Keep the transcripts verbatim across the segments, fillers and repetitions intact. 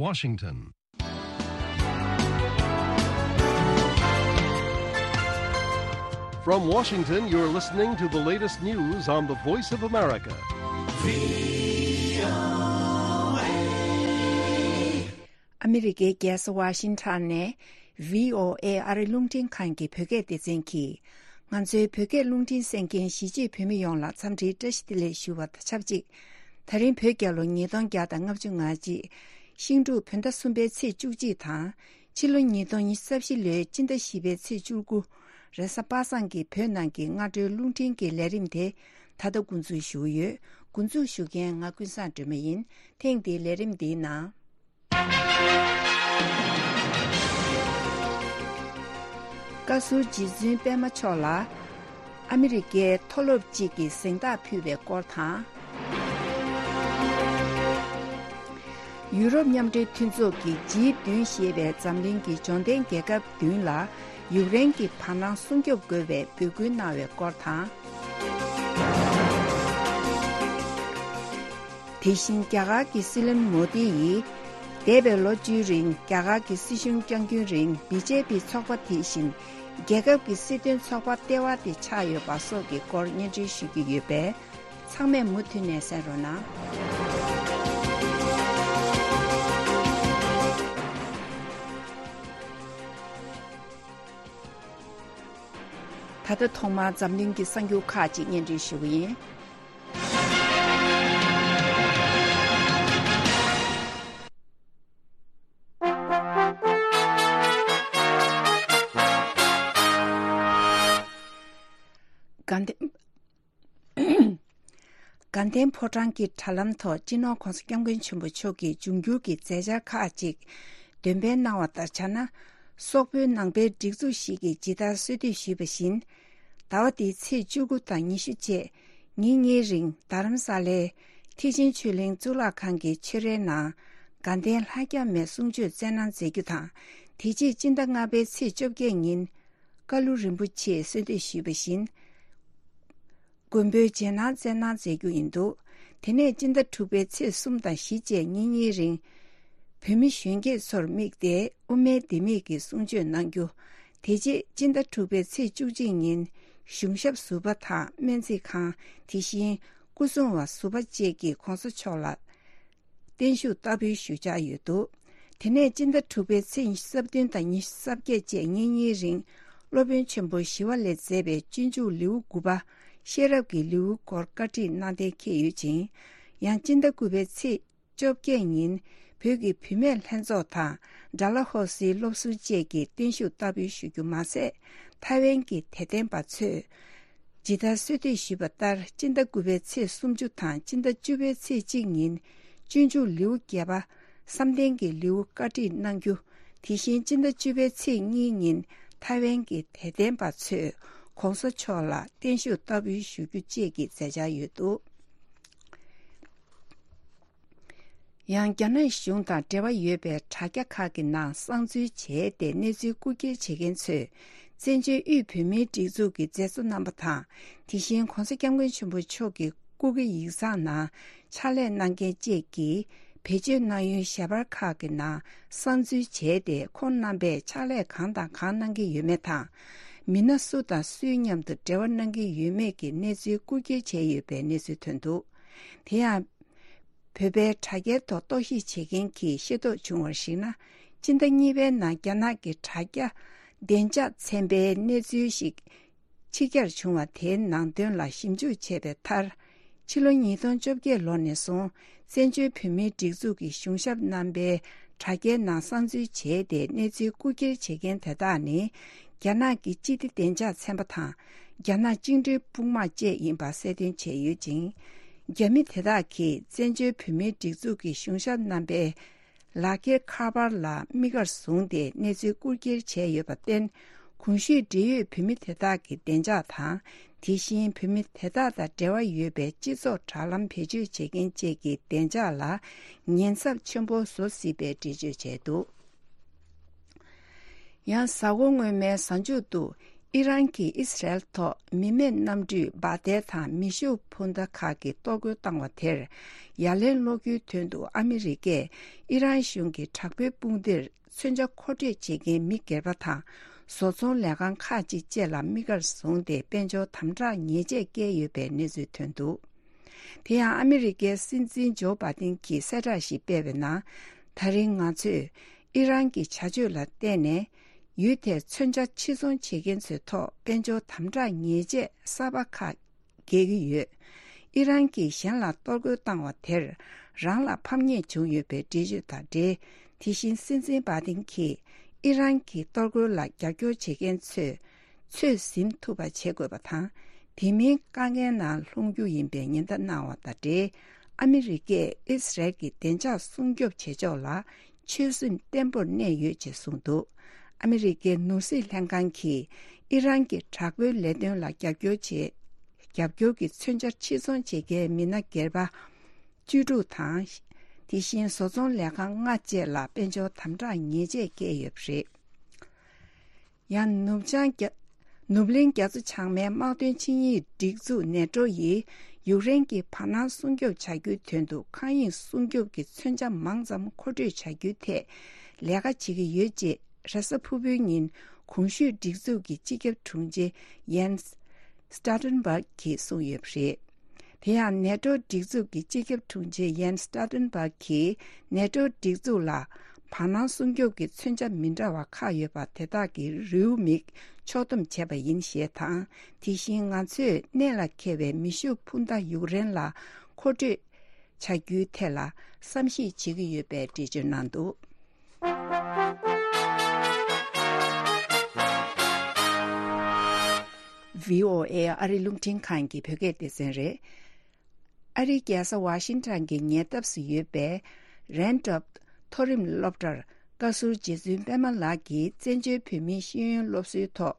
Washington. From Washington, you're listening to the latest news on the Voice of America. ཨ་མི་རི་ཀའི་རྒྱལ་ས་ཝ་ཤིང་ཊོན་ནས་བྷི་ཨོ་ཨེ་ཨ་རི་རླུང་འཕྲིན་ཁང་གི་བོད་སྐད་སྡེ་ཚན་གྱིས། ང་ཚོའི་བོད་སྐད་རླུང་འཕྲིན་གསན་མཁན་གཞིས་བྱེས་བོད་མི་ཡོངས་ལ་འཚམས་འདྲིའི་བཀྲ་ཤིས་བདེ་ལེགས་ཞུ་བ་དང་ཆབས་ཅིག་ད་རིང་བོད་རྒྱལ་ལོ་ཉིས་སྟོང་བརྒྱ་དང་ལྔ་བཅུ་ང་གཅིག་ཤིང་འབྲུག་བོད་ཟླ་གསུམ་པའི་ཚེས་བཅུ་གཅིག་དང་། ཕྱི་ལོ་ཉིས་སྟོང་ཉི་ཤུ་རྩ་བཞི་ལོའི་སྤྱི་ཟླ་བཞི་པའི་ཚེས་བཅུ་དགུ། རེས་གཟའ་པ་སངས་ཀྱི་བོད་ནང་གི་སྔ་དྲོའི་རླུང་འཕྲིན་གྱི་ལས་རིམ་དེ་ད་ལྟ་འགོ་འཛུགས་ཞུ་གི་ཡོད། འགོ་འཛུགས་ཞུ་མཁན་ང་ཀུན་བཟང་སྒྲོལ་མ་ཡིན། ཐེངས་འདིའི་ལས་རིམ་འདིའི་ནང་། བཀའ་ཟུར་རྗེ་བཙུན་པད་མ་མཆོག་ལ་ཨ་མི་རི་ཀའི་མཐོ་སློབ་ཅིག་གིས་གཟེངས་རྟགས་ཕུལ་བའི་སྐོར་དང་། ཡུ་རོབ་མཉམ་འབྲེལ་མཐུན་ཚོགས་ཀྱི་ཇི་བདུན་ཞེས་པའི་འཛམ་གླིང་གི་འབྱོར་ལྡན་རྒྱལ་ཁབ་བདུན་ལ་ཡུཀ་རེན་གྱི་བར་སྣང་སྲུང་སྐྱོབ་དགོས་པའི་འབོད་སྐུལ་གནང་བའི་སྐོར་དང་། དེ་བཞིན་རྒྱ་གར་གྱི་སྲིད་བློན་མོ་དི་ཡིས། འདས་པའི་ལོ་བཅུའི་རིང་རྒྱ་གར་གྱི་སྲིད་གཞུང་བསྐྱངས་རྒྱུན་རིང་བི་ཇེ་པི་ཚོགས་པ་དེ་བཞིན་རྒྱལ་ཁབ་ཀྱི་སྲིད་དོན་ཚོགས་པ་ལྟེ་བ་དེ་ཆགས་ཡོད་པ་སོགས་ཀྱི་སྐོར་སྙན་སྒྲོན་ཞུ་རྒྱུ་ཡོད་པས། ཚང་མས་མུ་མཐུད་ནས་གསན་རོགས་གནང་། ད་ལྟ་ཐོག་མར་འཛམ་གླིང་གི་གསར་འགྱུར་ཁག་ཅིག་སྙན་སྒྲོན་ཞུ་གི་ཡིན། དགའ་ལྡན་དགའ་ལྡན་ཕོ་བྲང་གི་དྲ་ལམ་ཐོག་སྤྱི་ནོར་༧གོང་ས་༧སྐྱབས་མགོན་ཆེན་པོ་མཆོག་གི་འབྱུང་འགྱུར་གྱི་མཛད་འཆར་ཁག་ཅིག་འདོན་སྤེལ་གནང་བ་ལྟར་ཆགས་ན། སོག་པོའི་ནང་པའི་སྒྲིག་འཛུགས་ཤིག་གིས་ཇི་ལྟར་གསོལ་འདེབས་ཞུས་པ་བཞིན། ཟླ་བ་འདིའི་ཚེས་བཅུ་དགུ་དང་ཉི་ཤུ་བཅས་ཉིན་གཉིས་རིང་རྡ་རམ་ས་ལའི་ཐེག་ཆེན་ཆོས་གླིང་གཙུག་ལག་ཁང་གི་ཆོས་རའི་ནང་དགའ་ལྡན་ལྷ་བརྒྱ་མའི་གསུང་ཆོས་སྩལ་གནང་མཛད་རྒྱུ་དང་། དེ་རྗེས་སྤྱི་ཟླ་ལྔ་པའི་ཚེས་བཅོ་བརྒྱད་ཉིན་ཀ་ལུ་རིན་པོ་ཆེས་གསོལ་འདེབས་ཞུས་པ་བཞིན། མགོན་པོའི་རྗེས་གནང་སྩལ་གནང་མཛད་རྒྱུ་ཡིན་འདུག་དེ་ནས་སྤྱི་ཟླ་དྲུག་པའི་ཚེས་གསུམ་དང་བཞི་བཅས་ཉིན་གཉིས་རིང་། བོད་མི་གཞོན་སྐྱེས་ཚོར་དམིགས་ཏེ་དབུ་མའི་ལྡེ་མིག་གི་གསུང་ཆོས་གནང་རྒྱུ། དེ་རྗེས་སྤྱི་ཟླ་དྲུག་པའི་ཚེས་བཅུ་གཅིག་ཉིན་གཞུང་ཞབས་ཟུར་པ་དང་སྨན་རྩིས་ཁང་། དེ་བཞིན་སྐུ་སྲུང་བ་ཟུར་པ་བཅས་ཀྱིས་༧གོང་ས་མཆོག་ལ་བརྟན་བཞུགས་བསྟར་འབུལ་ཞུ་འཆར་ཡོད་འདུག་དེ་ནས་སྤྱི་ཟླ་དྲུག་པའི་ཚེས་ཉི་ཤུ་རྩ་བདུན་དང་ཉི་ཤུ་རྩ་བརྒྱད་བཅས་ཉིན་གཉིས་རིང་སློབ་དཔོན་ཆེན་པོ་ཞི་བ་ལྷས་མཛད་པའི་སྤྱོད་འཇུག་ལེའུ་དགུ་པ་ཤེས་རབ་ཀྱི་ལེའུ་སྐོར་བཀའ་ཁྲིད་གནང་གཏན་འཁེལ་ཡོད་ཅིང་། ཡང་སྤྱི་ཟླ་དགུ་པའི་ཚེས་བཅོ་བརྒྱད་ཉིན་བོད་ཀྱི་བུད་མེད་ལྷན་ཚོགས་དང་ཌལ་ཧོ་སིའི་སློབ་ཟུར་བཅས་ཀྱིས་བརྟན་བཞུགས་བསྟར་འབུལ་ཞུ་རྒྱུ་མ་ཟད། ཐའེ་ཝན་གྱི་དད་ལྡན་པ་ཚོས་ཇི་ལྟར་གསོལ་འདེབས་ཞུས་པ་ལྟར་སྤྱི་ཟླ་དགུ་པའི་ཚེས་སུམ་ཅུ་དང་སྤྱི་ཟླ་བཅུ་པའི་ཚེས་གཅིག་ཉིན་སྤྱོད་འཇུག་ལེའུ་བརྒྱད་པ་བསམ་གཏན་གྱི་ལེའུ་བཀའ་ཁྲིད་གནང་རྒྱུ། དེ་བཞིན་སྤྱི་ཟླ་བཅུ་པའི་ཚེས་གཉིས་ཉིན་ཐའེ་ཝན་གྱི་དད་ལྡན་པ་ཚོས་༧གོང་ས་མཆོག་ལ་བརྟན་བཞུགས་བསྟར་འབུལ་ཞུ་རྒྱུ་བཅས་ཀྱི་མཛད་འཆར་ཡོད་འདུག་ཡང་རྒྱ་ནག་གཞུང་དང་འབྲེལ་བ་ཡོད་པའི་དྲ་རྒྱ་ཁག་གི་ནང་གསང་འཛུལ་བྱས་ཏེ་གནས་ཚུལ་རྐུ་འཁྱེར་བྱེད་མཁན་ཚོས་བཙན་བྱོལ་དབུས་བོད་མིའི་སྒྲིག་འཛུགས་ཀྱི་མཛད་གཙོ་རྣམ་པ་དང་། དེ་བཞིན་༧གོང་ས་༧སྐྱབས་མགོན་ཆེན་པོ་མཆོག་གི་སྐུ་སྒེར་ཡིག་ཚང་ནང་ཕྱག་ལས་གནང་མཁན་བཅས་ཀྱིས་བེད་སྤྱོད་གནང་ཡུལ་ཞལ་པར་ཁག་གི་ནང་གསང་འཛུལ་བྱས་ཏེ་ཁོང་རྣམ་པས་ཕྱག་ལས་གང་དང་གང་གནང་གི་ཡོད་མེད་དང་། མི་སྣ་སུ་དང་སུའི་མཉམ་དུ་འབྲེལ་བ་གནང་གི་ཡོད་མེད་ཀྱི་གནས་ཚུལ་རྐུ་འཁྱེར་བྱས་ཡོད་པའི་གནས་ཚུལ་ཐོན་འདུག་དེ་ཡང་། བོད་པའི་དྲ་རྒྱའི་ཐོག་རྟོག་ཞིབ་བྱེད་མཁན་གྱིས་ཤེས་རྟོགས་བྱུང་བར་གཞིགས་ན། སྤྱི་ཟླ་གཉིས་པའི་ནང་རྒྱ་ནག་གི་དྲ་རྒྱ་བདེ་འཇགས་ཚན་པའི་གནས་ཚུལ་ཞིག་ཕྱི་གྱར་བྱུང་བ་དེའི་ནང་དོན་ལ་ཞིབ་འཇུག་བྱས་པའི་མཐར། ཕྱི་ལོ་ཉིས་སྟོང་བཅོ་བརྒྱད་ལོ་ནས་བཟུང་བཙན་བྱོལ་བོད་མིའི་སྒྲིག་འཛུགས་ཀྱི་གཞུང་ཞབས་རྣམ་པའི་དྲ་རྒྱའི་ནང་གསང་འཛུལ་བྱས་ཏེ་གནས་ཚུལ་རྐུ་འཁྱེར་བྱེད་མཁན་དེ་དག་ནི། རྒྱ་ནག་གི་སྤྱི་བདེ་བདེ་འཇགས་ཚན་པ་དང་། རྒྱ་ནག་བཅིངས་འགྲོལ་དཔུང་དམག་བཅས་ཡིན་པ་གསལ་སྟོན་བྱས་ཡོད་ཅིང་། རྒྱ་མི་དེ་དག་གིས་བཙན་བྱོལ་བོད་མིའི་སྒྲིག་འཛུགས་ཀྱི་གཞུང་ཞབས་རྣམ་པའི་ལག་འཁྱེར་ཁ་པར་ལ་དམིགས་བཀར་བཟུང་སྟེ་གནས་ཚུལ་རྐུ་འཁྱེར་བྱས་ཡོད་པར་བརྟེན། གོང་ཞུས་འབྲེལ་ཡོད་བོད་མི་དེ་དག་གི་བདེ་འཇགས་དང་། དེ་བཞིན་བོད་མི་དེ་དག་དང་འབྲེལ་བ་ཡོད་པའི་སྤྱི་ཚོགས་དྲ་ལམ་བེད་སྤྱོད་བྱེད་མཁན་བཅས་ཀྱི་བདེ་འཇགས་ལ་ཉེན་ཚབས་ཆེན་པོ་བཟོ་སྲིད་པའི་འགྲེལ་བརྗོད་བྱས་འདུག་ཡང་གཟའ་འཁོར་སྔོན་མའི་གཟའ་མཇུག་ཏུ་ ཨི་རན་གྱིས་ཨི་སི་རལ་ཐོག་མི་མེད་གནམ་གྲུས་འབར་མདེལ་དང་མེ་ཤུགས་འཕུར་མདའ་ཁག་གི་གཏོར་རྒོལ་བཏང་བ་དེར་ཡ་ལན་སློག་རྒྱུའི་དོན་དུ་ཨ་མི་རི་ཀས་ཨི་རན་གཞུང་གི་དྲག་པོའི་དཔུང་སྡེར་མཚོན་ཆ་མཁོ་སྤྲོད་བྱེད་མཁན་མི་སྒེར་པ་དང་བཟོ་ཚོང་ལས་ཁང་ཁག་ཅིག་བཅས་ལ་དམིགས་བཀར་བཟུང་སྟེ་དཔལ་འབྱོར་དམ་དྲག་ཉེས་ཆད་བཀལ་ཡོད་པའི་གནས་ཚུལ་ཐོན་འདུག་དེ་ཡང་ཨ་མི་རི་ཀའི་སྲིད་འཛིན་ཇོ་བྷ་དིན་གྱིས་གསལ་བསྒྲགས་ཤིག་སྤེལ་བའི་ནང་། ད་རིང་ང་ཚོས་ཨི་རན་གྱི་བྱ་སྤྱོད་ལ་བརྟེན་ནས་ཡུལ་དེར་མཚོན་ཆ་ཕྱིར་ཚོང་བྱེད་མཁན་ཚོའི་ཐོག་དཔལ་འབྱོར་དམ་དྲག་ཉེས་ཆད་གསར་པ་ཁག་འགེལ་གྱི་ཡོད། ཨི་རན་གྱིས་གཞན་ལ་གཏོར་རྒོལ་བཏང་བ་དེར་རང་ལ་ཕམ་ཉེས་བྱུང་ཡོད་པའི་འགྲེལ་བརྗོད་དང་འབྲེལ། དེ་བཞིན་སྲིད་འཛིན་བྷ་དིན་གྱིས་ཨི་རན་གྱི་གཏོར་རྒོལ་ལ་རྒྱབ་སྐྱོར་བྱེད་མཁན་ཚོས་ཚོད་ཟིན་ཐུབ་པ་བྱེད་དགོས་པ་དང་། དེ་མིན་དཀའ་ངལ་ནང་ལྷུང་རྒྱུ་ཡིན་པའི་ཉེན་བརྡ་གནང་བ་དང་འབྲེལ། ཨ་མི་རི་ཀས་ཨི་སི་རལ་གྱི་བདེ་འཇགས་སྲུང་སྐྱོབ་བྱེད་ཕྱོགས་ལ་ཆོད་སེམས་བརྟན་པོར་གནས་ཡོད་ཅེས་གསུངས་འདུག་ཨ་མི་རི་ཀའི་ནོར་སྲིད་ལྷན་ཁང་གིས་ཨི་རན་གྱི་དྲག་པོའི་ལས་དོན་ལ་རྒྱབ་སྐྱོར་བྱེད། རྒྱབ་སྐྱོར་གྱི་མཚོན་ཆ་ཕྱིར་ཚོང་བྱེད་མཁན་མི་སྣ་སྒེར་པ་བཅུ་དྲུག་དང་། དེ་བཞིན་བཟོ་ཚོང་ལས་ཁང་ལྔ་བཅས་ལ་དཔལ་འབྱོར་དམ་དྲག་ཉེས་ཆད་བཀལ་ཡོད་པ་རེད། ཡང་ནུབ་བྱང་རྒྱ། ནུབ་གླིང་རྒྱ་མཚོ་བྱང་མའི་དམག་དོན་ཆིངས་ཡིག་སྒྲིག་འཛུགས་ནེ་ཏྲོ་ཡིས་ཡུཀ་རེན་གྱི་བར་སྣང་སྲུང་སྐྱོབ་བྱ་རྒྱུའི་དོན་དུ་མཁའ་དབྱིངས་སྲུང་སྐྱོབ་ཀྱི་མཚོན་ཆ་མང་ཙམ་མཁོ་སྤྲོད་བྱ་རྒྱུའི་ཐད་ལས་ཀ་བྱེད་ཀྱི་ཡོད་ཅེས་རེས་གཟའ་ཕུར་བུའི་ཉིན་གོང་ཞུས་སྒྲིག་འཛུགས་ཀྱི་སྤྱི་ཁྱབ་དྲུང་ཆེ་ཡེན་སི་སི་ཏོལ་ཏན་བྷག་གིས་གསུངས་ཡོད་པ་རེད། དེ་ཡང་ནེ་ཏོ་སྒྲིག་འཛུགས་ཀྱི་སྤྱི་ཁྱབ་དྲུང་ཆེ་ཡེན་སི་སི་ཏོལ་ཏན་བྷག་གིས་ནེ་ཏོ་སྒྲིག་འཛུགས་ལ་བར་སྣང་སྲུང་སྐྱོབ་ཀྱི་མཚོན་ཆ་མི་འདྲ་བ་ཁག་ཡོད་པ་དེ་དག་གི་རེའུ་མིག་ཕྱོགས་བསྡོམས་བྱས་པ་ཡིན་ཞེས་དང་། དེ་བཞིན་ང་ཚོས་གནད་ལ་འཁེལ་བའི་མེ་ཤུགས་འཕུར་མདའ་ཡུཀ་རེན་ལ་མཁོ་སྤྲོད་བྱ་རྒྱུའི་ཐད་ལ་བསམ་གཞིག་བྱེད་ཀྱི་ཡོད་པའི་འགྲེལ་བརྗོད་གནང་འདུག་ཝི་ཨོ་ཨེ་ཨ་རི་རླུང་འཕྲིན་ཁང་གི་བོད་སྐད་སྡེ་ཚན་རེད། ཨ་རིའི་རྒྱལ་ས་ཝ་ཤིང་ཊོན་གྱི་ཉེ་འདབས་སུ་ཡོད་པའི་རན་ཊོབ་མཐོ་རིམ་སློབ་གྲྭར་བཀའ་ཟུར་རྗེ་བཙུན་པད་མ་ལགས་ཀྱིས་བཙན་བྱོལ་བོད་མིའི་ཤེས་ཡོན་སློབ་གསོའི་ཐོག་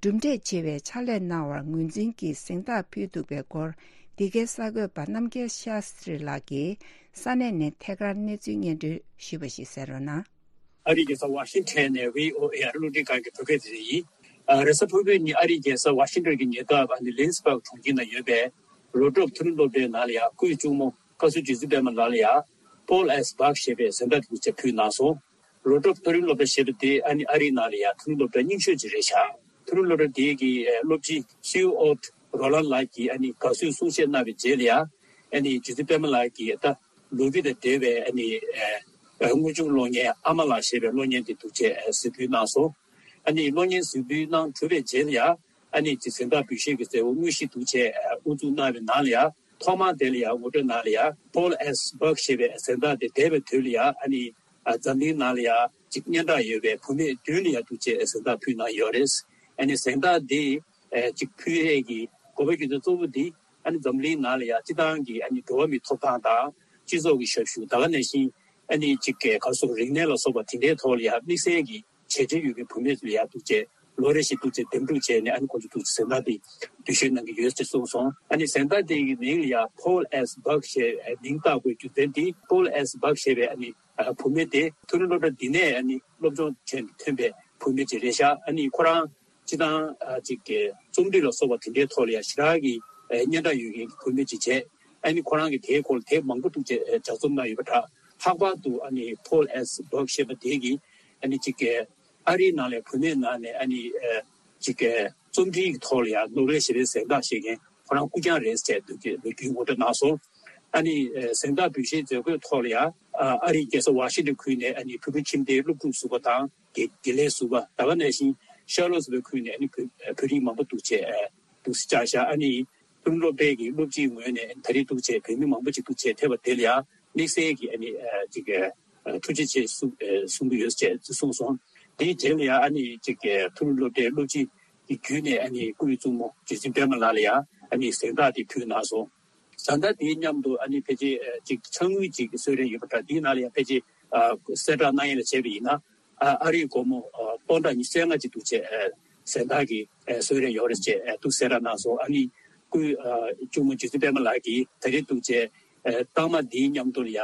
གྲུབ་འབྲས་ཆེ་བའི་ཕྱག་ལས་གནང་བར་ངོས་འཛིན་གྱིས་གཟེངས་རྟགས་ཕུལ་འདུག་པའི་སྐོར། འདི་གའི་གསར་འགོད་པ་རྣམ་རྒྱལ་ཤཱ་སྟྲི་ལགས་ཀྱིས་ས་གནས་ནས་ཐད་ཀར་གནས་ཚུལ་སྙན་སྒྲོན་ཞུས་པ་ཞིག་གསན་རོགས་གནང་། ཨ་རིའི་རྒྱལ་ས་ཝ་ཤིང་ཊོན་ནས་ཝི་ཨོ་ཨེ་ཨ་རི་རླུང་འཕྲིན་ཁང་གི་བོད་སྐད་སྡེ་ཚན་ཡིན། ཨ། རེས་གཟའ་ཕུར་བུའི་ཉིན་ཨ་རིའི་རྒྱལ་ས་ཝ་ཤིང་ཊོན་གྱི་ཉེ་འདབས་ཨ་ནི་ལིན་སི་བྷག་གྲོང་ཁྱེར་ན་ཡོད་པའི་ལོ་ཊོབ་མཐོ་རིམ་སློབ་གྲྭའི་ནང་ལ་ཡང་སྐུའི་གཅུང་མོ་བཀའ་ཟུར་རྗེ་བཙུན་པད་མ་ལགས་ལ་ཡང་Paul S. Buck ཞེས་པའི་གཟེངས་རྟགས་དེ་ཅིག་ཕུལ་གནང་སོང་། ལོ་ཊོབ་མཐོ་རིམ་སློབ་གྲྭ་ཞེས་པ་དེ་ཨ་ནི་ཨ་རིའི་ནང་ལ་ཡང་མཐོ་རིམ་སློབ་གྲྭ་རྙིང་ཤོས་ཅིག་རེད་ཤག་མཐོ་རིམ་སློབ་གྲྭ་དེའི་གི་སློབ་སྤྱི་སིའུ་ཨོ་ཊི་རོ་ལན་ལགས་ཀྱིས་ཨ་ནི་དགའ་བསུའི་གསུང་བཤད་གནང་བའི་རྗེས་ལ་ཡང་ཨ་ནི་རྗེ་བཙུན་པད་མ་ལགས་ཀྱིས་ད། ལོ་རྒྱུས་དང་འབྲེལ་བའི་ཨ་ནི་ཨ་དངོས་བྱུང་གློག་བརྙན་ཨ་མ་ལགས་ཞེས་པའི་གློག་བརྙན་དེ་འདུག་ཅེས་གཟིགས་འབུལ་གནང་སོང་། ཨ་ནི་གློག་བརྙན་གཟིགས་འབུལ་གནང་གྲུབ་པའི་རྗེས་ལ་ཡང་ཨ་ནི་ཅིག་གཟེངས་རྟགས་འབུལ་བཞེས་ཀྱི་མཛད་སྒོ་དངོས་གཞི་འདུག་ཅེས་དབུ་འཛུགས་གནང་བའི་ནང་ལ་ཡང་ཐོག་མར་དེ་ལ་ཡང་ངོ་སྤྲོད་ནང་ལ་ཡང་Paul S. Buck ཞེས་པའི་གཟེངས་རྟགས་དེ་འདས་པའི་དུས་ལ་ཡང་ཨ་ནི་འཛམ་གླིང་ནང་ལ་ཡང་ཅིག་སྙན་གྲགས་ཡོད་པའི་བུད་མེད་བདུན་ལ་ཡང་འདུག་ཅེས་གཟེངས་རྟགས་ཕུལ་གནང་ཡོད་རེད། ཨ་ནི་གཟེངས་རྟགས་འདི་ཅིག་ཕུལ་ཡས་ཀྱི་དགོས་པ་རྒྱུ་མཚན་གཙོ་བོ་འདི། ཨ་ནི་འཛམ་གླིང་ནང་ལ་ཡང་སྤྱི་བཏང་གི་ཨ་ནི་འགྲོ་བ་མིའི་ཐོབ་ཐང་དང་སྤྱི་ཚོགས་ཀྱི་ཞབས་ཞུ་ད་ག་ནང་བཞིན་ཨ་ནི་ཅིག་གི་ག་སོགས་རིག་གནས་ལ་སོགས་པ་དེ་འདྲའི་ཐོག་ལ་ཡང་དམིགས་བསལ་གྱི་བྱས་རྗེས་ཡོད་པའི་བུད་མེད་ཚོ་ལ་ཡང་འདུག་ཅེས་ལོ་རེ་བཞིན་འདུག་ཅེས་འདེམས་སྒྲུག་བྱས་ནས་ཨ་ནི་ཁོང་ཚོ་འདུག་ཅེས་གཟེངས་རྟགས་དེ་འབུལ་བཞེས་གནང་གི་ཡོད་ཅེས་གསུངས་སོང་། ཨ་ནི་གཟེངས་རྟགས་དེ་གི་མིང་ལ་ཡང་Paul S. Buck ཞེས་མིང་བཏགས་དགོས་རྒྱུ་མཚན་དེ་Paul S. Buck ཞེས་པའི་ཨ་ནི་བུད་མེད་དེ་མཐོ་རིམ་སློབ་གྲྭ་འདི་ནས་ཨ་ནི་སློབ་སྦྱོང་བྱས་ནས་ཐོན་པའི་བུད་མེད་ཅིག་རེད་ཤག་ཨ་ནི་ཁོ་རང་སྤྱི་བཏང་ཅིག་གི་རྩོམ་རིག་ལ་སོགས་པ་དེ་འདྲའི་ཐོག་ལ་ཡང་ཞེ་དྲག་གི་སྙན་གྲགས་ཡོད་མཁན་གྱི་བུད་མེད་ཅིག་བྱས། ཨ་ནི་ཁོ་རང་གིས་དེའི་སྐོར་ལ་དེབ་མང་པོ་འདུག་ཅེས་ལྗགས་རྩོམ་གནང་ཡོད་པ་འདྲ། ལྷག་པར་དུ་ཨ་ནི་Paul S. Buck ཞེས་པ་དེ་གིས་ཨ་ནི་ཅིག་གི་ཨ་རིའི་ནང་ལ་བུད་མེད་ནང་ནས་ཨ་ནི་ཅིག་གི་རྩོམ་རིག་གི་ཐོག་ལ་ཡང་ནོ་བེལ་ཞི་བདེའི་གཟེངས་རྟགས་བཞེས་མཁན་ཁོ་རང་སྐུ་རྐྱང་རེད་ཟེར་འདུག་ཅེས་ལོ་རྒྱུས་ངོ་སྤྲོད་གནང་སོང་། ཨ་ནི་གཟེངས་རྟགས་འབུལ་བཞེས་མཛད་སྒོའི་ཐོག་ལ་ཡང་ཨ་རིའི་རྒྱལ་ས་ཝ་ཤིང་ཏོན་ཁུལ་ནས་ཨ་ནི་བོད་ཕྲུག་ཁྱིམ་སྡེའི་སློབ་ཕྲུག་ཟུར་པ་དང་དགེ་དགེ་ལས་ཟུར་པ་ད་ག་ནང་བཞིན་ཤར་ལོ་སི་ཝིལ་ཁུལ་ནས་ཨ་ནི་བོད་བོད་རིགས་མང་པོ་འདུག་ཅེས་འདུག་སེ་བཅར་ཤག་ཨ་ནི་མཐོ་རིམ་སློབ་གྲྭའི་གི་སློབ་སྤྱིའི་ངོས་ནས་ད་རེས་འདུག་ཅེས་བོད་མི་མང་པོ་ཅིག་འདུག་ཅེས་ཐེབས་པ་དེ་ལ་ཡང་དམིགས་བསལ་གྱི་ཨ་ནི་ཅིག་ཐུགས་རྗེ་ཆེ་གསུང་གསུང་གི་ཡོད་ཅེས་གསུངས་སོང་། དེའི་རྗེས་ལ་ཡང་ཨ་ནི་ཅིག་མཐོ་རིམ་སློབ་གྲྭའི་སློབ་སྤྱི་གི་བརྒྱུད་ནས་ཨ་ནི་སྐུའི་གཙུག་མོ་རྗེ་བཙུན་པད་མ་ལགས་ལ་ཡང་ཨ་ནི་གཟེངས་རྟགས་དེ་ཕུལ་གནང་སོང་། གཟེངས་རྟགས་དེའི་མཉམ་དུ་ཨ་ནི་ཕལ་ཆེར་ཅིག་ཕྱག་དངུལ་ཅིག་གསོལ་རས་ཡོད་པ་འདྲ། དེའི་ནང་ལ་ཡང་ཕལ་ཆེར་གསལ་བསྒྲགས་གནང་ཡས་ལ་བྱས་པ་ཡིན་ན། ཨ་རིའི་སྒོར་མོ་སྟོང་ཕྲག་ཉི་ཤུ་རྩ་ལྔ་ཅིག་འདུག་ཅེས་གཟེངས་རྟགས་ཀྱི་གསོལ་རས་ཡོད་རེད་ཅེས་འདུག་གསལ་བསྒྲགས་གནང་སོང་། ཨ་ནི་སྐུའི་གཅུང་མོ་རྗེ་བཙུན་པད་མ་ལགས་ཀྱིས་ད་རེས་འདུག་ཅེས་རྟགས་མ་འདིའི་མཉམ་དུ་ལ་ཡང་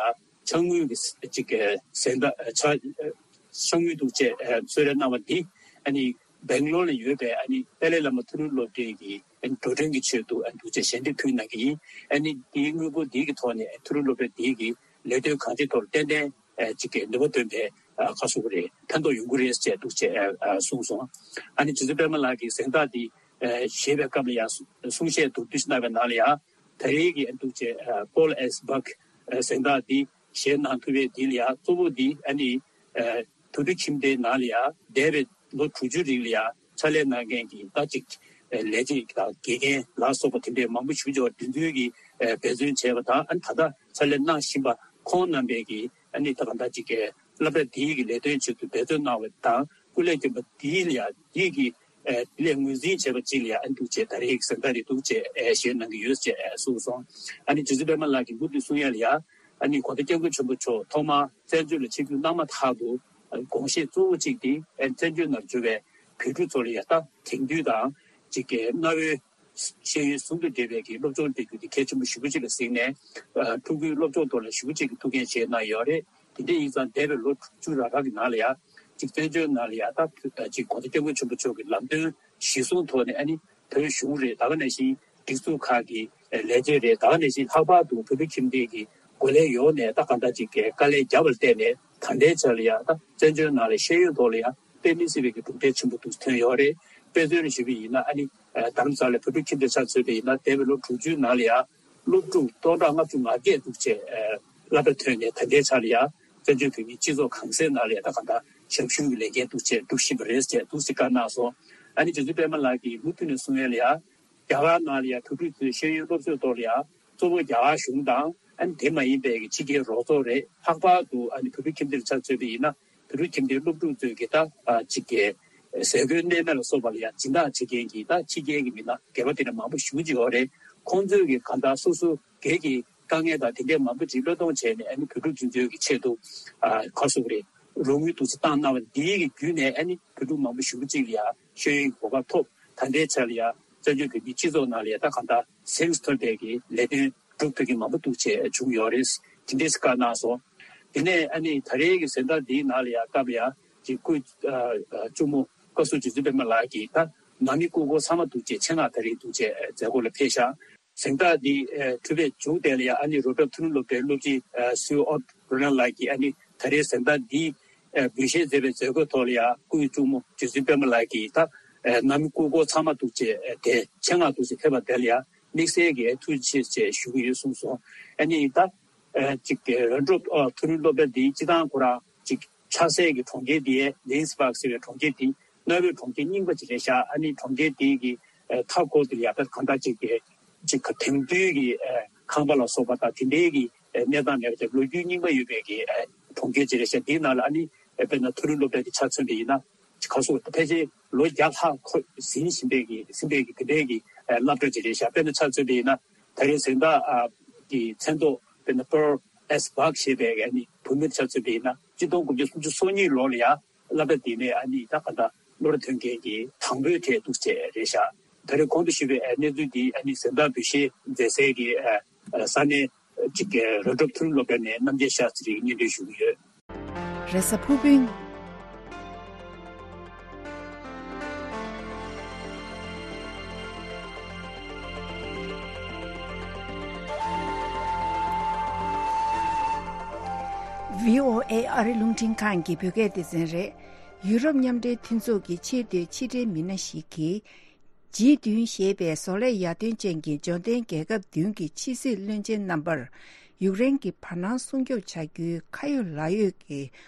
ཕྱག་དངུལ་གྱི་ཅིག་གཟེངས་རྟགས་ཕྱག་ཕྱག་དངུལ་འདུག་ཅེས་གསོལ་རས་གནང་བ་འདི་ཨ་ནི་ སྦེང་ལོར་ལ་ཡོད་པའི་ཨ་ནི་ཏཱ་ལའི་བླ་མ་མཐོ་རིམ་སློབ་གྲྭའི་གི་ཨ་ནི་འགྲོ་གྲོན་གྱི་ཆེད་དུ་ཨ་ནི་འདུག་ཅེས་ཞལ་འདེབས་ཕུལ་གནང་གི་ཡིན། ཨ་ནི་དེའི་དངུལ་སྒོར་དེའི་གི་ཐོག་ནས་མཐོ་རིམ་སློབ་གྲྭ་དེའི་གི་ལས་དོན་གང་ཅིའི་ཐོག་ཏན་ཏན་ཨ་ཅིག་གི་ནུས་པ་ཐོན་པའི་ཨ་ཁ་གསོ་གི་རེད། ཕན་ཐོགས་ཡོང་གི་རེད་ཅེས་འདུག་ཅེས་ཨ་གསུངས་སོང་། ཨ་ནི་རྗེ་བཙུན་པད་མ་ལགས་ཀྱིས་གཟེངས་རྟགས་འདི་ཨ་བཞེས་པའི་སྐབས་ལ་ཡང་གསུང་བཤད་མདོར་བསྡུས་ཤིག་གནང་བའི་ནང་ལ་ཡང་ད་རེས་ཀྱི་ཨ་འདུག་ཅེས་ཨ་པོལ་ཨེས་སྦག་ཨ་གཟེངས་རྟགས་འདི་བཞེས་གནང་ཐུབ་པའི་འདི་ལ་ཡང་གཙོ་བོ་འདི་ཨ་ནི་ཨ་བོད་ཕྲུག་ཁྱིམ་སྡེའི་ནང་ལ་ཡང་འདས་པའི་ལོ་དྲུག་ཅུ་རིང་ལ་ཡང་ཕྱག་ལས་གནང་མཁན་གྱི་ད་ཅིག་ལས་བྱེད་དང་དགེ་རྒན་ལ་སོགས་པ་དེ་འདྲའི་མང་པོ་ཞིག་འབྱོར་བ་དེ་ཚོའི་གི་འབད་བརྩོན་བྱས་པ་དང་། ཨ་ནི་ད་ལྟ་ཕྱག་ལས་གནང་བཞིན་པ་ཁོང་རྣམ་པས་ཀྱི་ཨ་ནི་ད་གང་ལྟར་ཅིག་གི་སློབ་གྲྭ་འདིའི་གི་ལས་དོན་ཆེད་དུ་འབད་བརྩོན་གནང་བ་དང་སྐུ་ལས་བསྐྱོན་པ་འདི་ལ་ཡང་འདི་གི་ཨ་དེ་ལས་ངོས་འཛིན་བྱས་པ་ཅིག་ལ་ཡང་ཨ་འདུག་ཅེས་ད་རེས་ཀྱི་གཟེངས་རྟགས་རེད་འདུག་ཅེས་ཨ་བཞེས་གནང་གི་ཡོད་ཅེས་གསུངས་སོང་། ཨ་ནི་རྗེ་བཙུན་པད་མ་ལགས་ཀྱིས་མུ་མཐུད་གསུང་ཡ་ལ་ཡང་ཨ་ནི་གོང་ས་སྐྱབས་མགོན་ཆེན་པོ་མཆོག་ཐོག་མར་བཙན་བྱོལ་ལ་ཆིབས་བསྒྱུར་གནང་མ་ཐག་ཏུ་དགོངས་བཞེད་གཙོ་བོ་གཅིག་དེ་ཨ་ནི་བཙན་བྱོལ་ནང་བྱུང་བའི་བོད་ཕྲུག་ཚོ་ལ་ཡང་ད་དེང་དུས་དང་ཅིག་གི་གནའ་བོའི་ཤེས་ཡོན་ཟུང་དུ་འབྲེལ་བའི་གི་སློབ་སྦྱོང་སྤྲད་རྒྱུ་དེ་གལ་ཆེན་པོ་ཞེ་པོ་ཅིག་ལ་གཟིགས་ནས། ཕྲུ་གུའི་སློབ་སྦྱོང་ཐོག་ལ་ཞེ་པོ་ཅིག་གི་ཐུགས་འགན་བཞེས་གནང་ཡོད་རེད། དེ་འདྲ་ཡིན་ཙང་འདས་པའི་ལོ་དྲུག་ཅུ་རེ་ལྔ་གི་ནང་ལ་ཡང་ཅིག་བཙན་བྱོལ་ནང་ལ་ཡང་ད་ཅིག་གོང་ས་སྐྱབས་མགོན་ཆེན་པོ་མཆོག་གི་ལམ་སྟོན་གཞིར་བཟུང་ཐོག་ནས་ཨ་ནི་བོད་གཞུང་རེད། ད་ག་ནང་བཞིན་སྒྲིག་འཛུགས་ཁག་གི་ལས་བྱེད་རེད། ད་ག་ནང་བཞིན་ལྷག་པར་དུ་བོད་ཕྲུག་ཁྱིམ་སྡེ་གི་འགོ་ལས་ཡོངས་ནས་ད་གང་ལྟར་ཅིག་གི་དཀའ་ལས་བརྒྱབ་པར་བརྟེན་ནས་ད་ལྟའི་ཆར་ལ་ཡང་ད་བཙན་བྱོལ་ནང་ལ་ཤེས་ཡོན་ཐོག་ལ་ཡང་དཔེ་མི་སྲིད་པའི་གི་གྲུབ་འབྲས་ཆེན་པོ་འདུག་ཐོན་ཡོད་རེད། དཔེ་མཚོན་ཞུས་པ་ཡིན་ན་ཨ་ནི་རྡ་རམ་ས་ལའི་བོད་ཕྲུག་ཁྱིམ་སྡེ་ཆ་མཚོན་པ་ཡིན་ན་འདས་པའི་ལོ་དྲུག་ཅུའི་ནང་ལ་ཡང་སློབ་ཕྲུག་སྟོང་ཕྲག་ལྔ་བཅུ་ང་བརྒྱད་འདུག་ཅེས་ཨ་སློབ་གྲྭ་ཐོན་ནས་ད་ལྟའི་ཆར་ལ་ཡང་བཙན་བྱོལ་བོད་མིའི་སྤྱི་ཚོགས་གང་སའི་ནང་ལ་ཡང་ད་གང་ལྟར་ཞབས་ཞུ་གི་ལས་འགན་འདུག་ཅེས་སྒྲུབ་བཞིན་པ་རེད་ཅེས་འདུག་སེ་བཀའ་གནང་སོང་། ཨ་ནི་རྗེ་བཙུན་པད་མ་ལགས་ཀྱིས་མུ་མཐུད་ནས་གསུང་ཡ་ལ་ཡང་རྒྱ་གར་ནང་ལ་ཡང་བོད་ཕྲུག་ཚོའི་ཤེས་ཡོན་སློབ་གསོའི་ཐོག་ལ་ཡང་གཙོ་བོ་རྒྱ་གར་གཞུང་དང་ཨ་ནི་དེ་མ་ཡིན་པའི་གི་ཕྱི་རྒྱལ་རོགས་ཚོགས་རེད། ལྷག་པར་དུ་ཨ་ནི་བོད་ཕྲུག་ཁྱིམ་སྡེ་ཆ་མཚོན་པ་ཡིན་ན་བོད་ཕྲུག་ཁྱིམ་སྡེའི་སློབ་ཕྲུག་ཚོས་གི་ད་ཨ་ཅིག་གི་ཟས་གོས་གནས་མལ་ལ་སོགས་པ་ལ་ཡང་སྦྱིན་བདག་བྱེད་མཁན་གྱི་ད་ཕྱི་རྒྱལ་གྱི་མི་སྣ་སྒེར་པ་དེ་འདྲ་མང་པོ་ཞེ་པོ་ཅིག་ཡོད་རེད། ཁོང་ཚོས་གི་གང་ལྟར་སོ་སོ་སྒེར་གྱི་དཀའ་ངལ་དང་དེ་འདྲའི་མང་པོ་ཅིག་བློས་གཏོང་བྱས་ནས་ཨ་ནི་བོད་ཕྲུག་དེ་ཚོའི་གི་ཆེད་དུ་ཨ་ག་རེ་ཟེར་དགོས་རེད། རོགས་དངུལ་འདུག་སེ་བཏང་གནང་བ་འདིའི་གི་བརྒྱུད་ནས་ཨ་ནི་བོད་ཕྲུག་མང་པོ་ཞེ་པོ་ཅིག་ལ་ཡང་ཤེས་ཡོན་གྱི་གོ་སྐབས་ཐོབ། ད་ལྟའི་ཆར་ལ་ཡང་བཙན་བྱོལ་བོད་མིའི་སྤྱི་ཚོགས་ནང་ལ་ཡང་ད་གང་ལྟར་གཟེངས་སུ་ཐོན་པའི་གི་ལས་དོན་སྒྲུབ་ཐུབ་མཁན་མང་པོ་འདུག་ཅེས་བྱུང་ཡོད་རེད། དེ་འདྲས་བཀའ་གནང་སོང་། དེ་ནས་ཨ་ནི་ད་རེས་ཀྱི་གཟེངས་རྟགས་འདིའི་ནང་ལ་ཡང་སྐབས་ཡང་ཅིག་སྐུ་ཨ་ཨ་གཅུང་མོ་བཀའ་ཟུར་རྗེ་བཙུན་པད་མ་ལགས་ཀྱིས་ད་ནང་མི་སྐུ་འཁོར་ཚང་མ་འདུག་ཅེས་ཆེད་མངགས་ད་རེས་འདུག་ཅེས་མཛད་སྒོ་ལ་ཕེབས་ཤག་གཟེངས་རྟགས་འདི་ཨ་གྲུབ་པའི་མཇུག་དེ་ལ་ཡང་ཨ་ནི་རོ་བྲག་མཐོ་རིམ་སློབ་གྲྭའི་སློབ་སྤྱི་ཨ་སུའུ་ཨོ་རོ་ན་ལགས་ཀྱིས་ཨ་ནི་ད་རེས་གཟེངས་རྟགས་འདི་ཨ་འབུལ་བཞེས་མཛད་པའི་མཛད་སྒོའི་ཐོག་ལ་ཡང་སྐུའི་གཅུང་མོ་རྗེ་བཙུན་པད་མ་ལགས་ཀྱིས་ད་ཨ་ནང་མི་སྐུ་འཁོར་ཚང་མ་འདུག་ཅེས་ཨ་དེ་ཆེད་མངགས་འདུག་ཅེས་ཕེབས་པ་དེ་ལ་ཡང་དམིགས་བསལ་གྱི་ཨ་ཐུགས་རྗེ་ཆེ་ཞུ་གི་ཡོད་གསུངས་སོང་། ཨ་ནི་ད་ཨ་ཅིག་རོ་བྲག་ཨ་མཐོ་རིམ་སློབ་གྲྭ་འདི་སྤྱི་བཏང་ཁོ་རང་ཅིག་ཆགས་སའི་གི་གྲོང་ཁྱེར་འདི་ལིན་སི་བྷག་ཟེར་བའི་གྲོང་ཁྱེར་འདི་གནའ་བོའི་གྲོང་ཁྱེར་རྙིང་པ་ཅིག་རེད་ཤག་ཨ་ནི་གྲོང་ཁྱེར་འདི་གི་ཨ་མཐའ་འཁོར་དེ་ལ་ཡང་ད་གང་ལྟར་ཅིག་གི་ཅིག་ག་དེང་དུས་ཀྱི་ཨ་ཁང་པ་ལ་སོགས་པ་དང་དེ་འདྲའི་གི་ཨ་གནས་སྟངས་མེད་པ་ཅིག་ལོ་རྒྱུས་རྙིང་པ་ཡོད་པའི་གི་ཨ་གྲོང་ཁྱེར་ཅིག་རེད་ཤག་འདིའི་ནང་ལ་ཨ་ནི་ཨ་དཔེར་ན་མཐོ་རིམ་སློབ་གྲྭ་གི་ཆ་མཚོན་པ་ཡིན་ན་ཅིག་ག་སོགས་ཕལ་ཆེར་ལོ་བརྒྱ་ལྷག་འཁོར་ཟིན་བཞིན་པའི་གི་ཟིན་པའི་གི་དེ་འདྲའི་གི་ཨ་སློབ་གྲྭ་ཅིག་རེད་ཤག་དཔེར་ན་ཆ་མཚོན་པ་ཡིན་ན་ད་རེས་གཟེངས་རྟགས་ཨ་གི་མཚན་ཐོག་དཔེར་ན་པོལ་ཨེས་སྦག་ཞེས་པའི་ཨ་ནི་བུད་མེད་ཆ་མཚོན་པ་ཡིན་ན་ཆིག་སྟོང་དགུ་བརྒྱ་སུམ་ཅུ་སོ་གཉིས་ལོ་ལ་ཡང་སློབ་གྲྭ་དེ་ནས་ཨ་ནི་ད་ག་ད་སློབ་གྲྭ་ཐོན་མཁན་གྱི་དང་པོའི་གྲས་འདུག་ཅེས་རེད་ཤག་ད་རེས་གོང་དུ་ཞུས་པའི་ཨ་གནས་ཚུལ་འདི་ཨ་ནི་གཟེངས་རྟགས་འབུལ་བཞེས་མཛད་སའི་གི་ཨ་ས་གནས་གཅིག་གི་རོ་བྲག་མཐོ་རིམ་སློབ་གྲྭ་ནས་རྣམ་རྒྱལ་ཤཱསྟྲི་ཡིས་སྙན་སྒྲོན་ཞུ་གི་ཡོད། རེས་གཟའ་ཕུར་བུ། བྷི་ཨོ་ཨེ་ཨ་རི་རླུང་འཕྲིན་ཁང་གི་བོད་སྐད་སྡེ་ཚན་རེད། ཡུ་རོབ་མཉམ་འབྲེལ་མཐུན་ཚོགས་ཀྱི་ཆེས་མཐོའི་ཕྱི་འབྲེལ་མི་སྣ་ཞིག་གིས། ཇི་བདུན་ཞེས་པའི་བཟོ་ལས་ཡར་ཐོན་ཅན་གྱི་འབྱོར་ལྡན་རྒྱལ་ཁབ་བདུན་གྱི་ཕྱི་སྲིད་བློན་ཆེན་རྣམ་པར། ཡུཀ་རེན་གྱི་བར་སྣང་སྲུང་སྐྱོབ་བྱ་རྒྱུའི་ཁ་ཡོད་ལག་ཡོད་ཀྱི་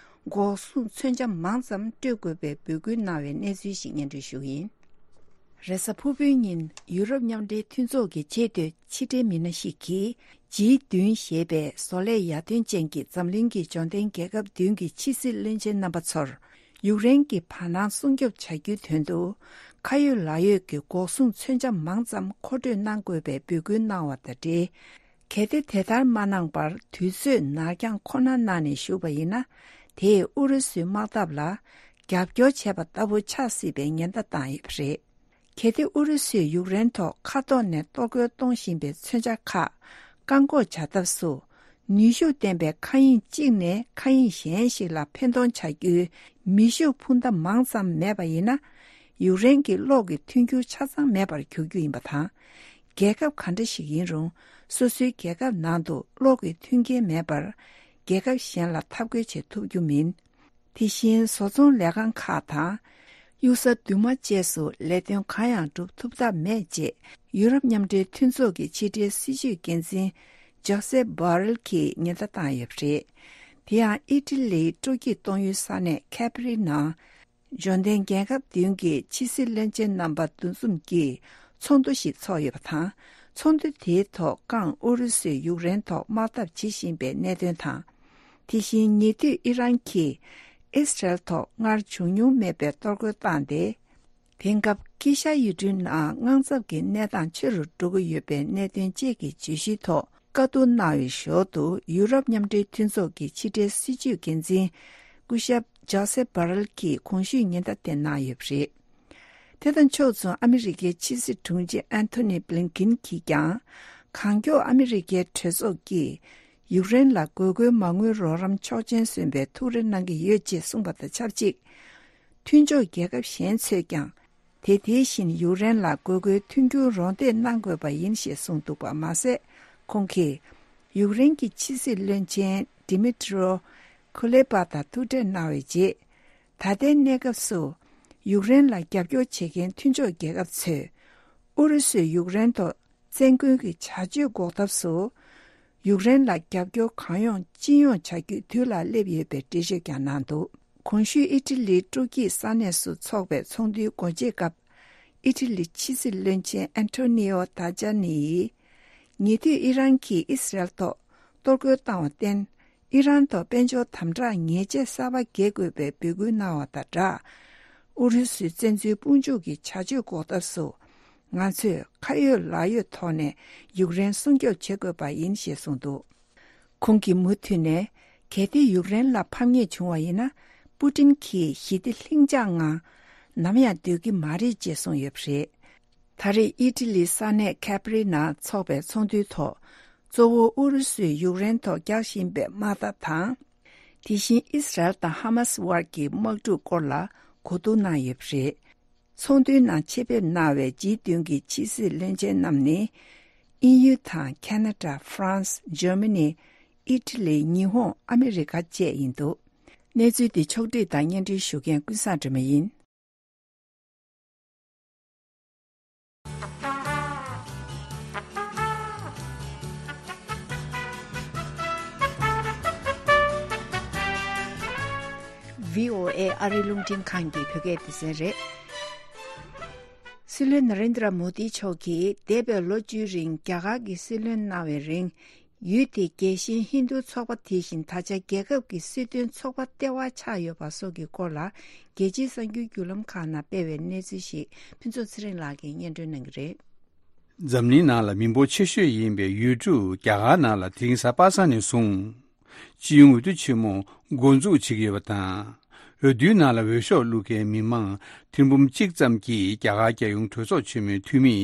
འགོག་སྲུང་མཚོན་ཆ་མང་ཙམ་སྤྲོད་དགོས་པའི་འབོད་སྐུལ་གནང་བའི་གནས་ཚུལ་ཞིག་སྙན་སྒྲོན་ཞུ་གི་ཡིན། རེས་གཟའ་ཕུར་བུའི་ཉིན་ཡུ་རོབ་མཉམ་འབྲེལ་མཐུན་ཚོགས་ཀྱི་ཆེས་མཐོའི་ཕྱི་འབྲེལ་མི་སྣ་ཞིག་གིས། ཇི་བདུན་ཞེས་པའི་བཟོ་ལས་ཡར་ཐོན་ཅན་གྱི་འཛམ་གླིང་གི་འབྱོར་ལྡན་རྒྱལ་ཁབ་བདུན་གྱི་ཕྱི་སྲིད་བློན་ཆེན་རྣམ་པ་ཚོར། ཡུཀ་རེན་གྱི་བར་སྣང་སྲུང་སྐྱོབ་བྱ་རྒྱུའི་དོན་དུ། ཁ་ཡོད་ལག་ཡོད་ཀྱི་འགོག་སྲུང་མཚོན་ཆ་མང་ཙམ་མཁོ་སྤྲོད་གནང་དགོས་པའི་འབོད་སྐུལ་གནང་བ་དང་འབྲེལ། གལ་ཏེ་དེ་ལྟར་མ་གནང་པར་དུས་ཚོད་ནར་འགྱངས་ཁོ་ན་གནང་ནས་བཞུགས་པ་ཡིན་ན། དེས་ཨུ་རུ་སུའི་དམག་འཐབ་ལ་རྒྱབ་སྐྱོར་བྱས་པ་ལྟ་བུ་ཆགས་སྲིད་པའི་ཉེན་བརྡ་བཏང་ཡོད་པ་རེད། གལ་ཏེ་ཨུ་རུ་སུས་ཡུཀ་རེན་ཐོག་མཁའ་ཐོག་ནས་གཏོར་རྒོལ་གཏོང་བཞིན་པའི་མཚོན་ཆ་ཁག་བཀག་འགོག་བྱ་ཐབས་སུ། ནུས་ཤུགས་ལྡན་པའི་མཁའ་དབྱིངས་གཅིག་ནས་མཁའ་དབྱིངས་གཞན་ཞིག་ལ་འཕེན་གཏོང་བྱ་རྒྱུའི་མེ་ཤུགས་འཕུར་མདའ་མང་ཙམ་མེད་པ་ཡིན་ན། ཡུཀ་རེན་གྱི་གློག་གི་མཐུན་འགྱུར་ཆ་ཚང་མེད་པར་འགྱུར་རྒྱུ་ཡིན་པ་དང་། རྒྱལ་ཁབ་ག་འདྲ་ཞིག་ཡིན་རུང་། སོ་སོའི་རྒྱལ་ཁབ་ནང་དུ་གློག་གི་མཐུན་རྐྱེན་མེད་པར། རྒྱལ་ཁབ་གཞན་ལ་འཐབ་རྒོལ་བྱེད་ཐུབ་རྒྱུ་མིན། དེ་བཞིན་བཟོ་ཚོང་ལས་ཁང་ཁག་དང་། གཡུག་ས་རྡུལ་མ་བཅས་སུ་ལས་དོན་གང་ཡང་སྒྲུབ་ཐུབ་ཐབས་མེད་ཅེས། ཡུ་རོབ་མཉམ་འབྲེལ་མཐུན་ཚོགས་ཀྱི་ཕྱི་འབྲེལ་སྲིད་ཇུས་འགན་འཛིན་ཇོ་སེ་བྷ་རེལ་གྱིས་ཉེན་བརྡ་བཏང་ཡོད་པ་རེད། དེ་ཡང་ཨི་ཊ་ལིའི་སྤྲོ་སྐྱིད་གཏོང་ཡུལ་ས་གནས་ཁེ་པ་རི་ནང་། འབྱོར་ལྡན་རྒྱལ་ཁབ་བདུན་གྱི་ཕྱི་སྲིད་བློན་ཆེན་རྣམ་པ་འདུ་འཛོམས་ཀྱིས་ཚོགས་འདུ་ཞིག་ཚོགས་ཡོད་པ་དང་། ཚོགས་འདུ་དེའི་ཐོག་ཀང་ཨུ་རུ་སུས་ཡུཀ་རེན་ཐོག་དམག་འཐབ་བྱེད་བཞིན་པའི་གནད་དོན་དང་། དེ་བཞིན་ཉེ་དུས་ཨི་རན་གྱིས་ཨིས་རལ་ཐོག་སྔར་བྱུང་མྱོང་མེད་པའི་གཏོར་རྒོལ་བཏང་སྟེ། དེང་སྐབས་དཀྱིལ་ཤར་ཡུལ་གྲུའི་ནང་དངངས་འཚབ་ཀྱི་གནས་སྟངས་ཆེ་རུ་འགྲོ་གི་ཡོད་པའི་གནད་དོན་བཅས་ཀྱི་བརྗོད་གཞིའི་ཐོག་བཀའ་བསྡུར་གནང་བའི་ཞོར་དུ། ཡུ་རོབ་མཉམ་འབྲེལ་མཐུན་ཚོགས་ཀྱི་ཕྱི་འབྲེལ་སྲིད་ཇུས་འགན་འཛིན་སྐུ་ཞབས་ཇོ་སེ་བྷ་རེལ་གྱིས་གོང་ཞུས་ཉེན་བརྡ་དེ་གནང་ཡོད་པ་རེད། དེ་དང་ཕྱོགས་མཚུངས། ཨ་མི་རི་ཀའི་ཕྱི་སྲིད་དྲུང་ཆེ་ཨན་ཐོ་ནི་བྷི་ལིན་ཀིན་གྱིས་ཀྱང་། གང་མགྱོགས་ཨ་མི་རི་ཀའི་གྲོས་ཚོགས་ཀྱིས་ཡུཀ་རེན་ལ་དགོས་མཁོའི་མ་དངུལ་རོགས་རམ་ཆོག་མཆན་སོན་པའི་ཐུགས་རེ་གནང་གི་ཡོད་ཅེས་གསུངས་པ་དང་ཆབས་ཅིག། མཐུན་ཕྱོགས་རྒྱལ་ཁབ་གཞན་ཚོས་ཀྱང་། དེ་དེ་བཞིན་ཡུཀ་རེན་ལ་དགོས་མཁོའི་མཐུན་འགྱུར་རོགས་འདེགས་གནང་དགོས་པ་ཡིན་ཞེས་གསུངས་འདུག་པ་མ་ཟད། ཁོང་གིས་ཡུཀ་རེན་གྱི་ཕྱི་སྲིད་བློན་ཆེན་ཌི་མི་ཏྲོ་ཁུ་ལེ་པ་དང་ཐུག་འཕྲད་གནང་བའི་རྗེས། ད་ལྟའི་གནས་སྐབས་སུ་ཡུཀ་རེན་ལ་རྒྱབ་སྐྱོར་བྱེད་མཁན་མཐུན་ཕྱོགས་རྒྱལ་ཁབ་ཚོས། ཨུ་རུ་སུས་ཡུཀ་རེན་ཐོག་བཙན་རྒོལ་གྱི་བྱ་སྤྱོད་འགོག་ཐབས་སུ། ཡུཀ་རེན་ལ་རྒྱབ་སྐྱོར་གང་ཡོང་ཅི་ཡོང་བྱ་རྒྱུའི་དུས་ལ་སླེབས་ཡོད་པའི་འགྲེལ་བརྗོད་ཀྱང་གནང་འདུག། གོང་ཞུས་ཨི་ཊ་ལིའི་སྤྲོ་སྐྱིད་ས་གནས་སུ་འཚོགས་པའི་ཚོགས་འདུའི་སྒོ་འབྱེད་སྐབས། ཨི་ཊ་ལིའི་ཕྱི་སྲིད་བློན་ཆེན་ཨན་ཐོ་ནི་ཨོ་ཏཱ་ཇཱ་ནི་ཡིས། ཉེ་དུས་ཨི་རན་གྱིས་ཨིས་རལ་ཐོག་གཏོར་རྒོལ་བཏང་བར་བརྟེན། ཨི་རན་ཐོག་དཔལ་འབྱོར་དམ་དྲག་ཉེས་ཆད་གསར་པ་འགེལ་དགོས་པའི་འབོད་སྐུལ་གནང་བ་དང་སྦྲགས། ཨུ་རུ་སུའི་བཙན་འཛུལ་དཔུང་འཇུག་གི་བྱ་སྤྱོད་འགོག་ཐབས་སུ། ང་ཚོས་ཁ་ཡོད་ལག་ཡོད་ཐོག་ནས་ཡུཀ་རེན་སྲུང་སྐྱོབ་བྱེད་དགོས་པ་ཡིན་ཞེས་གསུངས་འདུག། ཁོང་གིས་མུ་མཐུད་ནས། གལ་ཏེ་ཡུཀ་རེན་ལ་ཕམ་ཉེས་བྱུང་བ་ཡིན་ན། པུ་ཏིན་གྱིས་ཞི་བདེ་ལྷིང་འཇགས་ངང་ནམ་ཡང་སྡོད་ཀྱི་མ་རེད་ཅེས་གསུངས་ཡོད་པ་རེད། ད་རེས་ཨི་ཊ་ལིའི་ས་གནས་ཁེ་པ་རི་ནང་འཚོགས་པའི་ཚོགས་འདུའི་ཐོག། གཙོ་བོ་ཨུ་རུ་སུས་ཡུཀ་རེན་ཐོག་རྒྱག་བཞིན་པའི་དམག་འཐབ་དང་། དེ་བཞིན་ཨིས་རལ་དང་ཧ་མ་སི་དབར་གྱི་དམག་འཁྲུག་སྐོར་ལ་གོ་བསྡུར་གནང་ཡོད་པ་རེད། ཚོགས་འདུའི་ནང་ཆེད་ཕེབས་གནང་བའི་ཇི་བདུན་གྱི་ཕྱི་སྲིད་བློན་ཆེན་རྣམས་ནི། དབྱིན་ཡུལ་དང་ཁ་ན་ཌ། ཧྥ་རན་སི། འཇར་མ་ནི། ཨི་ཊ་ལི། ཉི་ཧོང་། ཨ་མི་རི་ཀ་བཅས་ཡིན་འདུག། གནས་ཚུལ་འདི་ཕྱོགས་བསྒྲིགས་དང་སྙན་སྒྲོན་ཞུ་མཁན་ཀུན་བཟང་སྒྲོལ་མ་ཡིན། བྷི་ཨོ་ཨེ་ཨ་རིའི་རླུང་འཕྲིན་ཁང་གི་བོད་སྐད་སྡེ་ཚན་རེད། སྲིད་བློན་ན་རེན་དྲ་མོ་དི་མཆོག་གིས་འདས་པའི་ལོ་བཅུའི་རིང་རྒྱ་གར་གྱི་སྲིད་བློན་གནང་བའི་རིང་། ཡུལ་དེའི་རྒྱལ་ཞེན་ཧིན་རྡུ་ཚོགས་པ་དེ་བཞིན་ད་ཆ་རྒྱལ་ཁབ་ཀྱི་སྲིད་དོན་ཚོགས་པ་ལྟེ་བ་ཆགས་ཡོད་པ་སོགས་ཀྱི་སྐོར་ལ། རྒྱལ་སྤྱིའི་གསར་འགྱུར་བརྒྱུད་ལམ་ཁག་ནང་སྤེལ་བའི་གནས་ཚུལ་ཞིག་ཕུན་ཚོགས་ཚེ་རིང་ལགས་ཀྱིས་སྙན་སྒྲོན་གནང་གི་རེད། འཛམ་གླིང་ནང་ལ་མི་འབོར་ཆེ་ཤོས་ཡིན་པའི་ཡུལ་གྲུ་རྒྱ་གར་ནང་ལ་དེ་རིང་གཟའ་པ་སངས་ནས་བཟུང་། སྤྱི་ཡོངས་འོས་བསྡུ་ཆེན་མོ་འགོ་འཛུགས་བྱེད་ཀྱི་ཡོད་པ་དང་། འོས་བསྡུའི་ནང་ལ་འོས་ཤོག་བླུག་མཁན་མི་མང་ཐེར་འབུམ་གཅིག་ཙམ་གྱིས་རྒྱ་གར་རྒྱལ་ཡོངས་གྲོས་ཚོགས་ཆེན་མོའི་འཐུས་མི་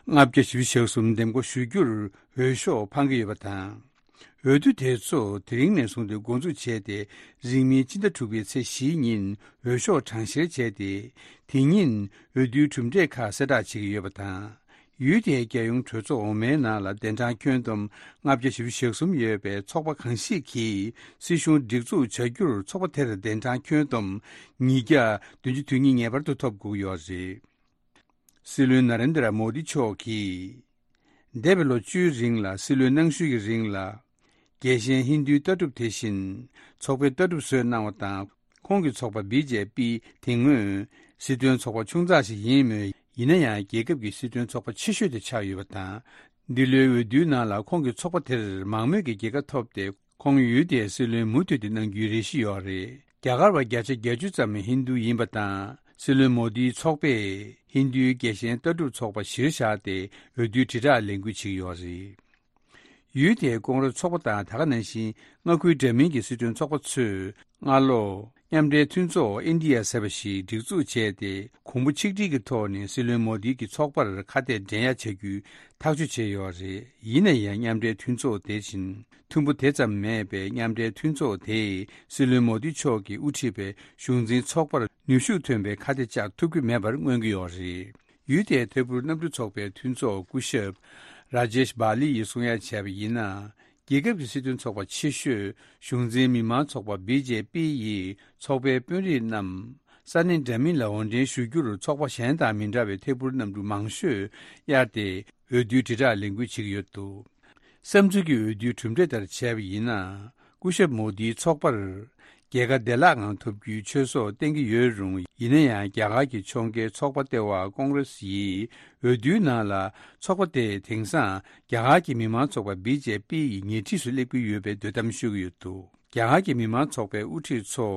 ལྔ་བརྒྱ་བཞི་བཅུ་ཞེ་གསུམ་འདེམས་བསྐོ་ཞུ་རྒྱུར་འོས་ཤོག་འཕང་གི་ཡོད་པ་དང་། འོས་བསྡུ་དེ་ཚོ་དེ་རིང་ནས་བཟུང་སྟེ་འགོ་འཛུགས་བྱས་ཏེ། རིང་མིན་སྤྱི་ཟླ་དྲུག་པའི་ཚེས་བཞིའི་ཉིན་འོས་ཤོག་གྲངས་བཤེར་བྱས་ཏེ། དེ་ཉིན་འོས་བསྡུའི་གྲུབ་འབྲས་ཁག་གསལ་བསྒྲགས་བྱེད་ཀྱི་ཡོད་པ་དང་། ཡུལ་དེའི་རྒྱལ་ཡོངས་གྲོས་ཚོགས་འོག་མའི་ནང་ལ་གདན་གྲངས་ཁྱོན་བསྡོམས་ལྔ་བརྒྱ་བཞི་བཅུ་ཞེ་གསུམ་ཡོད་པའི་ཚོགས་པ་གང་ཞིག་གིས་སྲིད་གཞུང་སྒྲིག་འཛུགས་བྱ་རྒྱུར་ཚོགས་པ་དེར་གདན་གྲངས་ཁྱོན་བསྡོམས་ཉིས་བརྒྱ་བདུན་ཅུ་དོན་གཉིས་ངེས་པར་དུ་ཐོབ་དགོས་ཀྱི་ཡོད་རེད། སྲིད་བློན་ན་རེན་དྲ་མོ་དི་མཆོག་གིས། འདས་པའི་ལོ་བཅུའི་རིང་ལ་སྲིད་བློན་གནང་ཤུལ་གྱི་རིང་ལ། རྒྱལ་ཞེན་ཧིན་རྡུའི་ལྟ་གྲུབ་དེ་བཞིན་ཚོགས་པའི་ལྟ་གྲུབ་བཟོས་གནང་བ་དང་། ཁོང་གི་ཚོགས་པ་བི་ཇེ་པི་དེ་སྔོན་སྲིད་དོན་ཚོགས་པ་ཆུང་ཙག་ཞིག་ཡིན་མོད། ཡིན་ན་ཡང་རྒྱལ་ཁབ་ཀྱི་སྲིད་དོན་ཚོགས་པ་ཆེ་ཤོས་དེ་ཆགས་ཡོད་པ་དང་། འདི་ལོའི་འོས་བསྡུའི་ནང་ལ་ཁོང་གི་ཚོགས་པ་དེར་མང་མོས་ཀྱི་རྒྱལ་ཁ་ཐོབ་སྟེ། ཁོང་ཡུལ་དེའི་སྲིད་བློན་མུ་མཐུད་དེ་གནང་རྒྱུའི་རེ་ཞུ་ཡོད་རེད། རྒྱ་གར་བ་བརྒྱ་ཆ་བརྒྱད་ཅུ་ཙམ་ཧིན་རྡུ་ཡིན་པ་དང་། སྲིད་བློན་མོ་དིའི་ཚོགས་པས་ཧིན་རྡུའི་རྒྱལ་ཞེན་ལྟ་གྲུབ་ཚོགས་པ་གཞིར་བཞག་སྟེ་འོས་བསྡུའི་དྲིལ་བསྒྲགས་ལས་འགུལ་བྱེད་ཀྱི་ཡོད་རེད། ཡུལ་དེའི་ཀོང་རེས་ཚོགས་པ་དང་ད་ག་ནང་བཞིན་མངའ་ཁུལ་འདྲ་མིན་གྱི་སྲིད་དོན་ཚོགས་པ་ཚོས་སྔ་ལོ། མཉམ་འབྲེལ་མཐུན་ཚོགས་ཨིན་ཌི་ཡ་ཟེར་བ་ཞིག་སྒྲིག་འཛུགས་བྱས་ཏེ། གོང་བུ་ཆིག་སྒྲིལ་གྱི་ཐོག་ནས་སྲིད་བློན་མོ་དི་གི་ཚོགས་པར་ཁ་གཏད་འགྲན་ཡ་བྱ་རྒྱུའི་ཐག་གཅོད་བྱས་ཡོད་རེད། ཡིན་ན་ཡང་། མཉམ་འབྲེལ་མཐུན་ཚོགས་དེ་བཞིན་མཐུན་པོ་དེ་ཙམ་མེད་པས། མཉམ་འབྲེལ་མཐུན་ཚོགས་དེས་སྲིད་བློན་མོ་དི་མཆོག་གིས་དབུ་ཁྲིད་པའི་གཞུང་འཛིན་ཚོགས་པར་ནུས་ཤུགས་ཐོན་པའི་ཁ་གཏད་བཅག་ཐུབ་ཀྱི་མེད་པར་མངོན་གྱི་ཡོད་རེད། ཡུལ་དེའི་ཐད་འཕུར་གནམ་གྲུ་ཚོགས་པའི་མཐུན་ཚོགས་སྐུ་ཞབས་ར་ཇེཤ་བྷ་ལི་ཡིས་གསུང་ཡ་བྱས་པ་ཡིན་ན། རྒྱལ་ཁབ་ཀྱི་སྲིད་དོན་ཚོགས་པ་ཆེ་ཤོས་གཞུང་འཛིན་མི་མང་ཚོགས་པ་བི་ཇེ་པི་ཡིས་ཚོགས་པའི་དཔོན་རིགས་རྣམས་ས་གནས་འདྲ་མིན་ལ་འོར་འདྲེན་ཞུ་རྒྱུར། ཚོགས་པ་གཞན་དང་མི་འདྲ་བའི་ཐད་འཕུར་གནམ་གྲུ་མང་ཤོས་གཡར་ཏེ། འོས་བསྡུའི་དྲིལ་བསྒྲགས་ལས་འགུལ་བྱེད་ཀྱི་ཡོད་འདུག་བསམ་ཚུལ་གྱི་འོས་བསྡུའི་གྲུབ་འབྲས་ལྟར་བྱས་པ་ཡིན་ན། སྐུ་ཞབས་མོ་དིའི་ཚོགས་པར་རྒྱལ་ཁ་བདེ་བླག་ངང་ཐོབ་རྒྱུའི་ཆོད་སོགས་བསྟན་གྱི་ཡོད་རུང་། ཡིན་ན་ཡང་། རྒྱ་གར་གྱི་ཕྱོགས་འགལ་ཚོགས་པ་ལྟེ་བ་ཀོང་རེ་སི་ཡིས་འོས་བསྡུའི་ནང་ལ། ཚོགས་པ་དེས་དེང་སང་རྒྱ་གར་གྱི་མི་མང་ཚོགས་པ་བི་ཇེ་པི་ཡི་ཉེ་འཁྲིས་སུ་སླེབས་ཀྱི་ཡོད་པའི་འདོད་གཏམ་ཤོད་ཀྱི་ཡོད་འདུག་རྒྱ་གར་གྱི་མི་མང་ཚོགས་པའི་དབུ་ཁྲིད་ཚོ་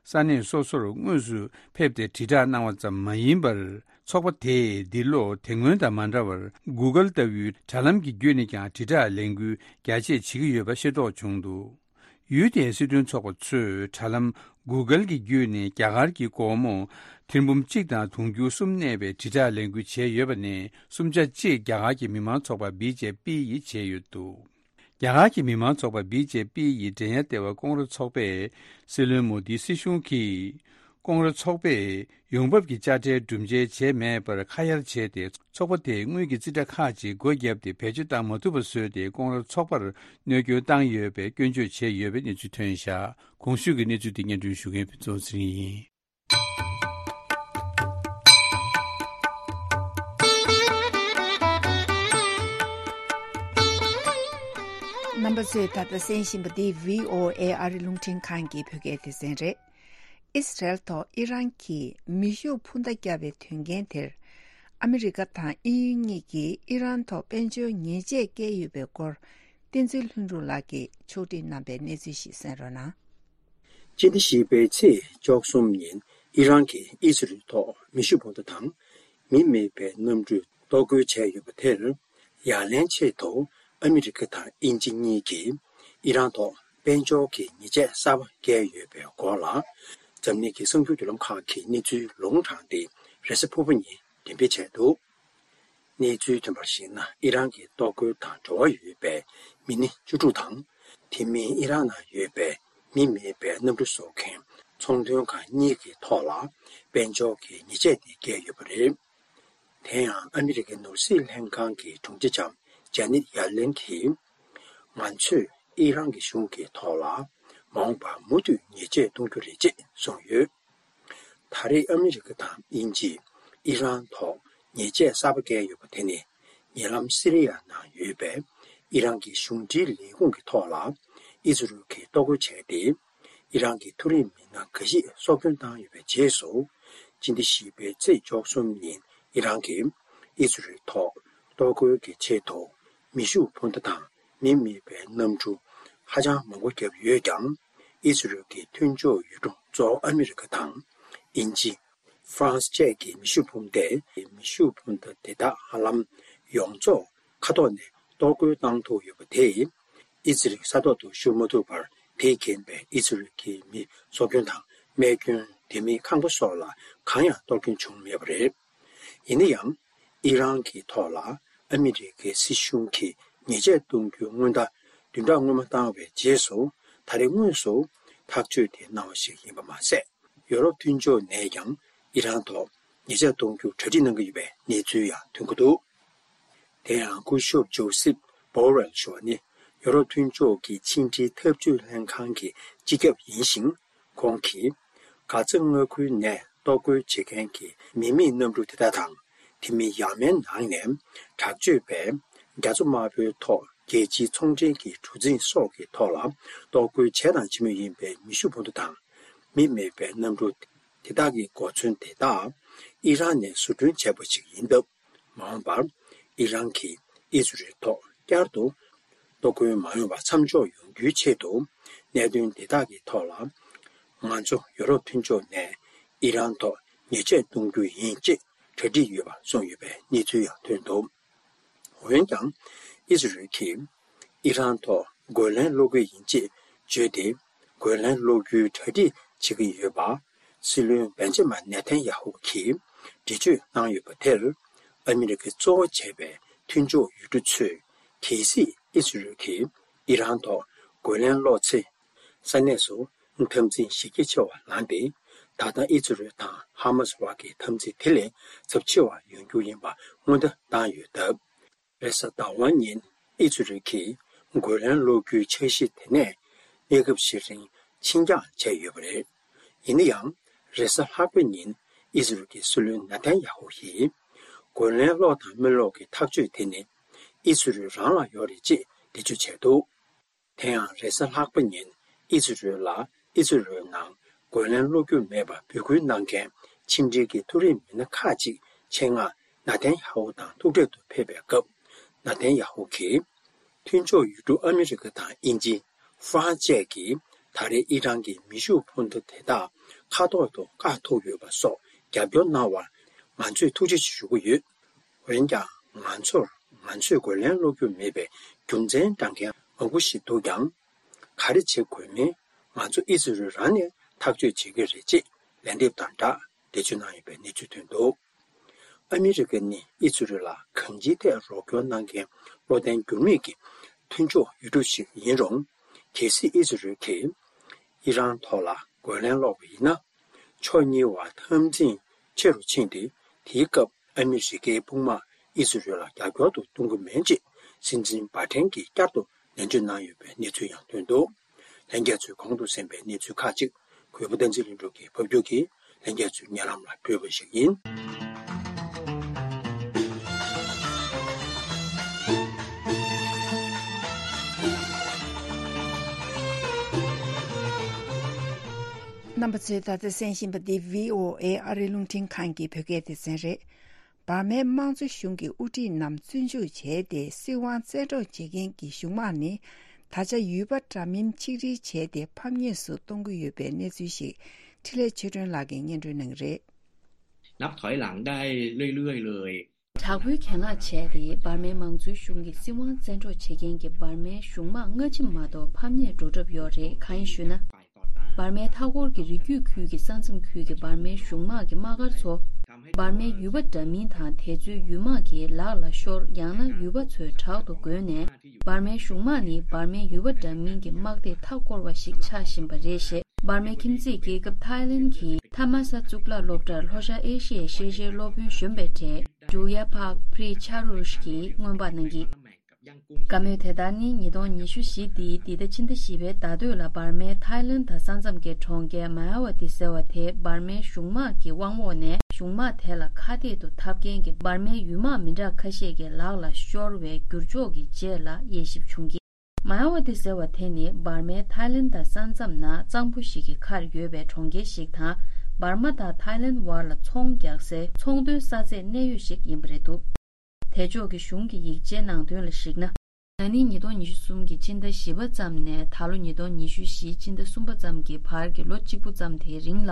ས་གནས་སོ་སོར་དངོས་སུ་ཕེབས་ཏེ་དྲིལ་བསྒྲགས་གནང་བ་ཙམ་མ་ཡིན་པར། ཚོགས་པ་དེས་འདི་ལོ་དེ་སྔོན་དང་མ་འདྲ་བར། གུ་གལ་ལྟ་བུའི་དྲ་ལམ་གྱི་བརྒྱུད་ནས་ཀྱང་དྲིལ་བསྒྲགས་ལས་འགུལ་རྒྱ་ཆེ་བྱེད་ཀྱི་ཡོད་པ་ཤེས་རྟོགས་བྱུང་འདུག་ཡུལ་དེའི་སྲིད་དོན་ཚོགས་པ་ཚོས་དྲ་ལམ་གུ་གལ་གྱི་བརྒྱུད་ནས་རྒྱ་གར་གྱི་སྒོར་མོ་ཐེར་འབུམ་གཅིག་དང་དུང་ཕྱུར་གསུམ་གནས་པའི་དྲིལ་བསྒྲགས་ལས་འགུལ་བྱས་ཡོད་པ་ནས། གསུམ་ཆ་གཅིག་རྒྱ་གར་གྱི་མི་མང་ཚོགས་པ་བི་ཇེ་པི་ཡིས་བྱས་ཡོད་འདུག་རྒྱ་གར་གྱི་མི་མང་ཚོགས་པ་བི་ཇེ་པི་ཡི་འགྲན་ཡ་ལྟེ་བ་ཀོང་རེ་ཚོགས་པས་སྲིད་བློན་མོ་དིའི་སྲིད་གཞུང་གིས། ཀོང་རེ་ཚོགས་པས་ཡོང་འབབ་ཀྱི་དཔྱ་ཁྲལ་སྒྲུབ་འཇལ་བྱས་མེད་པར་ཁ་གཡར་བྱས་ཏེ། ཚོགས་པ་དེས་དངུལ་གྱི་རྩིས་ཁྲ་ཁག་ཅིག་སྒོ་བརྒྱབ་སྟེ་བེད་སྤྱོད་བཏང་མ་ཐུབ་པ་བཟོས་ཏེ། ཀོང་རེ་ཚོགས་པར་གནོད་སྐྱོན་བཏང་ཡོད་པའི་སྐྱོན་བརྗོད་བྱས་ཡོད་པའི་གནས་ཚུལ་ཐོན་བཞག་གོང་ཞུས་ཀྱི་གནས་ཚུལ་དེ་སྙན་སྒྲོན་ཞུ་མཁན་ཕུན་ཚོགས་ཚེ་རིང་ཡིན། རྣམ་པ་ཚོས་ད་ལྟ་གསན་བཞིན་པ་འདི་བྷི་ཨོ་ཨེ་ཨ་རི་རླུང་འཕྲིན་ཁང་གི་བོད་སྐད་སྡེ་ཚན་རེད། ཨི་སི་རལ་ཐོག་ཨི་རན་གྱིས་མེ་ཤུགས་འཕུར་མདའ་བརྒྱབ་པའི་དོན་རྐྱེན་དེར། ཨ་མི་རི་ཀ་དང་དབྱིན་ཡུལ་གཉིས་ཀྱིས་ཨི་རན་ཐོག་དཔལ་འབྱོར་ཉེས་ཆད་བཀལ་ཡོད་པའི་སྐོར། བསྟན་འཛིན་ལྷུན་གྲུབ་ལགས་ཀྱིས་ཕྱོགས་སྒྲིག་གནང་པའི་གནས་ཚུལ་ཞིག་གསན་རོགས་གནང་། སྤྱི་ཟླ་བཞི་པའི་ཚེས་བཅུ་གསུམ་ཉིན་ཨི་རན་གྱིས་ཨི་ཟི་རལ་ཐོག་མེ་ཤུགས་འཕུར་མདའ་དང་མི་མེད་པའི་གནམ་གྲུ་གཏོར་རྒོལ་བྱས་ཡོད་པ་དེར། ཡ་ལན་ཆེད་དུ་ཨ་མི་རི་ཀ་དང་དབྱིན་ཇི་གཉིས་ཀྱིས་ཨི་རན་ཐོག་དཔལ་འབྱོར་གྱི་ཉེས་ཆད་གསར་པ་བཀལ་ཡོད་པའི་སྐོར་ལ། འཛམ་གླིང་གི་གསར་འགྱུར་བརྒྱུད་ལམ་ཁག་གིས་གནས་ཚུལ་ལུང་དྲངས་ཏེ། རེས་གཟའ་ཕུར་བུ་ཉིན་འགྲེམས་སྤེལ་བྱས་འདུག་གནས་ཚུལ་ཐོན་པར་གཞིགས་ན། ཨི་རན་གྱི་གཏོར་རྒོལ་དང་འབྲེལ་བ་ཡོད་པའི་མི་སྣ་བཅུ་དྲུག་དང་། དེ་མིན་ཨི་རན་ནང་ཡོད་པའི་མི་མེད་པའི་གནམ་གྲུ་བཟོ་མཁན་ཚོང་དོན་ཁང་གཉིས་ཀྱི་ཐོག་ལ་དཔལ་འབྱོར་གྱི་ཉེས་ཆད་དེ་བཀལ་ཡོད་པ་རེད། དེ་ཡང་ཨ་མི་རི་ཀའི་ནོར་སྲིད་ལྷན་ཁང་གི་དྲུང་ཆེ་ལྕམ་ཇ་ནེད་ཡ་ལན་གྱིས། ང་ཚོས་ཨི་རན་གྱི་གཞུང་གི་ཐོག་ལ་མ་འོངས་པར་མུ་མཐུད་ཉེས་ཆད་གཏོང་རྒྱུ་རེད་ཅེས་གསུངས་ཡོད། ད་རེས་ཨ་མི་རི་ཀ་དང་དབྱིན་ཇིས་ཨི་རན་ཐོག་ཉེས་ཆད་གསར་པ་བཀལ་ཡོད་པ་དེ་ནི། ཉེ་ལམ་སི་རི་ཡ་ནང་ཡོད་པའི་ཨི་རན་གྱི་གཞུང་འབྲེལ་ལས་ཁུངས་ཀྱི་ཐོག་ལ་ཨི་ཟི་རུལ་གྱིས་གཏོར་རྒོལ་བྱས་ཏེ། ཨི་རན་གྱི་མཐོ་རིམ་མི་སྣ་འགའ་ཞིག་སྲོག་སྐྱོན་བཏང་ཡོད་པའི་རྗེས་སུ། སྤྱི་ཟླ་བཞི་པའི་ཚེས་བཅུ་གསུམ་ཉིན་ཨི་རན་གྱིས་ཨི་ཟི་རུལ་ཐོག་གཏོར་རྒོལ་གྱི་ཆེད་དུ་མེ་ཤུགས་འཕུར་མདའ་དང་མི་མེད་པའི་གནམ་གྲུ་ཧ་ཅང་མང་པོ་བརྒྱབ་ཡོད་ཀྱང་། ཨི་ཟི་རུལ་གྱི་མཐུན་ཕྱོགས་ཡུལ་གྲུ་གཙོ་བོ་ཨ་མི་རི་ཀ་དང་། དབྱིན་ཇི། ཧྥ་རན་སི་བཅས་ཀྱི་མེ་ཤུགས་འཕུར་མདས་མེ་ཤུགས་འཕུར་མདའ་དེ་དག་ཧ་ལམ་ཡོངས་རྫོགས་མཁའ་ཐོག་ནས་གཏོར་རྒོལ་བཏང་ཐུབ་ཡོད་པ་དེས། ཨི་ཟི་རལ་ས་ཐོག་ཏུ་ཤོར་མ་ཐུབ་པར། དེས་རྐྱེན་པས་ཨི་ཟི་རལ་གྱི་མི་སྲོག་སྐྱོན་དང་རྨས་སྐྱོན། དེ་མིན་ཁང་པ་སོགས་ལ་གང་ཡང་གཏོར་སྐྱོན་བྱུང་མེད་པ་རེད། ཡིན་ན་ཡང་། ཨི་རན་གྱི་ཐོག་ལ་ཨ་མི་རི་ཀའི་སྲིད་གཞུང་གིས་ཉེས་ཆད་གཏོང་རྒྱུའི་སྔོན་བརྡ་བདུན་ཕྲག་སྔོན་མ་བཏང་བའི་རྗེས་སུ། ད་རེས་དངོས་སུ་ཐག་གཅོད་དེ་གནང་བ་ཞིག་ཡིན་པ་མ་ཟད། ཡོ་རོབ་མཐུན་ཕྱོགས་ནས་ཀྱང་ཨི་རན་ཐོག་ཉེས་ཆད་གཏོང་རྒྱུར་གྲ་སྒྲིག་གནང་གི་ཡོད་པའི་གནས་ཚུལ་ཡང་ཐོན་གྱི་འདུག་དེ་ཡང་སྐུ་ཞབས་ཇོ་སེབ་བོ་རེལ་ཞུ་བ་ནི། ཡོ་རོབ་མཐུན་ཕྱོགས་ཀྱི་ཕྱི་འབྲེལ་འཐབ་ཇུས་ལྷན་ཁང་གི་སྤྱི་ཁྱབ་ཡིན་ཞིང་། ཁོང་གིས་གྷ་ཛ་མངའ་ཁུལ་ནས་གཏོར་རྒོལ་བྱེད་མཁན་གྱི་མི་མེད་གནམ་གྲུ་དེ་དག་དང་། དེ་མིན་ཡ་མེན་ནང་ནས་དྲག་སྤྱོད་པས་རྒྱ་མཚོ་དམར་པོའི་ཐོག་རྒྱལ་སྤྱིའི་ཚོང་འབྲེལ་གྱི་གྲུ་གཟིངས་སོགས་ཀྱི་ཐོག་ལ་གཏོར་རྒོལ་བྱས་དང་བྱེད་མུས་ཡིན་པའི་མེ་ཤུགས་འཕུར་མདའ་དང་། མི་མེད་པའི་གནམ་གྲུ་དེ་དག་གི་གོ་མཚོན་དེ་དག་ཨི་རན་ནས་བཟོ་སྐྲུན་བྱས་པ་ཞིག་ཡིན་སྟབས། མ་འོངས་པར་ཨི་རན་གྱིས་ཨི་ཟི་རལ་ཐོག་བསྐྱར་དུ་གཏོར་རྒོལ་མ་ཡོང་བར་མཚམས་འཇོག་ཡོང་རྒྱུའི་ཆེད་དུ། གནད་དོན་དེ་དག་གི་ཐོག་ལ། ང་ཚོ་ཡོ་རོབ་མཐུན་ཕྱོགས་ནས་ཨི་རན་ཐོག་ཉེས་ཆད་གཏོང་རྒྱུ་ཡིན་ཅེས་གྲ་སྒྲིག་ཡོད་པ་གསུངས་ཡོད་པའི་གནས་ཚུལ་ཡང་ཐོན་འདུག་འོན་ཀྱང་། ཨི་ཟི་རལ་གྱིས་ཨི་རན་ཐོག་རྒོལ་ལན་སློག་གི་ཡིན་ཅེས་བརྗོད་དེ། རྒོལ་ལན་སློག་རྒྱུའི་གྲ་སྒྲིག་ བྱེད་ཀྱི་ཡོད་པ། སྲིད་བློན་བེན་ཇ་མན་ནེ་ཐན་ཡ་ཧུ་གིས་འགྲེལ་བརྗོད་གནང་ཡོད་པ་དེར། ཨ་མི་རི་ཀའི་གཙོ་བོ་བྱས་པའི་མཐུན་ཕྱོགས་ཡུལ་གྲུ་ཚོས་གལ་སྲིད་ཨི་ཟི་རལ་གྱིས་ཨི་རན་ཐོག་རྒོལ་ལན་སློག་ཚེ། ས་གནས་སུ་འཐབ་འཛིང་གཞི་རྒྱ་ཆེ་བ་ལངས་ཏེ། ད་ལྟ་ཨི་ཟི་རལ་དང་ཧ་མ་སི་བར་གྱི་འཐབ་འཛིང་དེ་ལས་ཚབས་ཆེ་བ་ཡོང་རྒྱུ་ཡིན་པ་སྔོན་བརྡ་བཏང་ཡོད་སྟབས། རེས་གཟའ་ཟླ་བ་ཉིན་ཨི་ཟི་རལ་གྱིས་རྒོལ་ལན་སློག་རྒྱུའི་འཆར་གཞི་དེ་ནས་གནས་སྐབས་ཤིག་རིང་ཕྱིར་འགྱངས་བྱས་ཡོད་པ་རེད། ཡིན་ན་ཡང་། རེས་གཟའ་ལྷག་པའི་ཉིན་ཨི་ཟི་རལ་གྱི་སྲིད་བློན་ནེ་ཐན་ཡ་ཧུ་ཡིས། རྒོལ་ལན་སློག་དང་མི་སློག་གི་ཐག་གཅོད་དེ་ནི་ཨི་ཟི་རལ་རང་ལ་ཡོད་རེད་ཅེས་འགྲེལ་བརྗོད་བྱས་འདུག་དེ་ཡང་རེས་གཟའ་ལྷག་པ་ཉིན་ཨི་ཟི་རལ་ལ་ཨི་ཟི་རལ་ནང་རྒོལ་ལན་སློག་རྒྱུ་མེད་པར་འབོད་སྐུལ་གནང་མཁན་ཕྱི་འབྲེལ་གྱི་མཐོ་རིམ་མི་སྣ་ཁག་ཅིག་ཆེད་མངགས་ནེ་ཐན་ཡ་ཧུ་དང་ཐུག་འཕྲད་དུ་ཕེབས་པའི་སྐབས། ནེ་ཐན་ཡ་ཧུ་གིས། མཐུན་ཕྱོགས་ཡུལ་གྲུ་ཨ་མི་རི་ཀ་དང་དབྱིན་ཇི། ཧྥ་རན་སི་བཅས་ཀྱིས་ད་རེས་ཨི་རན་གྱི་མེ་ཤུགས་འཕུར་མདའ་དེ་དག་མཁའ་ཐོག་ཏུ་བཀག་ཐུབ་ཡོད་པ་སོགས་རྒྱབ་སྐྱོར་གནང་བར་ང་ཚོས་ཐུགས་རྗེ་ཆེ་ཞུ་གི་ཡོད། འོན་ཀྱང་ང་ཚོར་ང་ཚོས་རྒོལ་ལན་སློག་རྒྱུ་མེད་པའི་རྒྱུ་མཚན་བགྲང་མཁན་མང་པོ་ཞིག་འདུག་ཀྱང་། ག་རེ་བྱེད་དགོས་མིན་ང་ཚོ་ཨི་ཟི་རལ་རང་ནས་ཐག་གཅོད་བྱེད་ཀྱི་རེད་ཅེས་ལན་འདེབས་དང་སྦྲགས་འགྲེལ་བརྗོད་གནང་ཡོད་པའི་གནས་ཚུལ་ཐོན་འདུག་ཨ་མི་རི་ཀ་ནི་ཨི་ཟི་རལ་ལ་གང་ཅིའི་ཐད་རོགས་སྐྱོར་གནང་མཁན་བློ་བརྟན་འགྱུར་མེད་ཀྱི་མཐུན་ཕྱོགས་ཡུལ་གྲུ་ཞིག་ཡིན་རུང་། གལ་སྲིད་ཨི་ཟི་རལ་གྱིས་ཨི་རན་ཐོག་ལ་རྒོལ་ལན་སློག་པ་ཡིན་ན། ཕྱོགས་གཉིས་བར་འཐབ་འཛིང་ཆེ་རུ་ཕྱིན་ཏེ། དེའི་སྐབས་ཨ་མི་རི་ཀའི་དཔུང་དམག་ཨི་ཟི་རལ་ལ་རྒྱབ་སྐྱོར་དུ་གཏོང་གི་མིན་ཅེས་སྲིད་འཛིན་བྷ་ཏན་གྱིས་བསྐྱར་དུ་ནན་བརྗོད་གནང་ཡོད་པའི་གནས་ཚུལ་ཡང་ཐོན་འདུག་ལྷན་རྒྱས་ཚོས་གོང་དུ་གསན་པའི་གནས་ཚུལ་ཁག་ཅིག་གུས་པ་བསྟན་འཛིན་ལྷུན་གྲུབ་ཀྱིས་ཕབ་སྒྱུར་གྱིས་ལྷན་རྒྱས་ཚོའི་སྙན་ལམ་ལ་སྤྲོད་པ་ཞིག་ཡིན། རྣམ་པ་ཚོས་ད་ལྟ་གསན་བཞིན་པ་འདི་བྷི་ཨོ་ཨེ་ཨ་རིའི་རླུང་འཕྲིན་ཁང་གི་བོད་སྐད་སྡེ་ཚན་རེད། འབར་མའི་དམངས་གཙོ་གཞུང་གི་དབུ་ཁྲིད་རྣམས་བཙོན་འཇུག་བྱས་ཏེ་སྲིད་དབང་བཙན་འཕྲོག་བྱེད་མཁན་གྱི་གཞུང་དམག་ནི། ད་ཆ་ཡུལ་པ་འདྲ་མིན་ཆིག་སྒྲིལ་བྱས་ཏེ་ཕམ་ཉེས་སུ་གཏོང་གི་ཡོད་པའི་གནས་ཚུལ་ཞིག་འཕྲིན་ལས་ཆོས་སྒྲོན་ལགས་ཀྱིས་སྙན་སྒྲོན་གནང་གི་རེད། นับถอยหลังได้เรื่อยๆเลย དྲག་པོའི་གྱེན་ལངས་བྱས་ཏེ་འབར་མའི་དམངས་གཙོའི་གཞུང་གི་སྲིད་དབང་བཙན་འཕྲོག་བྱེད་མཁན་གྱི་འབར་མའི་གཞུང་དམག་སྔ་ཕྱི་མ་གཏོགས་ཕམ་ཉེས་འགྲོ་གྲབས་ཡོད་རེད། གང་ཡིན་ཞུས་ན། འབར་མའི་མཐའ་འཁོར་གྱི་རི་རྒྱུད་ཁུལ་གྱི་ས་མཚམས་ཁུལ་གྱི་འབར་མའི་གཞུང་དམག་གི་དམག་སྒར་ཚོ། འབར་མའི་ཡུལ་པ་འདྲ་མིན་དང་དེ་ཚོའི་ཡུལ་དམག་གིས་ལག་ལ་ཤོར། ཡང་ན་ཡུལ་པ་ཚོས་དྲག་ཏུ་རྒོལ་ནས། འབར་མའི་གཞུང་དམག་ནི་འབར་མའི་ཡུལ་པ་འདྲ་མིན་གྱི་དམག་སྡེའི་མཐའ་བསྐོར་བ་ཞིག་ཆགས་བཞིན་པ་རེད་ཞེས། འབར་མའི་ཁྱིམ་མཚེས་རྒྱལ་ཁབ་ཐའི་ལེན་གྱི་ཐ་མ་ས་གཙུག་ལག་སློབ་གྲྭར་ལྷོ་ཤར་ཨེ་ཤི་ཡའི་ཤེས་བྱའི་སློབ་དཔོན་གཞོན་པའི་གྲས་ཌུ་ཡ་ཕག་པྲི་ཆ་རུཤ་གིས་སྔོན་དཔག་གནང་གིས། བཀའ་མོལ་དེ་ལྟར་ནི་ཉིས་སྟོང་ཉི་ཤུ་བཞི་འདིའི་འདི་ཟླ་ཕྱི་ཟླ་བཞི་པའི་ཟླ་སྟོད་ལ་འབར་མའི་ཐའི་ལེན་ད་ས་མཚམས་ཀྱི་གྲོང་ཁྱེར་མ་ཡ་ཝ་ཏི་ཟེར་བ་དེ་འབར་མའི་གཞུང་དམག་གི་དབང་འོག་ནས། གཞུང་དམག་དེ་ལ་ཁ་གཏད་དུ་འཐབ་མཁན་གྱི་འབར་མའི་ཡུལ་དམག་མི་འདྲ་ཁ་ཤས་ཀྱི་ལག་ལ་ཤོར་བའི་འགྱུར་ཕྱོགས་ཀྱི་རྗེས་ལ་དབྱེ་ཞིབ་བྱུང་གི། མ་ཡ་ཝ་ཏི་ཟེར་བ་དེ་ནི་འབར་མའི་ཐའི་ལེན་ད་ས་མཚམས་ན་གཙང་པོ་ཞིག་གི་ཁར་ཡོད་པའི་གྲོང་ཁྱེར་ཞིག་དང་། འབར་མ་དང་ཐའི་ལེན་བར་ལ་ཚོང་རྒྱག་སའི་ཚོང་དོན་ས་ཚད་གནས་ཡུལ་ཞིག་ཡིན་པ་རེད་འདུག་དེ་ཕྱོགས་ཀྱི་གཞུང་གི་ཡིག་ཆའི་ནང་དོན་ལ་གཞིགས་ན། ན་ནིང་ཉིས་སྟོང་ཉི་ཤུ་གསུམ་གྱི་ཕྱི་ཟླ་བཞི་པ་ཙམ་ནས་ད་ལོ་ཉིས་སྟོང་ཉི་ཤུ་བཞི་ཕྱི་ཟླ་གསུམ་པ་ཙམ་གྱི་བར་གྱི་ལོ་གཅིག་པུ་ཙམ་དེའི་རིང་ལ།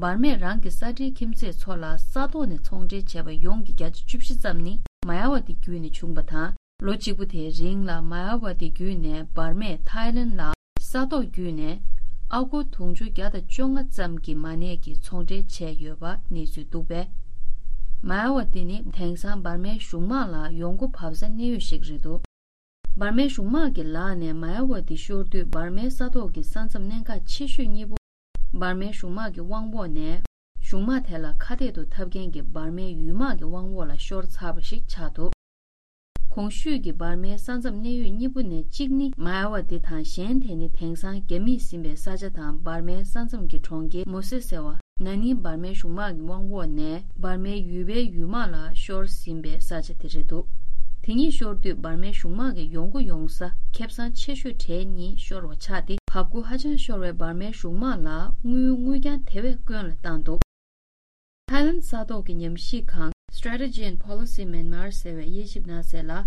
འབར་མས་རང་གི་ས་འབྲེལ་ཁྱིམ་མཚེས་ཚོ་ལ་ས་ཐོག་ནས་ཚོང་འབྲེལ་བྱས་པ་ཡོངས་ཀྱི་བརྒྱ་ཆ་བཅུ་བཞི་ཙམ་ནི་མ་ཡ་ཝ་ཏི་བརྒྱུད་ནས་བྱུང་བ་དང་། ལོ་གཅིག་པུ་དེའི་རིང་ལ་མ་ཡ་ཝ་ཏི་བརྒྱུད་ནས་འབར་མས་ཐའི་ལེན་ལ་ས་ཐོག་བརྒྱུད་ནས་ཨ་སྒོར་དུང་ཕྱུར་བརྒྱ་དང་བཅོ་ལྔ་ཙམ་གྱི་མ་གནས་ཀྱི་ཚོང་འབྲེལ་བྱས་ཡོད་པ་གནས་ཚུལ་འདུག་པས། མ་ཡ་ཝ་ཏི་ནི་དེང་སང་འབར་མའི་གཞུང་དམག་ལ་ཡོང་སྒོ་བབས་ས་གནས་ཡུལ་ཞིག་རེད་འདུག་འབར་མའི་གཞུང་དམག་གི་ལག་ནས་མ་ཡ་ཝ་ཏི་ཤོར་དུས་འབར་མའི་ས་ཐོག་གི་ས་མཚམས་གནད་འགག་ཆེ་ཤོས་གཉིས་པོ། འབར་མའི་གཞུང་དམག་གི་དབང་འོག་ནས། གཞུང་དམག་དེ་ལ་ཁ་གཏད་དུ་འཐབ་མཁན་གྱི་འབར་མའི་ཡུལ་དམག་གི་དབང་འོག་ལ་ཤོར་ཚར་བ་ཞིག་ཆགས་འདུག་གོང་ཞུས་ཀྱི་འབར་མའི་ས་མཚམས་གནས་ཡུལ་གཉིས་པོ་ནས་གཅིག་ནི་མ་ཡ་ཝ་ཏི་དང་། གཞན་དེ་ནི་དེང་སང་རྒྱ་མིས་ཟིན་པའི་ས་ཆ་དང་། འབར་མའི་ས་མཚམས་ཀྱི་གྲོང་ཁྱེར་མོ་སེ་ཟེར་བ། ན་ནིང་འབར་མའི་གཞུང་དམག་གི་དབང་འོག་ནས་འབར་མའི་ཡུལ་པའི་ཡུལ་དམག་ལ་ཤོར་ཟིན་པའི་ས་ཆ་དེ་རེད་འདུག་དེ་གཉིས་ཤོར་དུས་འབར་མའི་གཞུང་དམག་གི་ཡོང་སྒོ་ཡོང་ས་ཁེ་བཟང་ཆེ་ཤོས་གྲས་གཉིས་ཤོར་བ་ཆགས་ཏེ། བབ་ཁུ་ཧ་ཅང་ཤོར་བའི་འབར་མའི་གཞུང་དམག་ལ་དངུལ་དངུལ་རྐྱང་དེ་བས་དཀོན་ལ་བཏང་འདུག་ཐའི་ལན་ས་ཐོག་གི་ཉམས་ཞིབ་ཁང་Strategy and Policy Myanmar ཟེར་བས་དབྱེ་ཞིབ་གནང་གསལ་ལ།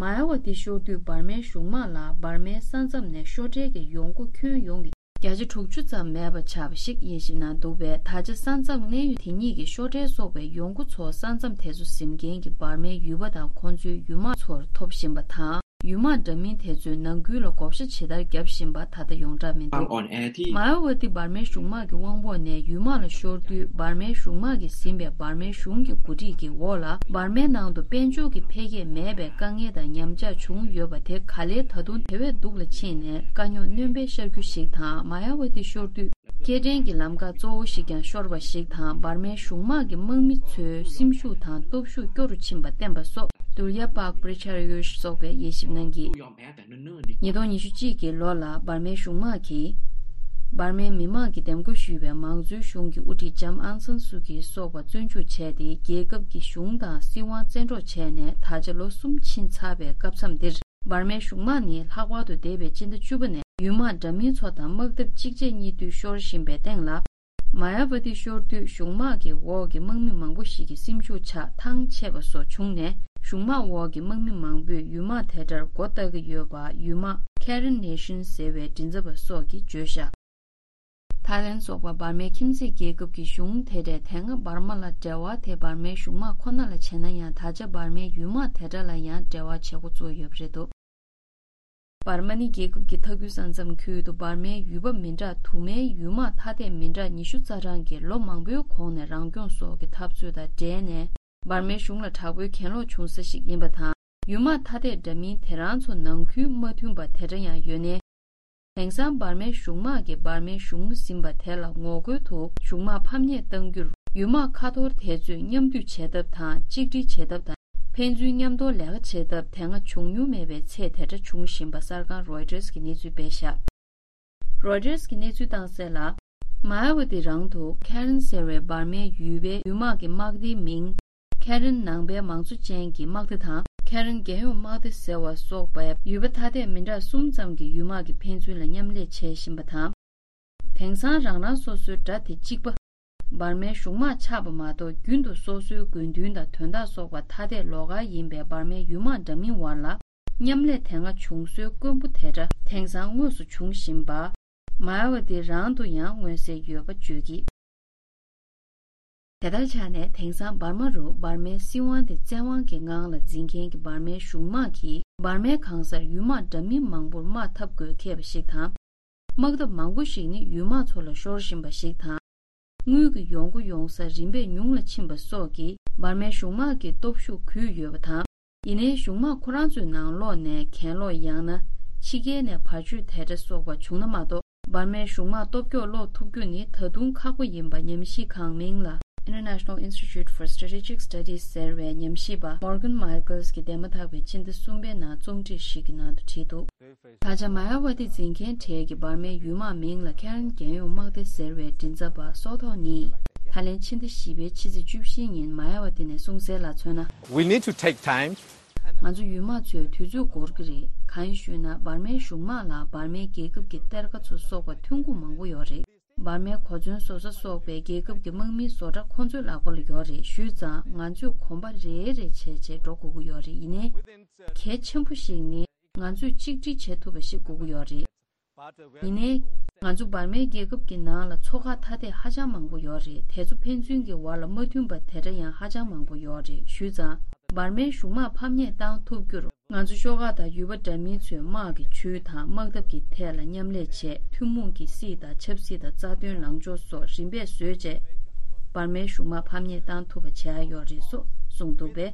མ་ཡ་ཝ་ཏི་ཤོར་དུས་འབར་མའི་གཞུང་དམག་ལ་འབར་མའི་ས་མཚམས་ནས་ཤོར་འཕྲལ་གྱི་ཡོང་སྒོ་ཁྱོན་ཡོངས་ཀྱི་བརྒྱ་ཆ་དྲུག་ཅུ་ཙམ་མེད་པ་ཆགས་པ་ཞིག་དབྱེ་ཞིབ་གནང་འདུག་པས། ད་ཆ་ས་མཚམས་གནས་ཡུལ་དེ་གཉིས་ཀྱི་ཤོར་འཕྲལ་སོགས་པའི་ཡོང་སྒོ་ཚོ་ས་མཚམས་དེ་ཚོ་ཟིན་མཁན་གྱི་འབར་མའི་ཡུལ་པ་དང་ཁོང་ཚོའི་ཡུལ་དམག་ཚོར་ཐོབ་བཞིན་པ་དང་། ཡུལ་དམག་འདྲ་མིན་དེ་ཚོས་ནང་ཁུལ་ལ་བགོ་བཤའ་ཇི་ལྟར་བརྒྱབ་བཞིན་པ་ད་ལྟ་ཡོངས་གྲགས་མི་འདུག། མ་ཡ་ཝ་ཏི་འབར་མའི་གཞུང་དམག་གི་དབང་པོ་ནས་ཡུལ་དམག་ལ་ཤོར་དུས། འབར་མའི་གཞུང་དམག་གིས་ཟིན་པའི་འབར་མའི་གཞུང་གི་འགོ་ཁྲིད་ཀྱི་འོག་ལ། འབར་མའི་ནང་དུ་དཔལ་འབྱོར་གྱི་འཕེལ་རྒྱས་མེད་པའི་དཀའ་ངལ་དང་ཉམས་ཆག་བྱུང་ཡོད་པ་དེ། ག་ལེར་ད་དུང་དེ་བས་སྡུག་ལ་ཕྱིན་ནས། དཀའ་རྙོག་སྣོན་པའི་ཤར་རྒྱུ་ཞིག་དང་། མ་ཡ་ཝ་ཏི་ཤོར་དུས། སྐྱེལ་འདྲེན་གྱི་ལམ་ཁ་གཙོ་བོ་ཞིག་ཀྱང་ཤོར་བ་ཞིག་དང་། འབར་མའི་གཞུང་དམག་གི་དམག་མི་ཚོའི་སེམས་ཤུགས་དང་སྟོབས་ཤུགས་སྐྱོ་རུ་ཕྱིན་པ་བསྟན་པ་སོགས། དུལ་ཡ་པག་པྲི་ཆར་ཡུ་ཤི་སོགས་པས་དབྱེ་ཞིབ་གནང་གིས། ཉིས་སྟོང་ཉི་ཤུ་གཅིག་གི་ལོ་ལ་འབར་མའི་གཞུང་དམག་གིས། འབར་མའི་མི་དམངས་ཀྱིས་འདེམས་བསྐོ་ཞུས་པའི་མང་གཙོའི་གཞུང་གི་དབུ་ཁྲིད་ལྕམ་ཨང་སན་སུ་ཀི་སོགས་པ་བཙོན་འཇུག་བྱས་ཏེ། རྒྱལ་ཁབ་ཀྱི་གཞུང་དང་སྲིད་དབང་བཙན་འཕྲོག་བྱས་ནས། ད་ཆ་ལོ་གསུམ་ཕྱིན་ཚར་བའི་སྐབས་མཚམས་འདིར། འབར་མའི་གཞུང་དམག་ནི། ལྷག་པར་དུ་འདས་པའི་སྤྱི་ཟླ་བཅུ་པ་ནས། ཡུལ་དམག་འདྲ་མིན་ཚོ་དང་དམག་འཐབ་གཅིག་རྗེས་གཉིས་མཐུད་ཤོར་བཞིན་པའི་སྟེང་ལ། མ་ཡ་ཝ་ཏི་ཤོར་དུས། གཞུང་དམག་གི་འོག་གི་དམག་མི་མང་པོ་ཞིག་གི་སེམས་ཤུགས་ཆག་ཐང་ཆད་པ་སོགས་བྱུང་ནས། གཞུང་དམག་འོག་གི་དམག་མི་མང་པོས་ཡུལ་དམག་དེ་འདྲར་མགོ་བཏགས་ཀྱི་ཡོད་པ། ཡུལ་དམག་Karen Nation ཟེར་བའི་མགྲིན་ཚབ་པ་སོགས་ཀྱིས་བརྗོད་བཞག། ཐའི་ལན་སོགས་པ་འབར་མའི་ཁྱིམ་མཚེས་རྒྱལ་ཁབ་ཀྱི་གཞུང་དེ་འདྲས། དེ་སྔ་འབར་མ་ལ་འབྲེལ་བ་དེ་འབར་མའི་གཞུང་དམག་ཁོ་ན་ལ་བྱས་ན་ཡང་། ད་ཆ་འབར་མའི་ཡུལ་དམག་དེ་འདྲ་ལ་ཡང་འབྲེལ་བ་བྱེད་འགོ་བཙུགས་ཡོད་པ་རེད་འདུག། འབར་མ་ནི་རྒྱལ་ཁབ་ཀྱི་མཐའ་ཁུལ་ས་མཚམས་ཁུལ་དུ་འབར་མའི་ཡུལ་པ་མི་འདྲ་དུ་མའི་ཡུལ་དམག་ཐ་དད་མི་འདྲ་ཉི་ཤུ་རྩ་གྲངས་ཀྱིས་ལོ་མང་པོའི་གོང་ནས་རང་སྐྱོང་སོགས་ཀྱི་འཐབ་རྩོད་དང་འབྲེལ་ནས། འབར་མའི་གཞུང་ལ་དྲག་པོའི་གྱེན་ལོག་བྱུང་ས་ཞིག་ཡིན་པ་དང་། ཡུལ་དམག་ཐ་དད་འདྲ་མིན་དེ་རང་ཚོ་ནང་ཁུལ་མ་མཐུན་པ་དེ་འདྲ་ཡང་ཡོད་ནས། དེང་སང་འབར་མའི་གཞུང་དམག་གིས་འབར་མའི་གཞུང་ཟིན་པ་དེ་ལ་ངོ་རྒོལ་དུ་གཞུང་དམག་ཕམ་ཉེས་གཏང་རྒྱུར། ཡུལ་དམག་ཁ་ཐོར་དེ་ཚོས་མཉམ་འདུས་བྱེད་ཐབས་དང་། གཅིག་སྒྲིལ་བྱེད་ཐབས་དང་། ཕན་ཚུན་མཉམ་དུ་ལས་ཀ་བྱེད་ཐབས་དེ་སྔ་བྱུང་མྱོང་མེད་པའི་ཚད་དེ་འདྲ་བྱུང་བཞིན་པ་གསར་ཁང་Reuters་གིས་གནས་ཚུལ་སྤེལ་བཞག། Reuters་གིས་གནས་ཚུལ་བཏང་གསལ་ལ། མ་ཡ་ཝ་ཏི་རང་དུ་Karen་ཟེར་བའི་འབར་མའི་ཡུལ་པའི་ཡུལ་དམག་གི་དམག་སྡེའི་མིང་། Karen་ནང་པའི་མང་གཙོ་ཅན་གྱི་དམག་སྡེ་དང་། Karen་རྒྱལ་ཡོངས་དམག་སྡེ་ཟེར་བ་སོགས་པའི་ཡུལ་པ་ཐ་དད་མི་འདྲ་གསུམ་ཙམ་གྱི་ཡུལ་དམག་གིས་ཕན་ཚུན་ལ་མཉམ་ལས་བྱེད་བཞིན་པ་དང་། དེང་སང་རང་རང་སོ་སོའི་དགྲ་དེ་གཅིག་པ། འབར་མའི་གཞུང་དམག་ཆགས་པ་མ་གཏོགས། རྒྱུན་དུ་སོ་སོའི་དགོས་འདུན་དང་དོན་དག་སོགས་པ་ཐ་དད་ལོགས་ཀ་ཡིན་པའི་འབར་མའི་ཡུལ་དམག་འདྲ་མིན་བར་ལ་མཉམ་ལས་དེ་སྔ་བྱུང་སྲོལ་དཀོན་པོ་དེ་འདྲ་དེང་སང་དངོས་སུ་འབྱུང་བཞིན་པ། མ་ཡ་ཝ་ཏི་རང་དུ་ཡང་མངོན་གསལ་ཡོད་པ་བརྗོད་ཀྱིས། དེ་ལྟར་ཆགས་ནས། དེང་སང་འབར་མ་རུ་འབར་མའི་སྲིད་དབང་དེ་བཙན་དབང་གི་ངང་ལ་འཛིན་མཁན་གྱི་འབར་མའི་གཞུང་དམག་གིས། འབར་མའི་གང་སར་ཡུལ་དམག་འདྲ་མིན་མང་པོར་དམག་འཐབ་དགོས་ཁེལ་བ་ཞིག་དང་། དམག་འཐབ་མང་པོ་ཞིག་ནི་ཡུལ་དམག་ཚོ་ལ་ཤོར་བཞིན་པ་ཞིག་དང་། དངུལ་གྱི་ཡོང་སྒོ་ཡོང་ས་རིམ་པས་ཉུང་ལ་ཕྱིན་པ་སོགས་ཀྱིས། འབར་མའི་གཞུང་དམག་གི་སྟོབས་ཤུགས་གུད་ཡོད་པ་དང་། ཡིན་ནའི། གཞུང་དམག་ཁོ་རང་ཚོའི་ནང་ལོགས་ནས་གྱེན་ལོག་ཡང་ན་ཕྱི་རྒྱལ་ནས་བར་ཆད་དེ་འདྲ་སོགས་པ་བྱུང་ན་མ་གཏོགས། འབར་མའི་གཞུང་དམག་སྟོབས་སྐྱོ་སློག་ཐུབ་རྒྱུ་ནི་ད་དུང་ཁག་པོ་ཡིན་པ་ཉམས་ཞིབ་ཁང་མིང་ལ་International Institute for Strategic Studies ཟེར་བའི་ཉམས་ཞིབ་པ་Morgan Michaels གྱིས་འདས་མ་ཐག་པའི་ཕྱི་ཟླ་གསུམ་པའི་ནང་རྩོམ་སྒྲིག་ཞིག་གི་ནང་དུ་བྲིས་འདུག། ད་ཆ་མ་ཡ་ཝ་ཏི་འཛིན་མཁན་གྲས་ཀྱི་འབར་མའི་ཡུལ་དམག་མིང་ལ་Karen་རྒྱལ་ཡོངས་དམག་སྡེ་ཟེར་བའི་མགྲིན་ཚབ་པ་སོ་ཐོ་ནི། ད་ལན་ཕྱི་ཟླ་བཞི་པའི་ཕྱི་ཚེས་བཅུ་བཞི་ཉིན་མ་ཡ་ཝ་ཏི་ནས་གསུངས་གསལ་ལ་མཚོན་ན། We need to take time. ང་ཚོ་ཡུལ་དམག་ཚོས་དུས་ཚོད་འགོར་གྱི་རེད། གང་ཡིན་ཞུས་ན། འབར་མའི་གཞུང་དམག་ལ་འབར་མའི་རྒྱལ་ཁབ་ཀྱི་གཏེར་ཁ་ཚོ་སོགས་པ་ཐོན་ཁུངས་མང་པོ་ཡོད་རེད། འབར་མའི་གོ་མཚོན་བཟོ་ས་སོགས་པའི་རྒྱལ་ཁབ་ཀྱི་དམག་མིའི་བཟོ་གྲྭ་ཁོ་ཚོའི་ལག་པ་ལ་ཡོད་རེད། ཞུས་ཙང་ང་ཚོས་གོམ་པ་རེ་རེ་བྱས་བྱས་འགྲོ་དགོས་ཀྱི་ཡོད་རེད། ཡིན་ནའི། གལ་ཆེན་པོ་ཞིག་ནི། ང་ཚོས་གཅིག་སྒྲིལ་བྱེད་ཐུབ་པ་ཞིག་དགོས་ཀྱི་ཡོད་རེད། ཡིན་ནའི། ང་ཚོ་འབར་མའི་རྒྱལ་ཁབ་ཀྱི་ནང་ལ་ཚོ་ཁག་ཐ་དད་ཧ་ཅང་མང་པོ་ཡོད་རེད། དེ་ཚོ་ཕན་ཚུན་གྱི་བར་ལ་མ་མཐུན་པ་དེ་འདྲ་ཡང་ཧ་ཅང་མང་པོ་ཡོད་རེད། ཞུས་ཙང་། འབར་མའི་གཞུང་དམག་ཕམ་ཉེས་བཏང་ཐུབ་རྒྱུར། ང་ཚོ་ཤོག་ཁག་དང་ཡུལ་པ་འདྲ་མིན་ཚོས་དམག་གི་ཇུས་དང་དམག་འཐབ་ཀྱི་ཐད་ལ་མཉམ་ལས་བྱས། ཐུན་མོང་གི་སྲིད་དང་ཆབ་སྲིད་དང་རྩ་དོན་ལངས་ཕྱོགས་སོགས་རིམ་པས་བཟོས་བྱས། འབར་མའི་གཞུང་དམག་ཕམ་ཉེས་བཏང་ཐུབ་པ་བྱས་ཡོད་རེད་སོགས་གསུངས་འདུག་པས།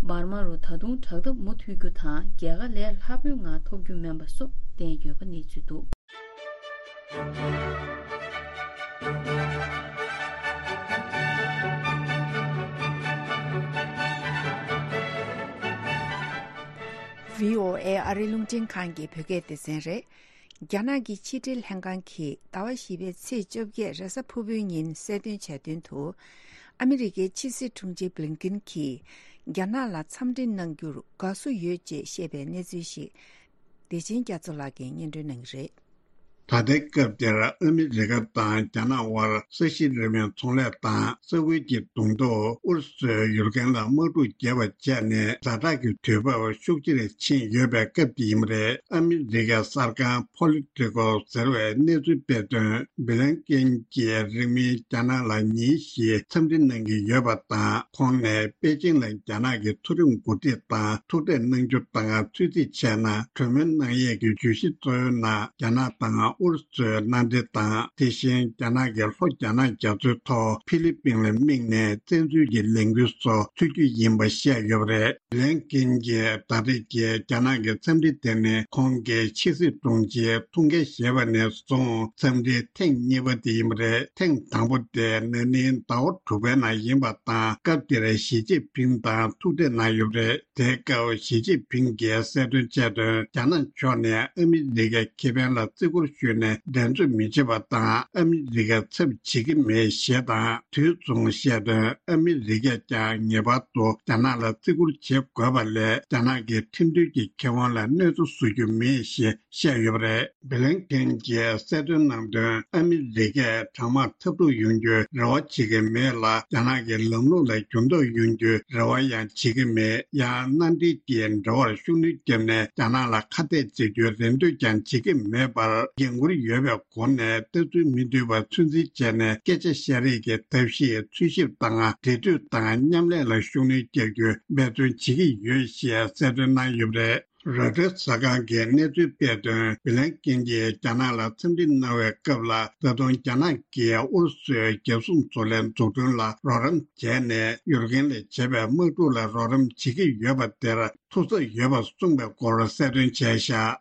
འབར་མ་རུ་ད་དུང་དྲག་འཐབ་མུ་མཐུད་རྒྱུ་དང་། རྒྱལ་ཁ་ལས་སླ་པོའི་ངང་ཐོབ་རྒྱུ་མིན་པ་སོགས་བསྟན་ཡོད་པ་གནས་ཚུལ་འདུག། བྷི་ཨོ་ཨེ་ཨ་རིའི་རླུང་འཕྲིན་ཁང་གི་བོད་སྐད་སྡེ་ཚན་རེད། རྒྱ་ནག་གི་ཕྱི་འབྲེལ་ལྷན་ཁང་གིས་ཟླ་བ་བཞི་པའི་ཚེས་བཅོ་བརྒྱད་རེས་གཟའ་ཕུར་བུའི་ཉིན་གསལ་སྟོན་བྱས་དོན་དུ། ཨ་མི་རི་ཀའི་ཕྱི་སྲིད་དྲུང་ཆེ་བྷི་ལིན་ཀིན་གྱིས་རྒྱ་ནག་ལ་འཚམས་འདྲི་གནང་རྒྱུར་དགའ་བསུ་ཡོད་ཅེས་བཤད་པའི་གནས་ཚུལ་ཞིག་བདེ་ཆེན་རྒྱ་མཚོ་ལགས་ཀྱིས་སྙན་སྒྲོན་གནང་གི་རེད། ད་ལྟའི་སྐབས་འདིར་ཨ་མི་རི་ཀ་དང་རྒྱ་ནག་དབར་ས་གཞི་རིམ་པའི་ཚོང་ལས་དང་ས་ཁུལ་གྱི་གདོང་ཐུག་ཨུ་རུ་སུའི་ཡུལ་རྒན་ལ་དམག་འཁྲུག་བརྒྱབ་པ་བྱས་ནས་ཛ་དྲག་གི་དུས་བབ་ཤུགས་ཆེར་ཕྱིན་ཡོད་པའི་སྐབས་དེ་ཡིན་པ་རེད། ཨ་མི་རི་ཀའི་གསར་ཁང་Politico་ཟེར་བའི་གནས་ཚུལ་སྤེལ་དོན། སྦི་ལན་ཀིན་གྱིས་རིང་མིན་རྒྱ་ནག་ལ་ཉིན་བཞིའི་འཚམས་འདྲི་གནང་གི་ཡོད་པ་དང་། ཁོང་ནས་པེ་ཅིང་ལ་རྒྱ་ནག་གི་མཐོ་རིམ་འགོ་ཁྲིད་དང་ཐུག་འཕྲད་གནང་རྒྱུ་དང་། ཚོད་རྩིས་བྱས་ན་གྲོས་མོལ་གནང་ཡས་ཀྱི་བརྗོད་གཞི་གཙོ་བོའི་ནང་རྒྱ་ནག་དང་ཨུ་རུ་སུའི་མནའ་འབྲེལ་དང་། དེ་བཞིན་རྒྱ་ནག་གི་ལྷོ་རྒྱ་ནག་རྒྱ་མཚོའི་ཐོག་ཧྥི་ལི་པིན་ལ་དམིགས་ནས་བཙན་འཛུལ་གྱི་ལས་འགུལ་སོགས་ཚུད་རྒྱུ་ཡིན་པ་བཤད་ཡོད་པ་རེད། སྦི་ལན་ཀིན་གྱིས་ད་རེས་ཀྱི་རྒྱ་ནག་གི་འཚམས་འདྲི་དེ་ནི་ཁོང་གིས་ཕྱི་སྲིད་དྲུང་ཆེའི་ཐུགས་འགན་བཞེས་པ་ནས་བཟུང་འཚམས་འདྲིའི་ཐེངས་གཉིས་པ་དེ་ཡིན་པ་རེད། ཐེངས་དང་པོ་དེ་ན་ནིང་ཟླ་བ་དྲུག་པའི་ནང་ཡིན་པ་དང་། སྐབས་དེར་ཞི་ཅིན་ཕིང་དང་ཐུག་འཕྲད་གནང་ཡོད་པ་རེད། དེའི་སྐབས་ཞི་ཅིན་ཕིང་གིས་གསལ་སྟོན་བྱས་དོན། རྒྱ་ནག་ཕྱོགས་ནས་ཨ་མི་རི་ཀའི་ཁེ་ཕན་ལ་བརྩི་བཀུར་ཞུས་ནས་འགྲན་རྩོད་མི་བྱེད་པ་དང་། ཨ་མི་རི་ཀའི་ཚབ་བྱེད་ཀྱི་མེད་ཞེས་དང་། དུས་མཚུངས་བཤད་དོན། ཨ་མི་རི་ཀས་ཀྱང་ངེས་པར་དུ་རྒྱ་ནག་ལ་བརྩི་བཀུར་བྱེད་དགོས་པ་ལས། རྒྱ་ནག་གི་ཁྲིམས་མཐུན་གྱི་ཁེ་དབང་ལ་གནོད་འཚེ་བཟོ་རྒྱུ་མེད་ཞེས་བཤད་ཡོད་པ་རེད། སྦི་ལན་ཀིན་གྱིས་གསལ་སྟོན་གནང་དོན། ཨ་མི་རི་ཀས་གྲང་དམག་འཐབ་འཁྲུག་ཡོང་རྒྱུའི་རེ་བ་བྱེད་ཀྱི་མེད་ལ། རྒྱ་ནག་གི་ལམ་ལུགས་ལ་འགྱུར་ལྡོག་ཡོང་རྒྱུའི་རེ་བ་ཡང་བྱེད་ཀྱི་མེད། ཡང་མནའ་འབྲེལ་གྱི་འབྲེལ་བར་ཤུགས་སྣོན་བརྒྱབ་ནས་རྒྱ་ནག་ལ་ཁ་གཏད་བྱེད་རྒྱུའི་རེ་འདུན་ཀྱང་བྱེད་ཀྱི་མེད་པར་འགན་འཁུར་ཡོད་པའི་སྒོ་ནས་ལྟ་ཚུལ་མི་མཐུན་པ་ཚོད་འཛིན་བྱས་ནས་སྐད་ཆ་བཤད་རེས་ཀྱི་ཐབས་ཤེས། འཚོལ་ཞིབ་དང་འབྲེལ་མཐུད་དང་མཉམ་ལས་ལ་ཤུགས་སྣོན་རྒྱག་རྒྱུའི་འབད་བརྩོན་བྱེད་ཀྱི་ཡོད་ཞེས་གསལ་སྟོན་གནང་ཡོད་པ་རེད། རོའི་ཊར་གསར་ཁང་གིས་གནས་ཚུལ་སྤེལ་དོན། སྦི་ལན་ཀིན་གྱིས་རྒྱ་ནག་ལ་འཚམས་འདྲི་གནང་བའི་སྐབས་ལ། ད་དུང་རྒྱ་ནག་གིས་ཨུ་རུ་སུའི་རྒྱལ་སྲུང་བཟོ་ལས་འཛུགས་སྐྲུན་ལ་རོགས་རམ་བྱས་ནས། ཡུཀ་རེན་ལ་བྱས་པའི་དམག་འཁྲུག་ལ་རོགས་རམ་བྱེད་ཀྱི་ཡོད་པ་དེར་ཐུགས་འཚབ་ཡོད་པ་གསུངས་པའི་སྐོར་གསལ་སྟོན་བྱས་བཞག་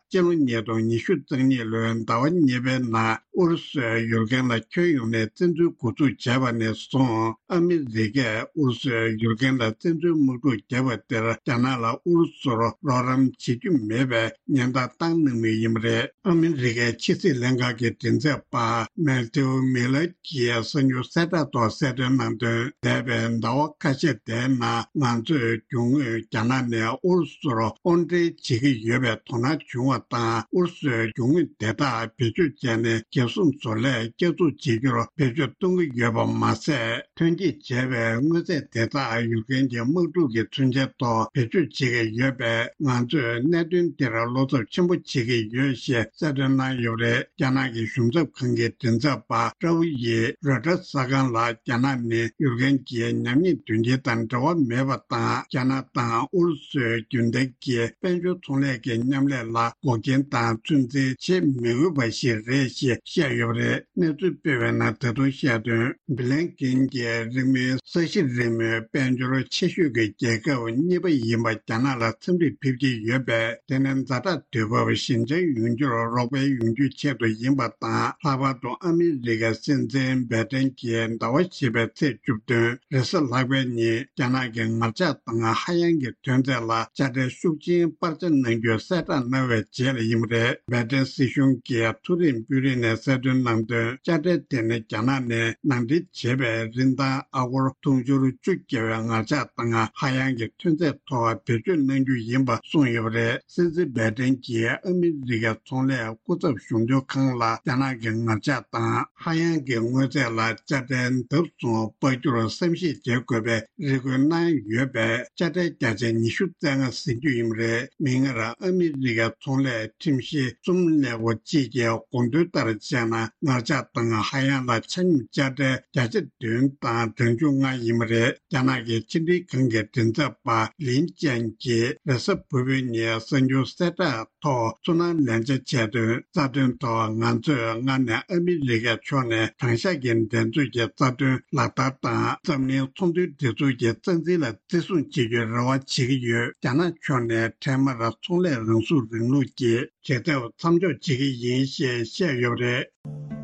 སྤྱི་ལོ་ཉིས་སྟོང་ཉི་ཤུ་རྩ་གཉིས་ལོའི་ཟླ་བ་གཉིས་པའི་ནང་ཨུ་རུ་སུས་ཡུཀ་རེན་ལ་ཁྱོན་ཡོངས་ནས་བཙན་འཛུལ་འགོ་འཛུགས་བྱས་པ་ནས་བཟུང་། ཨ་མི་རི་ཀས་ཨུ་རུ་སུས་ཡུཀ་རེན་ལ་བཙན་འཛུལ་དམག་འཁྲུག་བརྒྱབ་པ་དེར་རྒྱ་ནག་ལ་ཨུ་རུ་སུར་རོགས་རམ་བྱེད་རྒྱུ་མེད་པའི་ཉེན་བརྡ་བཏང་གནང་མུས་ཡིན་པ་རེད། ཨ་མི་རི་ཀའི་ཕྱི་སྲིད་ལྷན་ཁང་གི་མགྲིན་ཚབ་པ་མེ་ཐིའུ་མི་ལར་གྱིས་གསར་འགྱུར་གསལ་བསྒྲགས་ཐོག་གསལ་སྟོན་གནང་དོན། འདས་པའི་ཟླ་བ་ཁ་ཤས་དེའི་ནང་ང་ཚོས་རྒྱུ་དངོས་རྒྱ་ནག་ནས་ཨུ་རུ་སུར་དབོར་འདྲེན་བྱེད་ཀྱི་ཡོད་པའི་དོ་སྣང་བྱུང་བ་དང་། ཨུ་རུ་སུའི་རྒྱུ་དངོས་དེ་དག་བེད་སྤྱོད་བྱས་ནས་རྒྱལ་སྲུང་བཟོ་ལས་བསྐྱར་འཛུགས་བྱེད་རྒྱུར་བེད་སྤྱོད་གཏོང་གི་ཡོད་པ་མ་ཟད། ཐོན་སྐྱེད་བྱས་པའི་དངོས་རྫས་དེ་དག་ཡུཀ་རེན་གྱི་དམག་འཁྲུག་གི་མཚོན་ཆའི་ཐོག་བེད་སྤྱོད་བྱེད་ཀྱི་ཡོད་པས། ང་ཚོས་གནད་དོན་དེར་བློ་འཚབ་ཆེན་པོ་བྱེད་ཀྱི་ཡོད་ཞེས་གསལ་སྟོན་གནང་ཡོད་པ་རེད། རྒྱ་ནག་གི་གཞུང་ཚབ་ཁང་གི་མགྲིན་ཚབ་པ་ཀྲའོ་ཡིས་རོའི་ཊར་གསར་ཁང་ལ། རྒྱ་ནག་ནི་ཡུཀ་རེན་གྱི་ཉམས་ཉེས་དོན་རྐྱེན་དང་འབྲེལ་བ་མེད་པ་དང་། རྒྱ་ནག་དང་ཨུ་རུ་སུའི་རྒྱུན་ལྡན་གྱི་དཔལ་འབྱོར་ཚོང་ལས་ཀྱི་མཉམ་ལས་ལ་འགོག་རྐྱེན་དང་ཚོད་འཛིན་བྱེད་མི་འོས་པ་ཞིག་རེད་ཞེས་བཤད་ཡོད་པ་རེད། གནས་ཚུལ་སྤེལ་བའི་ནང་ད་དུང་བཤད་དོན། སྦི་ལན་ཀིན་གྱིས་རིང་མིན་ས་གཞི་རིལ་མོའི་དཔལ་འབྱོར་ཆེ་ཤོས་ཀྱི་རྒྱལ་ཁབ་གཉིས་པ་ཡིན་པ་རྒྱ་ནག་ལ་འཚམས་འདྲིར་ཕེབས་ཀྱི་ཡོད་པས། དེ་ནི་ཛ་དྲག་དུས་བབ་ཞན་ཆ་ཡོང་རྒྱུར་རོགས་ཕན་ཡོང་རྒྱུའི་ཆེད་དུ་ཡིན་པ་དང་། ལྷག་པར་དུ་ཨ་མི་རི་ཀའི་སྲིད་འཛིན་བྷའི་ཏན་གྱིས་ཟླ་བ་བཞི་པའི་ཚེས་བཅུ་བདུན་རེས་གཟའ་ལྷག་པའི་ཉིན་རྒྱ་ནག་གི་ངར་ལྕགས་དང་ཧ་ཡང་གི་ཐོན་རྫས་ལ་དཔྱ་ཁྲལ་ཤུགས་ཆེན་སྤར་ཆ་གནང་རྒྱུའི་གསལ་བསྒྲགས་གནང་བའི་རྗེས་ལ་ཡིན་པ་རེད། བྷའི་ཏན་སྲིད་གཞུང་གི་མཐོ་རིམ་དཔོན་རིགས་ནས་གསལ་སྟོན་གནང་དོན། དཔྱ་ཁྲལ་དེ་ནི་རྒྱ་ནག་ནས་ནང་འདྲེན་བྱས་པའི་རིན་ཐང་ཨ་སྒོར་དུང་ཕྱུར་བཅུ་བརྒལ་བའི་ངར་ལྕགས་དང་ཧ་ཡང་གི་ཐོན་རྫས་ཐོག་བེད་སྤྱོད་གནང་རྒྱུ་ཡིན་པ་གསུངས་ཡོད་པ་རེད། སྲིད་འཛིན་བྷའི་ཏན་གྱིས་ཨ་མི་རི་ཀའི་ཚོང་ལས་སྐུ་ཚབ་གཞུང་དོན་ཁང་ལ་རྒྱ་ནག་གི་ངར་ལྕགས་དང་ཧ་ཡང་གི་དངོས་རྫས་ལ་དཔྱ་ཁྲལ་ལྡབ་གསུམ་སྤར་རྒྱུར་བསམ་ཤེས་བྱེད་དགོས་པའི་རེ་སྐུལ་གནང་ཡོད་པས། དཔྱ་ཁྲལ་བརྒྱ་ཆ་ཉི་ཤུ་རྩ་ལྔ་ཟིན་རྒྱུ་ཡིན་པ་རེད། མིག་སྔར་ཨ་མི་རི་ཀའི་ཚོང་ལས་ཁྲིམས་བཤེར་གསུམ་ལས་འགོ་གཅིག་གིས་དགོངས་དོན་ལྟར་བྱས་ན། ངར་ལྕགས་དང་ཧ་ཡང་ལ་ཆ་སྙོམས་དཔྱ་ཁྲལ་བརྒྱ་ཆ་བདུན་དང་གྲངས་ཆུང་ལྔ་ཡིན་པ་རེད། རྒྱ་ནག་གི་ཕྱི་འབྲེལ་ཁང་གི་མགྲིན་ཚབ་པ་ལིན་ཅན་གྱིས་རེས་གཟའ་ཕུར་བུའི་ཉིན་གསར་འགྱུར་གསལ་བསྒྲགས་ཐོག་ཚོར་སྣང་ལན་ཆ་བྱས་དོན། རྩ་དོན་ཐོག་ང་ཚོས་སྔར་ནས་ཨ་མི་རི་ཀའི་ཕྱོགས་ནས་དྲང་གཞག་གི་འགྲན་རྩོད་ཀྱི་རྩ་དོན་ལག་བསྟར་དང་། འཛམ་གླིང་ཚོང་དོན་སྒྲིག་འཛུགས་ཀྱི་རྩ་འཛིན་ལ་བརྩི་སྲུང་བྱེད་རྒྱུའི་རེ་བ་བྱེད་ཀྱི་ཡོད། རྒྱ་ནག་ཕྱོགས་ནས་འཕྲལ་མར་ཚོང་ལས་རང་སྲུང་རིང་ལུགས་ཀྱི་བྱེད་ཐབས་མཚམས་འཇོག་བྱེད་ཀྱི་ཡིན་ཞེས་བཤད་ཡོད་པ་རེད།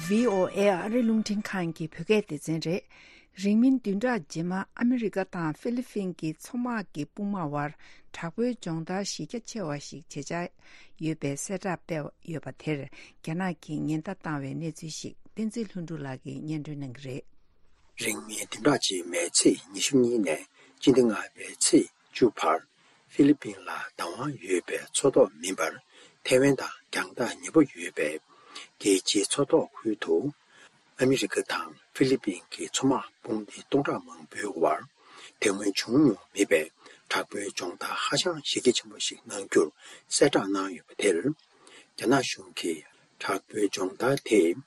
ཝི་ཨོ་ཨེ་ཨ་རི་རླུང་འཕྲིན་ཁང་གི་བོད་སྐད་སྡེ་ཚན་རེད། རིང་མིན་བདུན་ཕྲག་རྗེས་མ་ཨ་མི་རི་ཀ་དང་ཧྥི་ལི་ཕིན་གྱི་མཚོ་དམག་གི་དཔུང་དམག་དབར་དྲག་པོའི་སྦྱོང་བརྡར་གཞི་རྒྱ་ཆེ་བ་ཞིག་བྱེད་འཆར་ཡོད་པའི་གསལ་བསྒྲགས་སྤེལ་ཡོད་པ་དེར། རྒྱ་ནག་གིས་ཉེན་བརྡ་བཏང་བའི་གནས་ཚུལ་ཞིག་བསྟན་འཛིན་ལྷུན་གྲུབ་ལགས་ཀྱིས་སྙན་སྒྲོན་གནང་གི་རེད། རིང་མིན་བདུན་ཕྲག་རྗེས་མའི་ཚེས་ཉི་ཤུ་གཉིས་ནས་སྤྱི་ཟླ་ལྔ་པའི་ཚེས་བཅུ་བར། ཧྥི་ལི་ཕིན་ལ་བདག་དབང་ཡོད་པའི་མཚོ་ཐོག་མིན་པར། ཐའེ་ཝན་དང་རྒྱང་ཐག་ཉེ་པོ་ཡོད་པའི་རྒྱལ་སྤྱིའི་མཚོ་ཐོག་ཁུལ་དུ། ཨ་མི་རི་ཀ་དང་ཧྥི་ལི་ཕིན་གྱི་མཚོ་དམག་དཔུང་སྡེ་སྟོང་ཕྲག་མང་པོའི་དབར། དེ་སྔོན་བྱུང་མྱོང་མེད་པའི་དྲག་པོའི་སྦྱོང་བརྡར་ཧ་ཅང་གཞི་རྒྱ་ཆེན་པོ་ཞིག་གནང་རྒྱུར་གསལ་བསྒྲགས་གནང་ཡོད་པ་དེར། རྒྱ་ནག་གཞུང་གིས་དྲག་པོའི་སྦྱོང་བརྡར་དེས།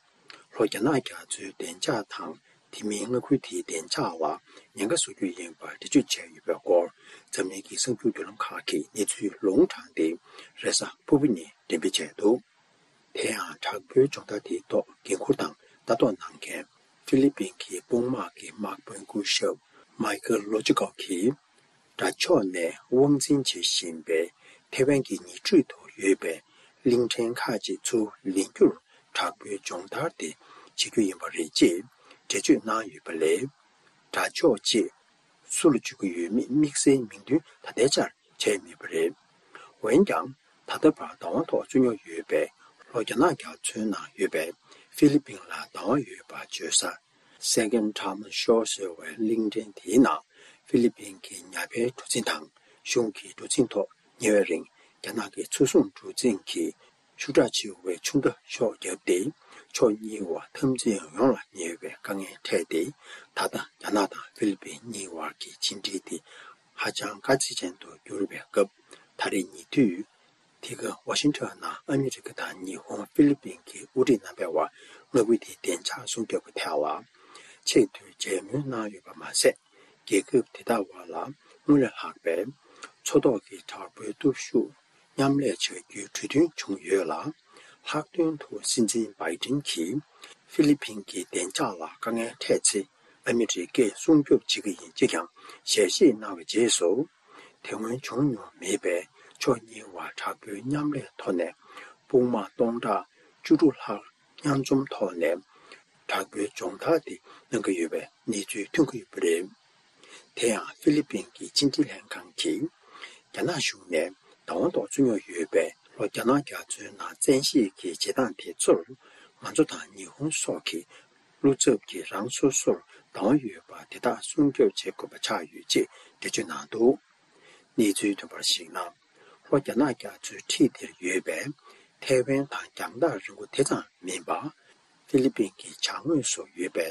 ལྷོ་རྒྱ་ནག་རྒྱ་མཚོའི་བདེ་འཇགས་དང་། དེ་མིན་མངའ་ཁུལ་དེའི་བདེ་འཇགས་ལ་ཉེན་ཁ་བཟོ་རྒྱུ་ཡིན་པར་འགྲེལ་བརྗོད་བྱས་ཡོད་པའི་སྐོར། འཛམ་གླིང་གི་གསར་འགྱུར་བརྒྱུད་ལམ་ཁག་གིས་གནས་ཚུལ་ལུང་དྲངས་ཏེ། རེས་གཟའ་ཕུར་བུ་ཉིན་འགྲེམས་སྤེལ་བྱས་འདུག་དེ་ཡང་དྲག་པོའི་སྦྱོང་བརྡར་དེའི་ཐོག་འགན་འཁུར་དང་ལྟ་རྟོག་གནང་མཁན་ཧྥི་ལི་ཕིན་གྱི་དཔུང་དམག་གི་དམག་དཔོན་སྐུ་ཞབས་མའི་ཁེལ་ལོ་ཅི་ཀོ་གིས། དགྲ་ཕྱོགས་ནས་དབང་འཛིན་བྱེད་བཞིན་པའི་ཐེ་ཝན་གྱི་ཉེ་འཁྲིས་དུ་ཡོད་པའི་གླིང་ཕྲན་ཁག་ཅིག་ཚུར་ལེན་རྒྱུར་དྲག་པོའི་སྦྱོང་བརྡར་དེ་བྱེད་རྒྱུ་ཡིན་པ་རེད་ཅེས་འགྲེལ་བརྗོད་གནང་ཡོད་པ་ལས། དགྲ་ཕྱོགས་ཅེས་སུ་ལ་བརྗོད་ཀྱི་ཡོད་མེད་དམིགས་བསལ་མིང་འདོན་ད་ལྟའི་ཆར་བྱས་མེད་པ་རེད། འོན་ཀྱང་། ད་ལྟ་བར་བདག་དབང་ཐོག་བཙུགས་མྱོང་ཡོད་པའི་ལྷོ་རྒྱ་ནག་རྒྱ་མཚོའི་ནང་ཡོད་པའི་ཧྥི་ལི་ཕིན་ལ་བདག་དབང་ཡོད་པ་བརྗོད་ས། Second Taiman Shoal ཟེར་བའི་གླིང་ཕྲན་དེའི་ནང་ཧྥི་ལི་ཕིན་གྱི་ཉ་པའི་གྲུ་གཟིངས་དང་གཞུང་གི་གྲུ་གཟིངས་ཐོག་ཉེ་བའི་རིང་རྒྱ་ནག་གི་མཚོ་སྲུང་གྲུ་གཟིངས་ཀྱི་ཤུགས་དྲག་ཆེ་བའི་ཆུ་མདའ་གཤོག་བརྒྱབ་སྟེ། ཕྱོགས་གཉིས་བར་འཐབ་འཛིང་ཡོངས་ལ་ཉེ་བའི་དཀའ་ངལ་འཕྲད་དེ། ད་ལྟ་རྒྱ་ནག་དང་ཧྥི་ལི་ཕིན་གཉིས་བར་གྱི་ཕྱི་འབྲེལ་དེ་ཧ་ཅང་དཀའ་ཚེགས་ཅན་དུ་གྱུར་བའི་སྐབས། ད་རེས་ཉེ་དུས། དེ་ག་ཝ་ཤིང་ཊོན་ནང་ཨ་མི་རི་ཀ་དང་ཉི་ཧོང་། ཧྥི་ལི་ཕིན་གྱི་དབུ་ཁྲིད་རྣམ་པའི་དབར་མངའ་ཁུལ་དེའི་བདེ་འཇགས་སྲུང་སྐྱོབ་ཀྱི་ཐད་ལ་ཆེས་མཐོའི་མཇལ་མོལ་གནང་ཡོད་པ་མ་ཟད། རྒྱལ་ཁབ་དེ་དག་དབར་ལ་སྔོན་ལས་ལྷག་པའི་མཚོ་ཐོག་གི་དྲག་པོའི་སྟོབས་ཤུགས་མཉམ་ལས་བྱ་རྒྱུའི་གྲོས་མཐུན་བྱུང་ཡོད་ལ། ལྷག་དོན་དུ་སྲིད་འཛིན་བྷའི་ཏིན་གྱིས་ཧྥི་ལི་ཕིན་གྱི་བདེ་འཇགས་ལ་དཀའ་ངལ་འཕྲད་ཚེ། ཨ་མི་རི་ཀས་སྲུང་སྐྱོབ་བྱེད་ཀྱི་ཡིན་ཅེས་ཀྱང་ཞལ་བཞེས་གནང་བའི་རྗེས་སུ། དེ་སྔོན་བྱུང་མྱོང་མེད་པའི་ཕྱོགས་གཉིས་བར་དྲག་པོའི་མཉམ་ལས་ཐོག་ནས་དཔུང་དམག་སྟོང་ཕྲག་བཅུ་དྲུག་ལྷག་མཉམ་འཛོམས་ཐོག་ནས་དྲག་པོའི་སྦྱོང་བརྡར་དེ་གནང་གི་ཡོད་པའི་གནས་ཚུལ་ཐོན་གྱི་ཡོད་པ་རེད། དེ་ཡང་ཧྥི་ལི་ཕིན་གྱི་ཕྱི་འབྲེལ་ལྷན་ཁང་གིས་རྒྱ་ནག་གཞུང་ནས་བདག་དབང་ཐོག་བཙུགས་མྱོང་ཡོད་པའི་ལྷོ་རྒྱ་ནག་རྒྱ་མཚོའི་ནང་བཙན་ཤེད་ཀྱི་བྱེད་སྟངས་དེ་ཚོར་ང་ཚོ་དང་ཉི་ཧོང་སོགས་ཀྱི་བློ་འཚབ་ཀྱིས་རང་སོ་སོར་བདག་དབང་ཡོད་པ་དེ་དག་སྲུང་སྐྱོབ་བྱེད་དགོས་པ་ཆགས་ཡོད་ཅེས་འགྲེལ་བརྗོད་གནང་འདུག་གནས་ཚུལ་ཐོན་པར་གཞིགས་ན། ལྷོ་རྒྱ་ནག་རྒྱ་མཚོའི་འཁྲིས་དེར་ཡོད་པའི་ཐའེ་ཝན་དང་རྒྱང་ཐག་རིང་པོ་དེ་ཙམ་མིན་པ། ཧྥི་ལི་ཕིན་གྱི་བྱང་ངོས་སུ་ཡོད་པའི་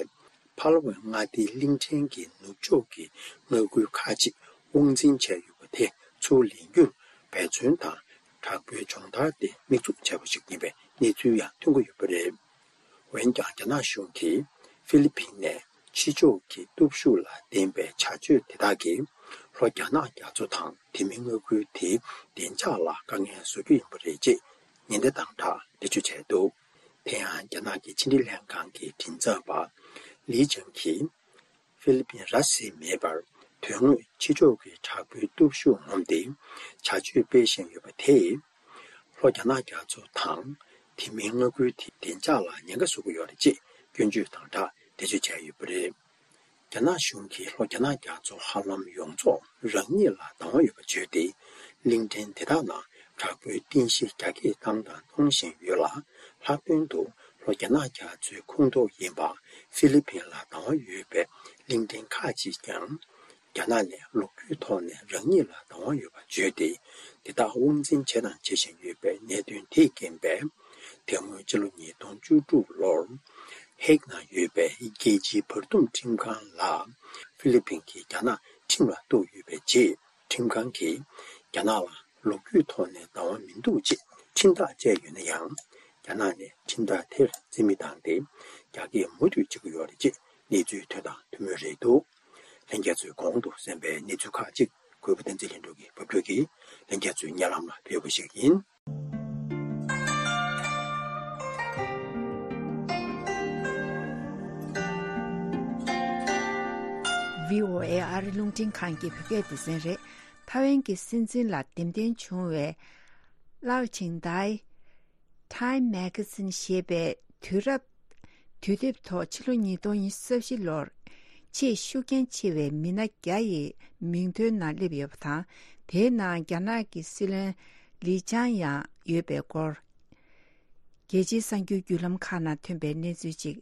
ཕ་ལ་ཝན་མངའ་སྡེའི་གླིང་ཕྲན་གྱི་ནུབ་ཕྱོགས་ཀྱི་མངའ་ཁུལ་ཁག་ཅིག་དབང་འཛིན་བྱས་ཡོད་པ་དེ་ཚུར་ལེན་རྒྱུར་འབད་བརྩོན་དང་དྲག་པོའི་སྦྱོང་བརྡར་དེ་དམིགས་འཛུགས་བྱས་པ་ཞིག་ཡིན་པའི་གནས་ཚུལ་ཡང་ཐོན་གྱི་ཡོད་པ་རེད། འོན་ཀྱང་རྒྱ་ནག་གཞུང་གིས་ཧྥི་ལི་ཕིན་ནས་ཕྱི་ཕྱོགས་ཀྱི་སྟོབས་ཤུགས་ལ་བརྟེན་པའི་བྱ་སྤྱོད་དེ་དག་གིས་ལྷོ་རྒྱ་ནག་རྒྱ་མཚོ་དང་དེ་མིན་མངའ་ཁུལ་དེའི་བདེ་འཇགས་ལ་དཀའ་ངལ་བཟོ་རྒྱུ་ཡིན་པ་རེད་ཅེས་ཉེན་བརྡ་དང་སྦྲགས་འགྲེལ་བརྗོད་བྱས་འདུག་དེ་ཡང་རྒྱ་ནག་གི་ཕྱི་འབྲེལ་ལྷན་ཁང་གི་མགྲིན་ཚབ་པ་ལི་ཅང་གིས། ཧྥི་ལི་ཕིན་ར་བཟི་མེད་པར་དོན་དངོས་ཕྱི་ཕྱོགས་ཀྱི་དྲག་པོའི་སྟོབས་ཤུགས་ངོམ་སྟེ་བྱ་སྤྱོད་སྤེལ་བཞིན་ཡོད་པ་དེས། ལྷོ་རྒྱ་ནག་རྒྱ་མཚོ་དང་དེ་མིན་མངའ་ཁུལ་དེའི་བདེ་འཇགས་ལ་ཉེན་ཁ་བཟོ་གི་ཡོད་རེད་ཅེས་སྐྱོན་བརྗོད་དང་སྦྲགས་འགྲེལ་བརྗོད་བྱས་ཡོད་པ་རེད། རྒྱ་ནག་གཞུང་གིས་ལྷོ་རྒྱ་ནག་རྒྱ་མཚོ་ཧ་ལམ་ཡོངས་རྫོགས་རང་ཉིད་ལ་བདག་དབང་ཡོད་པ་བརྗོད་དེ། གླིང་ཕྲན་དེ་དག་ནང་དྲག་པོའི་རྟེན་གཞི་རྒྱ་སྐྱེད་བཏང་དང་གཏོང་བཞིན་ཡོད་ལ། ལྷག་དོན་དུ་ལྷོ་རྒྱ་ནག་རྒྱ་མཚོའི་ཁོངས་གཏོགས་ཡིན་པ་ཧྥི་ལི་ཕིན་ལ་བདག་དབང་ཡོད་པའི་གླིང་ཕྲན་ཁག་ཅིག་ཀྱང་རྒྱ་ནག་ནས་ལོ་རྒྱུས་ཐོག་ནས་རང་ཉིད་ལ་བདག་དབང་ཡོད་པ་བརྗོད་དེ། དེ་དག་དབང་འཛིན་བྱས་དང་བྱེད་བཞིན་ཡོད་པའི་གནད་དོན་དེས་རྐྱེན་པས། དེ་སྔོན་ཕྱི་ལོ་ཉིས་སྟོང་བཅུ་དྲུག་ལོར་ཧེག་ནང་ཡོད་པའི་རྒྱལ་སྤྱིའི་བར་འདུམ་ཁྲིམས་ཁང་ལ་ཧྥི་ལི་ཕིན་གྱིས་རྒྱ་ནག་ཁྲིམས་ལ་གཏུགས་ཡོད་པའི་རྗེས། ཁྲིམས་ཁང་གིས་རྒྱ་ནག་ལ་ལོ་རྒྱུས་ཐོག་ནས་བདག་དབང་མི་འདུག་ཅེས་ཁྲིམས་ཐག་བཅད་ཡོད་ན་ཡང་། རྒྱ་ནག་ནས་ཁྲིམས་ཐག་དེར་རྩིས་མེད་བཏང་སྟེ། རྒྱ་སྐྱེད་མུ་མཐུད་བྱེད་ཀྱི་ཡོད་རེད་ཅེས་གནས་ཚུལ་ཐོན་དང་ཐོན་མུས་རེད་འདུག་ལྷན་རྒྱས་ཚོས་གོང་དུ་གསན་པའི་གནས་ཚུལ་ཁག་ཅིག་གུས་པ་བསྟན་འཛིན་ལྷུན་གྲུབ་ཀྱིས་ཕབ་སྒྱུར་གྱིས་ལྷན་རྒྱས་ཚོའི་སྙན་ལམ་ལ་ཕུལ་བ་ཞིག་ཡིན། བྷི་ཨོ་ཨེ་ཨ་རི་རླུང་འཕྲིན་ཁང་གི་བོད་སྐད་སྡེ་ཚན་རེད། ཐའེ་ཝན་གྱི་སྲིད་འཛིན་ལ་འདེམས་ཐོན་བྱུང་བའི་ལའོ་ཆིང་ཏའི། Time Magazine ཞེས་པའི་དུས་རབས་དུས་དེབ་ཐོག་ཕྱི་ལོ་ཉིས་སྟོང་ཉི་ཤུ་རྩ་བཞི་ལོར་ ཆེས་ཤུགས་རྐྱེན་ཆེ་བའི་མི་སྣ་བརྒྱ་ཡི་མིང་ཐོའི་ནང་སླེབས་ཡོད་པ་དང་། དེའི་ནང་རྒྱ་ནག་གི་སྲིད་བློན་ལི་ཆང་ཡང་ཡོད་པའི་སྐོར། རྒྱལ་སྤྱིའི་གསར་འགྱུར་བརྒྱུད་ལམ་ཁག་ནང་ཐོན་པའི་གནས་ཚུལ་ཅིག་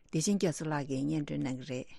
བདེ་ཆེན་རྒྱ་མཚོ་ལགས་ཀྱིས་སྙན་སྒྲོན་གནང་གི་རེད།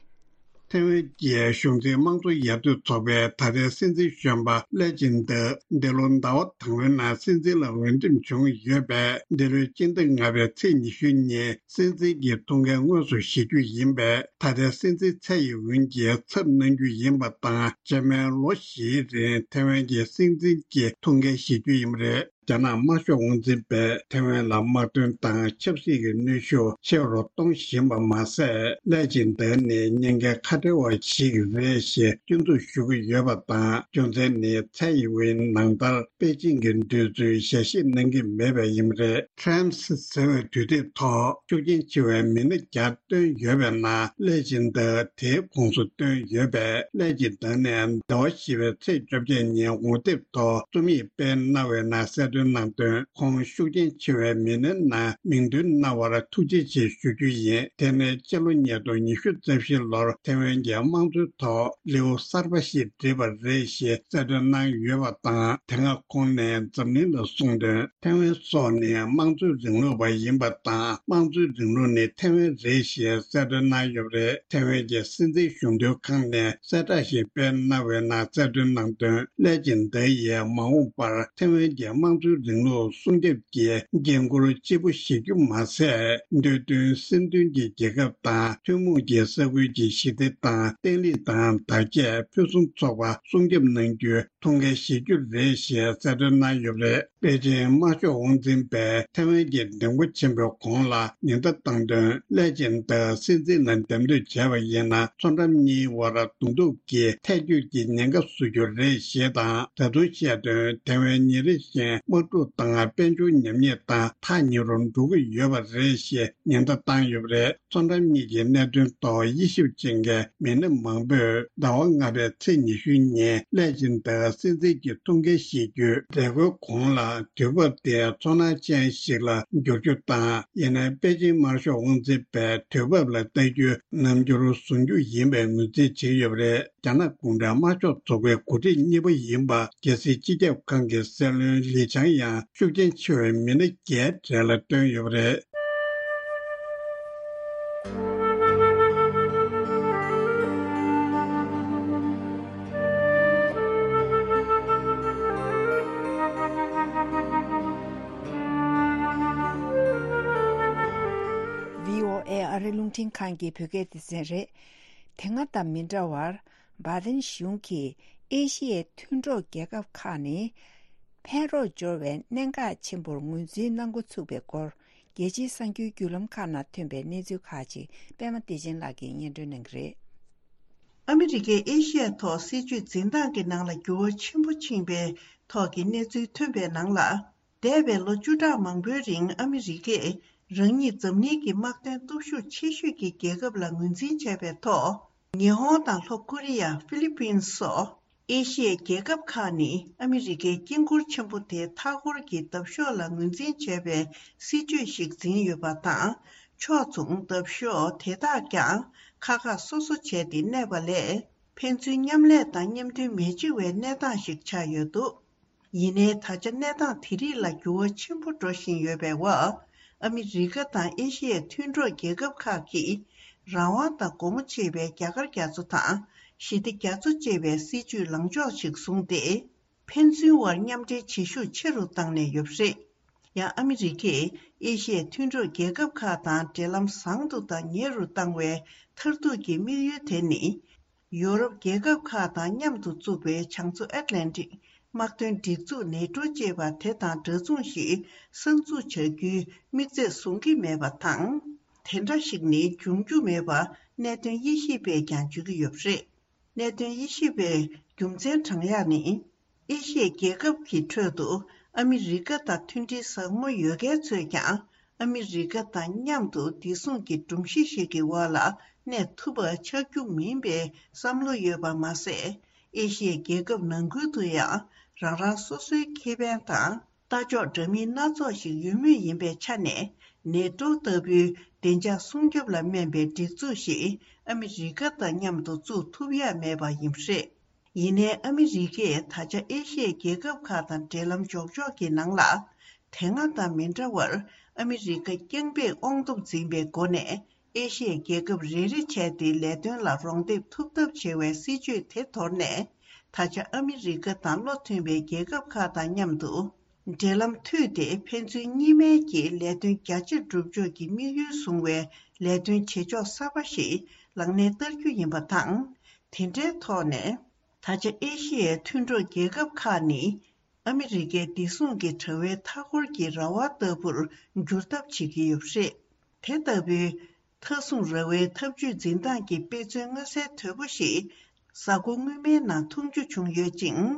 ཐའེ་ཝན་གྱི་གཞུང་འཛིན་དམངས་གཙོ་ཡར་ཐོན་ཚོགས་པའི་ད་ལྟའི་སྲིད་འཛིན་གཞོན་པ་ལེ་ཅིན་ཏེ་འདི་ལོ་ཟླ་བ་དང་པོའི་ནང་སྲིད་འཛིན་ལ་འོས་འདེམས་བྱུང་ཡོད་པས། འདི་ལོའི་སྤྱི་ཟླ་ལྔ་པའི་ཚེས་ཉི་ཤུ་ཉིན་སྲིད་འཛིན་གྱི་ཐུགས་འགན་དངོས་སུ་བཞེས་རྒྱུ་ཡིན་པས། ད་ལྟའི་སྲིད་འཛིན་ཚད་ཡིན་ཝུན་གྱིས་ཚབ་གནང་རྒྱུ་ཡིན་པ་དང་། རྗེས་མའི་ལོ་བཞིའི་རིང་ཐའེ་ཝན་གྱི་སྲིད་འཛིན་གྱི་ཐུགས་འགན་བཞེས་རྒྱུ་ཡིན་པ་རེད། རྒྱ་ནག་དམར་ཤོག་དབང་འཛིན་པས་ཐའེ་ཝན་ལ་དམག་དོན་དང་ཆབ་སྲིད་ཀྱི་གནོན་ཤུགས་ཆེ་རུ་གཏོང་བཞིན་པ་མ་ཟད། ལེ་ཅིན་ཏེ་ནི་ཉེན་ཁའི་ཁ་བྲལ་བ་ཞིག་རེད་ཞེས་སྐྱོན་འཛུགས་ཞུ་གི་ཡོད་པ་དང་། རྒྱུ་མཚན་ནི་ཚད་ཡིན་ཝུན་ནང་ལྟར་པེ་ཅིང་གི་འདོད་ཚུལ་ཞལ་བཞེས་གནང་གི་མེད་པས་ཡིན་པ་རེད། Times་ཟེར་བའི་དུས་དེབ་ཐོག་ཤུགས་རྐྱེན་ཆེ་བའི་མི་སྣ་བརྒྱ་བཏོན་ཡོད་པའི་ནང་ལེ་ཅིན་ཏེ་དེའི་ཁོངས་སུ་བཏོན་ཡོད་པས། ལེ་ཅིན་ཏེ་ནས་ཟླ་བ་བཞི་པའི་ཚེས་བཅོ་བརྒྱད་ཉིན་ངོ་དེབ་ཐོག་རྩོམ་ཡིག་སྤེལ་གནང་བའི་ནང་གསལ་སྟོན་གནང་དོན། ཁོང་ཤུགས་རྐྱེན་ཆེ་བའི་མི་སྣའི་ནང་མིང་འདོན་གནང་བར་ཐུགས་རྗེ་ཆེ་ཞུ་རྒྱུ་ཡིན། དེ་ནི་སྤྱི་ལོ་ཉིས་སྟོང་ཉི་ཤུ་རྩ་བཞི་ལོར་ཐའེ་ཝན་གྱི་དམངས་གཙོའི་ཐོག་ལེའུ་གསར་པ་ཞིག་བསྒྲིགས་པ་རེད་ཞེས་གསལ་སྟོན་གནང་ཡོད་པ་དང་། དེ་སྔ་ཁོང་ནས་འཛམ་གླིང་ལ་གསུངས་དོན། ཐའེ་ཝན་སོགས་ནི་དམངས་གཙོའི་རིང་ལུགས་པ་ཡིན་པ་དང་། དམངས་གཙོའི་རིང་ལུགས་ནི་ཐའེ་ཝན་རེད་ཞེས་གསལ་སྟོན་གནང་ཡོད་པ་རེད། ཐའེ་ཝན་གྱི་སྲིད་འཛིན་གཞུང་དོན་ཁང་ནས་གསལ་བསྒྲགས་ཤིག་སྤེལ་གནང་བའི་ནང་གསལ་སྟོན་གནང་དོན། ལེ་ཅིན་ཏེ་ཡིས་མ་འོངས་པར་ཐའེ་ཝན་གྱི་དམངས་གཙོའི་རིང་ལུགས་སྲུང་སྐྱོབ་ཀྱི་འགན་འཁུར་ལྕི་པོ་བཞེས་རྒྱུ་མ་ཟད། འདོད་འདུན་སེམས་མཐུན་གྱི་རྒྱལ་ཁབ་དང་། ཐུན་མོང་གི་ས་ཁུལ་གྱི་ཞི་བདེ་དང་། བརྟན་ལྷིང་དང་། བདག་གཅེས་ཕུན་སུམ་ཚོགས་པ་སྲུང་སྐྱོབ་གནང་རྒྱུའི་ཐུགས་འགན་བཞེས་རྒྱུ་རེད་ཞེས་གསལ་སྟོན་གནང་ཡོད་པ་རེད། པེ་ཅིན་དམར་ཤོག་དབང་འཛིན་པས་ཐའེ་ཝན་གྱི་མགྲིན་སྐོར་ཆེན་པོའི་གོང་ལ་ཉེན་བརྡ་བཏང་དོན། ལེ་ཅིན་ཏེ་སྲིད་འཛིན་ལ་འདེམས་ཐོན་བྱས་པ་ཡིན་ན། མཚོ་འགྲམ་གཉིས་དབར་གདོང་ཐུག་གི་ཐལ་འགྱུར་གྱི་ཉེན་ཁ་བཟོ་རྒྱུ་རེད་ཞེས་དང་། ད་དུང་བཤད་དོན། ཐའེ་ཝན་ཉིན་རེ་བཞིན་དམག་འཁྲུག་དང་དཔལ་འབྱོར་ཉམས་ཉེས་དང་ཐག་ཉེ་རུ་འགྲོ་གི་ཡོད་པ་རེད་ཞེས་ཉེན་བརྡ་བཏང་ཡོད་པ་རེད། མཚོ་འགྲམ་གཉིས་ཀྱི་གནད་དོན་ཐོག་དབྱེ་ཞིབ་ཅན་གྱི་མི་སྣ་མང་པོས་ཟླ་བ་ལྔ་པའི་ཚེས་ཉི་ཤུ་ཉིན་ལེ་ཅིན་ཏེ་སྲིད་འཛིན་གྱི་ཐུགས་འགན་བཞེས་རྒྱུའི་མཛད་སྒོའི་གོང་ལ། དུས་བབ་དེ་ཚོར་སྣང་ཅན་ཞིག་ལ་འགྱུར་རྒྱུ་དང་། ཡིན་ནའི་པེ་ཅིན་དམར་ཤོག་དབང་འཛིན་པས་དུས་བབ་ལ་ལྟ་རྒྱུ་ནམ་འགྱུར་བཟུང་རྒྱུ་ཡིན་པའི་ངོས་འཛིན་བྱེད་ཀྱི་ཡོད་པ་རེད། རྒྱ་ནག་གུང་ཁྲན་དམར་ཤོག་ཚོགས་པའི་འགོ་ཁྲིད་གཉིས་པ་ཡིན་པ་རྒྱལ་སྲིད་སྤྱི་ཁྱབ་ཁང་གི་སྲིད་བློན་ལི་ཆང་ཡང་ཤུགས་རྐྱེན་ཆེ་བའི་མི་སྣ་བརྒྱད་གྲས་ལ་བཏོན་ཡོད་པ་རེད། བྷི་ཨོ་ཨེ་ཨ་རིའི་རླུང་འཕྲིན་ཁང་གི་བོད་སྐད་སྡེ་ཚན་རེད། དེ་སྔ་དང་མི་འདྲ་བར། བྷའི་ཏིན་གཞུང་གིས་ཨེ་ཤི་ཡའི་མཐུན་གྲོགས་རྒྱལ་ཁབ་ཁག་ནི། ཕན་རོགས་སྦྱོར་བའི་གནད་འགག་ཆེན་པོར་ངོས་འཛིན་གནང་འགོ་ཚུགས་པའི་སྐོར། རྒྱལ་སྤྱིའི་གསར་འགྱུར་བརྒྱུད་ལམ་ཁག་ནང་ཐོན་པའི་གནས་ཚུལ་ཁག་ཅིག་པད་མ་བདེ་ཆེན་ལགས་ཀྱིས་སྙན་སྒྲོན་གནང་གི་རེད། ཨ་མི་རི་ཀས་ཨེ་ཤི་ཡའི་ཐོག་སྲིད་ཇུས་འཛིན་སྟངས་ཀྱི་ནང་ལ་འགྱུར་བ་ཆེན་པོ་ཕྱིན་པའི་ཐོག་གི་གནས་ཚུལ་ཐོན་པའི་ནང་ལ། འདས་པའི་ལོ་བཅུ་ཕྲག་མང་པོའི་རིང་ཨ་མི་རི་ཀས་རང་ཉིད་འཛམ་གླིང་གི་དམག་དོན་སྟོབས་ཤུགས་ཆེ་ཤོས་ཀྱི་རྒྱལ་ཁབ་ལ་ངོས་འཛིན་བྱས་པའི་ཐོག་ཉི་ཧོང་དང་ལྷོ་ཀོ་རི་ཡ། ཧྥི་ལི་པིན་སོགས་ཨེ་ཤི་ཡའི་རྒྱལ་ཁབ་ཁག་ནི་ཨ་མི་རི་ཀའི་དཀྱིལ་འཁོར་ཆེན་པོ་དེའི་མཐའ་འཁོར་གྱི་འདབ་གཤོག་ལ་ངོས་འཛིན་བྱས་པའི་སྲིད་ཇུས་ཤིག་འཛིན་ཡོད་པ་དང་། ཕྱོགས་མཚུངས་འདབ་གཤོག་དེ་དག་ཀྱང་ཁ་ཁ་སོ་སོ་བྱས་ཏེ་གནས་པ་ལས། ཕན་ཚུན་མཉམ་ལས་དང་མཉམ་མཐུན་མི་བྱེད་པའི་གནས་སྟངས་ཤིག་ཆགས་ཡོད་འདུག་ཡིན་ནའི་ད་ཆ་གནས་སྟངས་དེ་རིགས་ལ་འགྱུར་བ་ཆེན་པོ་འགྲོ་བཞིན་ཡོད་པའི་འོག་ཨ་མི་རི་ཀ་དང་ཨེ་ཤི་ཡའི་མཐུན་གྲོགས་རྒྱལ་ཁབ་ཁག་གིས་རང་དབང་དང་སྒོ་མོ་འབྱེད་པའི་རྒྱ་གར་རྒྱ་མཚོ་དང་ཞི་བདེ་རྒྱ་མཚོ་ཅེས་པའི་སྲིད་ཇུས་ལངས་ཕྱོགས་ཤིག་བཟུང་སྟེ། ཕན་ཚུན་དབར་མཉམ་འབྲེལ་བྱེད་ཤུགས་ཆེ་རུ་བཏང་ནས་ཡོད་པ་རེད། ཡང་ཨ་མི་རི་ཀས་ཨེ་ཤི་ཡའི་མཐུན་གྲོགས་རྒྱལ་ཁབ་ཁག་དང་འབྲེལ་ལམ་བཟང་དུ་དང་ཉེ་རུ་བཏང་བའི་མཐར་ཐུག་གི་དམིགས་ཡུལ་དེ་ནི། ཡོ་རོབ་རྒྱལ་ཁབ་ཁག་དང་མཉམ་དུ་བཙུགས་པའི་བྱང་མཚོ་ཨེཊ་ལན་ཊིག་དམག་དོན་སྒྲིག་འཛུགས་ནེ་ཊོ་ཅེས་པ་དེ་དང་འདྲ་མཚུངས་ཤིག་གསར་འཛུགས་བྱ་རྒྱུའི་དམིགས་ཚད་བཟུང་གི་མེད་པ་དང་། དེ་འདྲ་ཞིག་ནི་འབྱུང་རྒྱུ་མེད་པ་གནད་དོན་དབྱེ་ཞིབ་པས་ཀྱང་བརྗོད་ཀྱི་ཡོད་པ་རེད། གནད་དོན་དབྱེ་ཞིབ་པའི་རྒྱུ་མཚན་དྲང་ཡག་ནི། ཨེ་ཤི་ཡའི་རྒྱལ་ཁབ་ཀྱི་ཁྲོད་དུ་ཨ་མི་རི་ཀ་དང་མཐུན་སྒྲིལ་ཟབ་མོ་ཡོད་མཁན་ཚོས་ཀྱང་ཨ་མི་རི་ཀ་དང་མཉམ་དུ་བདེ་སྲུང་གི་སྒྲོམ་གཞི་ཞིག་གི་འོག་ལ་གནས་ཐུབ་པ་ཆགས་རྒྱུ་མིན་པའི་བསམ་བློ་ཡོད་པ་མ་ཟད། ཨེ་ཤི་ཡའི་རྒྱལ་ཁབ་ནང་ཁུལ་དུ་ཡང་རང་རང་སོ་སོའི་ཁེ་ཕན་དང་ལྟ་ཕྱོགས་འདྲ་མིན་སྣ་ཚོགས་ཤིག་ཡོད་མུས་ཡིན་པའི་ཆ་ནས། ནེ་ཏོ་ལྟ་བུའི་བདེ་འཇགས་སྲུང་སྐྱོབ་ལ་སྨན་པའི་སྒྲིག་འཛུགས་ཤིག་ཨ་མི་རི་ཀ་དང་མཉམ་དུ་བཙུགས་ཐུབ་ཡ་མེད་པ་ཡིན་པ་རེད། ཡིན་ནའི་ཨ་མི་རི་ཀས་ད་ཆ་ཨེ་ཤི་ཡའི་རྒྱལ་ཁབ་ཁག་དང་འབྲེལ་ལམ་འཇོག་ཕྱོགས་ཀྱི་ནང་ལ། དེ་སྔ་དང་མི་འདྲ་བར་ཨ་མི་རི་ཀ་རྐྱང་པས་དབང་སྟོབས་འཛིན་པའི་སྒོ་ནས། ཨེ་ཤི་ཡའི་རྒྱལ་ཁབ་རེ་རེ་བྱས་ཏེ་ལས་དོན་ལ་རོགས་འདེགས་ཐུབ་ཐབས་བྱེད་པའི་སྲིད་ཇུས་དེ་དོར་ནས། ད་ཆ་ཨ་མི་རི་ཀ་དང་བློ་མཐུན་པའི་རྒྱལ་ཁབ་ཁག་དང་མཉམ་དུ་འབྲེལ་ལམ་མཐུད་དེ། ཕན་ཚུན་གཉིས་སྨན་གྱི་ལས་དོན་རྒྱ་ཆེར་སྒྲུབ་ཕྱོགས་ཀྱི་དམིགས་ཡུལ་བཟུང་བའི་ལས་དོན་བྱེད་ཕྱོགས་གསར་པ་ཞིག་ལག་ལེན་བསྟར་རྒྱུ་ཡིན་པ་དང་། དེ་འདྲའི་ཐོག་ནས། ད་ཆ་ཨེ་ཤི་ཡའི་མཐུན་གྲོགས་རྒྱལ་ཁབ་ཁག་ནི། ཨ་མི་རི་ཀའི་བདེ་སྲུང་གི་དྲ་བའི་མཐའ་འཁོར་གྱི་ར་བ་ལྟ་བུར་འགྱུར་ཐབས་བྱེད་ཀྱི་ཡོད་པ་རེད། དེ་ལྟ་བུའི་མཐའ་སྲུང་ར་བའི་འཐབ་ཇུས་འཛིན་སྟངས་ཀྱི་དཔེ་མཚོན་མངོན་གསལ་དོད་པོ་ཞིག་གཟའ་འཁོར་སྔོན་མའི་ནང་མཐོང་རྒྱུ་བྱུང་ཡོད་ཅིང་།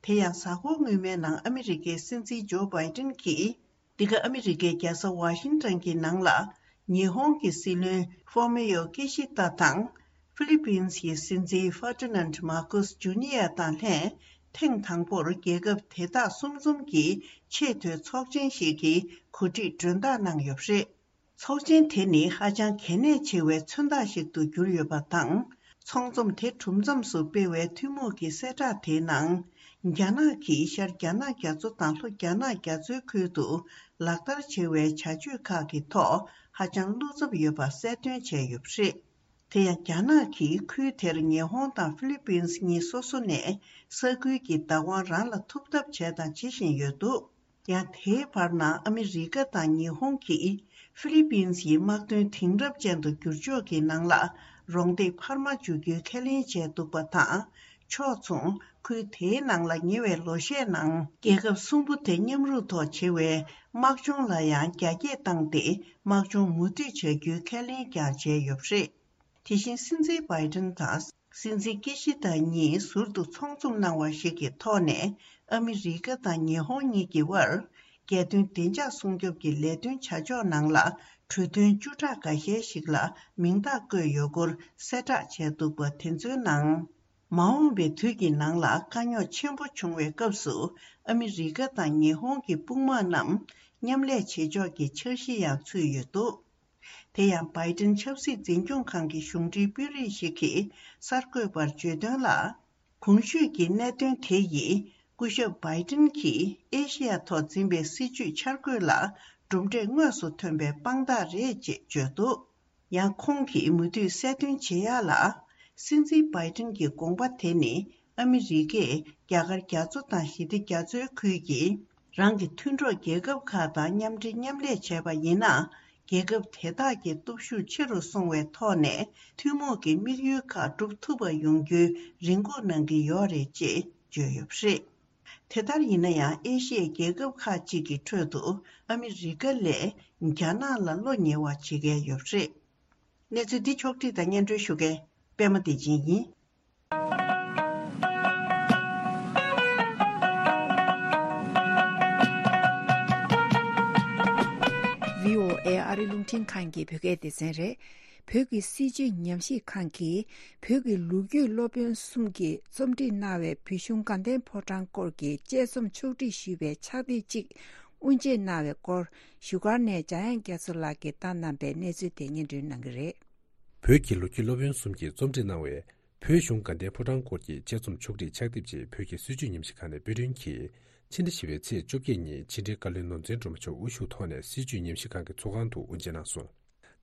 དེ་ཡང་གཟའ་འཁོར་སྔོན་མའི་ནང་ཨ་མི་རི་ཀའི་སྲིད་འཛིན་ཇོ་བྷའི་ཏིན་གྱིས། འདི་ག་ཨ་མི་རི་ཀའི་རྒྱལ་ས་ཝ་ཤིང་ཊོན་གྱི་ནང་ལ། ཉི་ཧོང་གི་སྲིད་བློན་ཧྥོ་མི་ཡོ་ཀི་ཤི་ཏ་དང་། ཧྥི་ལི་པིན་སི་ཡི་སྲིད་འཛིན་ཧྥར་ཏི་ནན་མར་ཀོ་སི་ཇུ་ནི་ཡ་དང་ལྷན། ཐེངས་དང་པོར་རྒྱལ་ཁབ་དེ་དག་གསུམ་འཛོམས་ཀྱི་ཆེས་མཐོའི་ཚོགས་ཆེན་ཞིག་གི་གོ་སྒྲིག་མགྲོན་བདག་གནང་ཡོད་པ་རེད། ཚོགས་ཆེན་དེ་ནི་ཧ་ཅང་གལ་གནད་ཆེ་བའི་མཚོན་རྟགས་ཤིག་ཏུ་གྱུར་ཡོད་པ་དང་། ཚོགས་འཛོམས་དེ་གྲུབ་མཚམས་སུ་སྤེལ་བའི་ཐུན་མོང་གི་གསལ་བསྒྲགས་དེའི་ནང་། རྒྱ་ནག་གིས་ཤར་རྒྱ་ནག་རྒྱ་མཚོ་དང་ལྷོ་རྒྱ་ནག་རྒྱ་མཚོའི་ཁུལ་དུ་ལག་བསྟར་བྱེད་པའི་བྱ་སྤྱོད་ཁག་གི་ཐོག་ཧ་ཅང་བློ་འཚབ་ཡོད་པ་གསལ་སྟོན་བྱས་ཡོད་པ་རེད། དེ་ཡང་རྒྱ་ནག་གིས་ཁུལ་དེར་ཉི་ཧོང་དང་ཧྥི་ལི་པིན་སི་གཉིས་སོ་སོ་ནས་ས་ཁུལ་གྱི་བདག་དབང་རང་ལ་ཐུབ་ཐབས་བྱས་དང་བྱེད་བཞིན་ཡོད་འདུག་ཡང་དེའི་བར་ན་ཨ་མི་རི་ཀ་དང་ཉི་ཧོང་གིས་ཧྥི་ལི་པིན་སིའི་དམག་དོན་དེང་རབས་ཅན་དུ་བསྒྱུར་ཕྱོགས་ཀྱི་ནང་ལ་རོགས་འདེགས་འཕར་མ་འཇུག་རྒྱུའི་ཁས་ལེན་བྱས་འདུག་པ་དང་། ཕྱོགས་མཚུངས་ཁུལ་དེའི་ནང་ལ་ཉེ་བའི་ལོ་ཤས་ནང་རྒྱལ་ཁབ་གསུམ་པོ་དེ་མཉམ་རུབ་ཐོག་བྱེད་པའི་དམག་སྦྱོང་ལ་ཡང་རྒྱ་སྐྱེད་བཏང་སྟེ་དམག་སྦྱོང་མུ་མཐུད་བྱ་རྒྱུའི་ཁས་ལེན་ཀྱང་བྱས་ཡོད་པ་རེད། དེ་བཞིན་སྲིད་འཛིན་བྷའི་ཏིན་དང་སྲིད་འཛིན་ཀི་ཤི་ད་གཉིས་ཟུར་དུ་ཚོགས་འཛོམས་གནང་བ་ཞིག་གི་ཐོག་ནས། ཨ་མི་རི་ཀ་དང་ཉི་ཧོང་གཉིས་ཀྱི་དབར་རྒྱལ་དོན་བདེ་འཇགས་སྲུང་སྐྱོབ་ཀྱི་ལས་དོན་བྱ་ཕྱོགས་ནང་ལ་གྲོས་མཐུན་བཅུ་ཕྲག་འགའ་ཤས་ཤིག་ལ་མིང་རྟགས་བཀོད་ཡོད་སྐོར་གསལ་བསྒྲགས་བྱས་འདུག་པ་དེ་ཚོའི་ནང་། མ་འོངས་པའི་དུས་ཀྱི་ནང་ལ་དཀའ་རྙོག་ཆེན་པོ་བྱུང་བའི་སྐབས་སུ་ཨ་མི་རི་ཀ་དང་ཉི་ཧོང་གི་དཔུང་དམག་རྣམས་མཉམ་ལས་བྱེད་ཕྱོགས་ཀྱི་འཆར་གཞི་ཡང་ཚུད་ཡོད་འདུག་དེ་ཡང་བྷའི་ཏིན་ཆབ་སྲིད་འཛིན་སྐྱོང་ཁང་གི་གཞུང་འབྲེལ་དཔོན་རིགས་ཤིག་གིས་གསར་འགོད་པར་བརྗོད་དོན་ལ། གོང་ཞུས་ཀྱི་གནད་དོན་དེ་ཡིས་སྐུ་ཞབས་བྷའི་ཏིན་གྱིས་ཨེ་ཤེ་ཡ་ཐོག་འཛིན་པའི་སྲིད་ཇུས་འཆར་འགོད་ལ་གྲུབ་འབྲས་དངོས་སུ་ཐོན་པའི་དཔང་རྟགས་རེད་ཅེས་བརྗོད་འདུག་ཡང་ཁོང་གིས་མུ་མཐུད་གསལ་སྟོན་བྱེད་ཡག་ལ། སྲིད་འཛིན་བྷའི་ཏིན་གྱི་དགོངས་པ་དེ་ནི་ཨ་མི་རི་ཀས་རྒྱ་གར་རྒྱ་མཚོ་དང་ཞི་བདེ་རྒྱ་མཚོའི་ཁུལ་གྱི་རང་གི་མཐུན་གྲོགས་རྒྱལ་ཁབ་ཁག་དང་མཉམ་འབྲེལ་མཉམ་ལས་བྱས་པ་ཡིན་ན། རྒྱལ་ཁབ་དེ་དག་གི་སྟོབས་ཤུགས་ཆེ་རུ་སོང་བའི་ཐོག་ནས་ཐུན་མོང་གི་དམིགས་ཡུལ་ཁག་འགྲུབ་ཐུབ་པ་ཡོང་རྒྱུའི་རེ་སྒུག་གནང་གི་ཡོད་རེད་ཅེས་བརྗོད་ཡོད་པ་རེད། དེ་ལྟར་ཡིན་ན་ཡང་ཨེ་ཤི་ཡའི་རྒྱལ་ཁབ་ཁག་ཅིག་གི་ཁྲོད་དུ་ཨ་མི་རི་ཀ་ལས་རྒྱ་ནག་ལ་བློ་ཉེ་བ་བྱེད་མཁན་ཡོད་པ་རེད། གནས་ཚུལ་འདི་ཕྱོགས་བསྒྲིགས་དང་སྙན་སྒྲོན་ཞུ་མཁན་པད་མ་བདེ་ཆེན་ཡིན། བྷི་ཨོ་ཨེ་ཨ་རི་རླུང་འཕྲིན་ཁང་གི་བོད་སྐད་སྡེ་ཚན་རེད། བོད་ཀྱི་སྲིད་བྱུས་ཉམས་ཞིབ་ཁང་གིས་བོད་ཀྱི་ལོ་རྒྱུས་སློབ་དཔོན་གསུམ་གྱིས་རྩོམ་སྒྲིག་གནང་བའི་བོད་གཞུང་དགའ་ལྡན་ཕོ་བྲང་སྐོར་གྱི་དཔྱད་རྩོམ་ཕྱོགས་སྒྲིག་ཞུས་པའི་ཕྱག་དེབ་ཅིག་དབུ་འབྱེད་གནང་བའི་སྐོར་བཞུགས་སྒར་ནས་འཇམ་དབྱངས་རྒྱ་མཚོ་ལགས་ཀྱིས་བཏང་གནང་པའི་གནས་ཚུལ་དེ་སྙན་སྒྲོན་གནང་གི་རེད། བོད་ཀྱི་ལོ་རྒྱུས་སློབ་དཔོན་གསུམ་གྱིས་རྩོམ་སྒྲིག་གནང་བའི་བོད་གཞུང་དགའ་ལྡན་ཕོ་བྲང་སྐོར་གྱི་དཔྱད་རྩོམ་ཕྱོགས་སྒྲིག་ཕྱག་དེབ་ཅིག་བོད་ཀྱི་སྲིད་བྱུས་ཉམས་ཞིབ་ཁང་ནས་དཔེ་སྐྲུན་གྱིས་ཕྱི་ཟླ་བཞི་པའི་ཚེས་བཅོ་བརྒྱད་ཉིན་ཕྱི་དྲིལ་བཀའ་བློན་ནོར་འཛིན་སྒྲོལ་མ་མཆོག་དབུ་བཞུགས་ཐོག་ནས་སྲིད་བྱུས་ཉམས་ཞིབ་ཁང་གི་ཚོགས་ཁང་དུ་དབུ་འབྱེད་གནང་སོང་།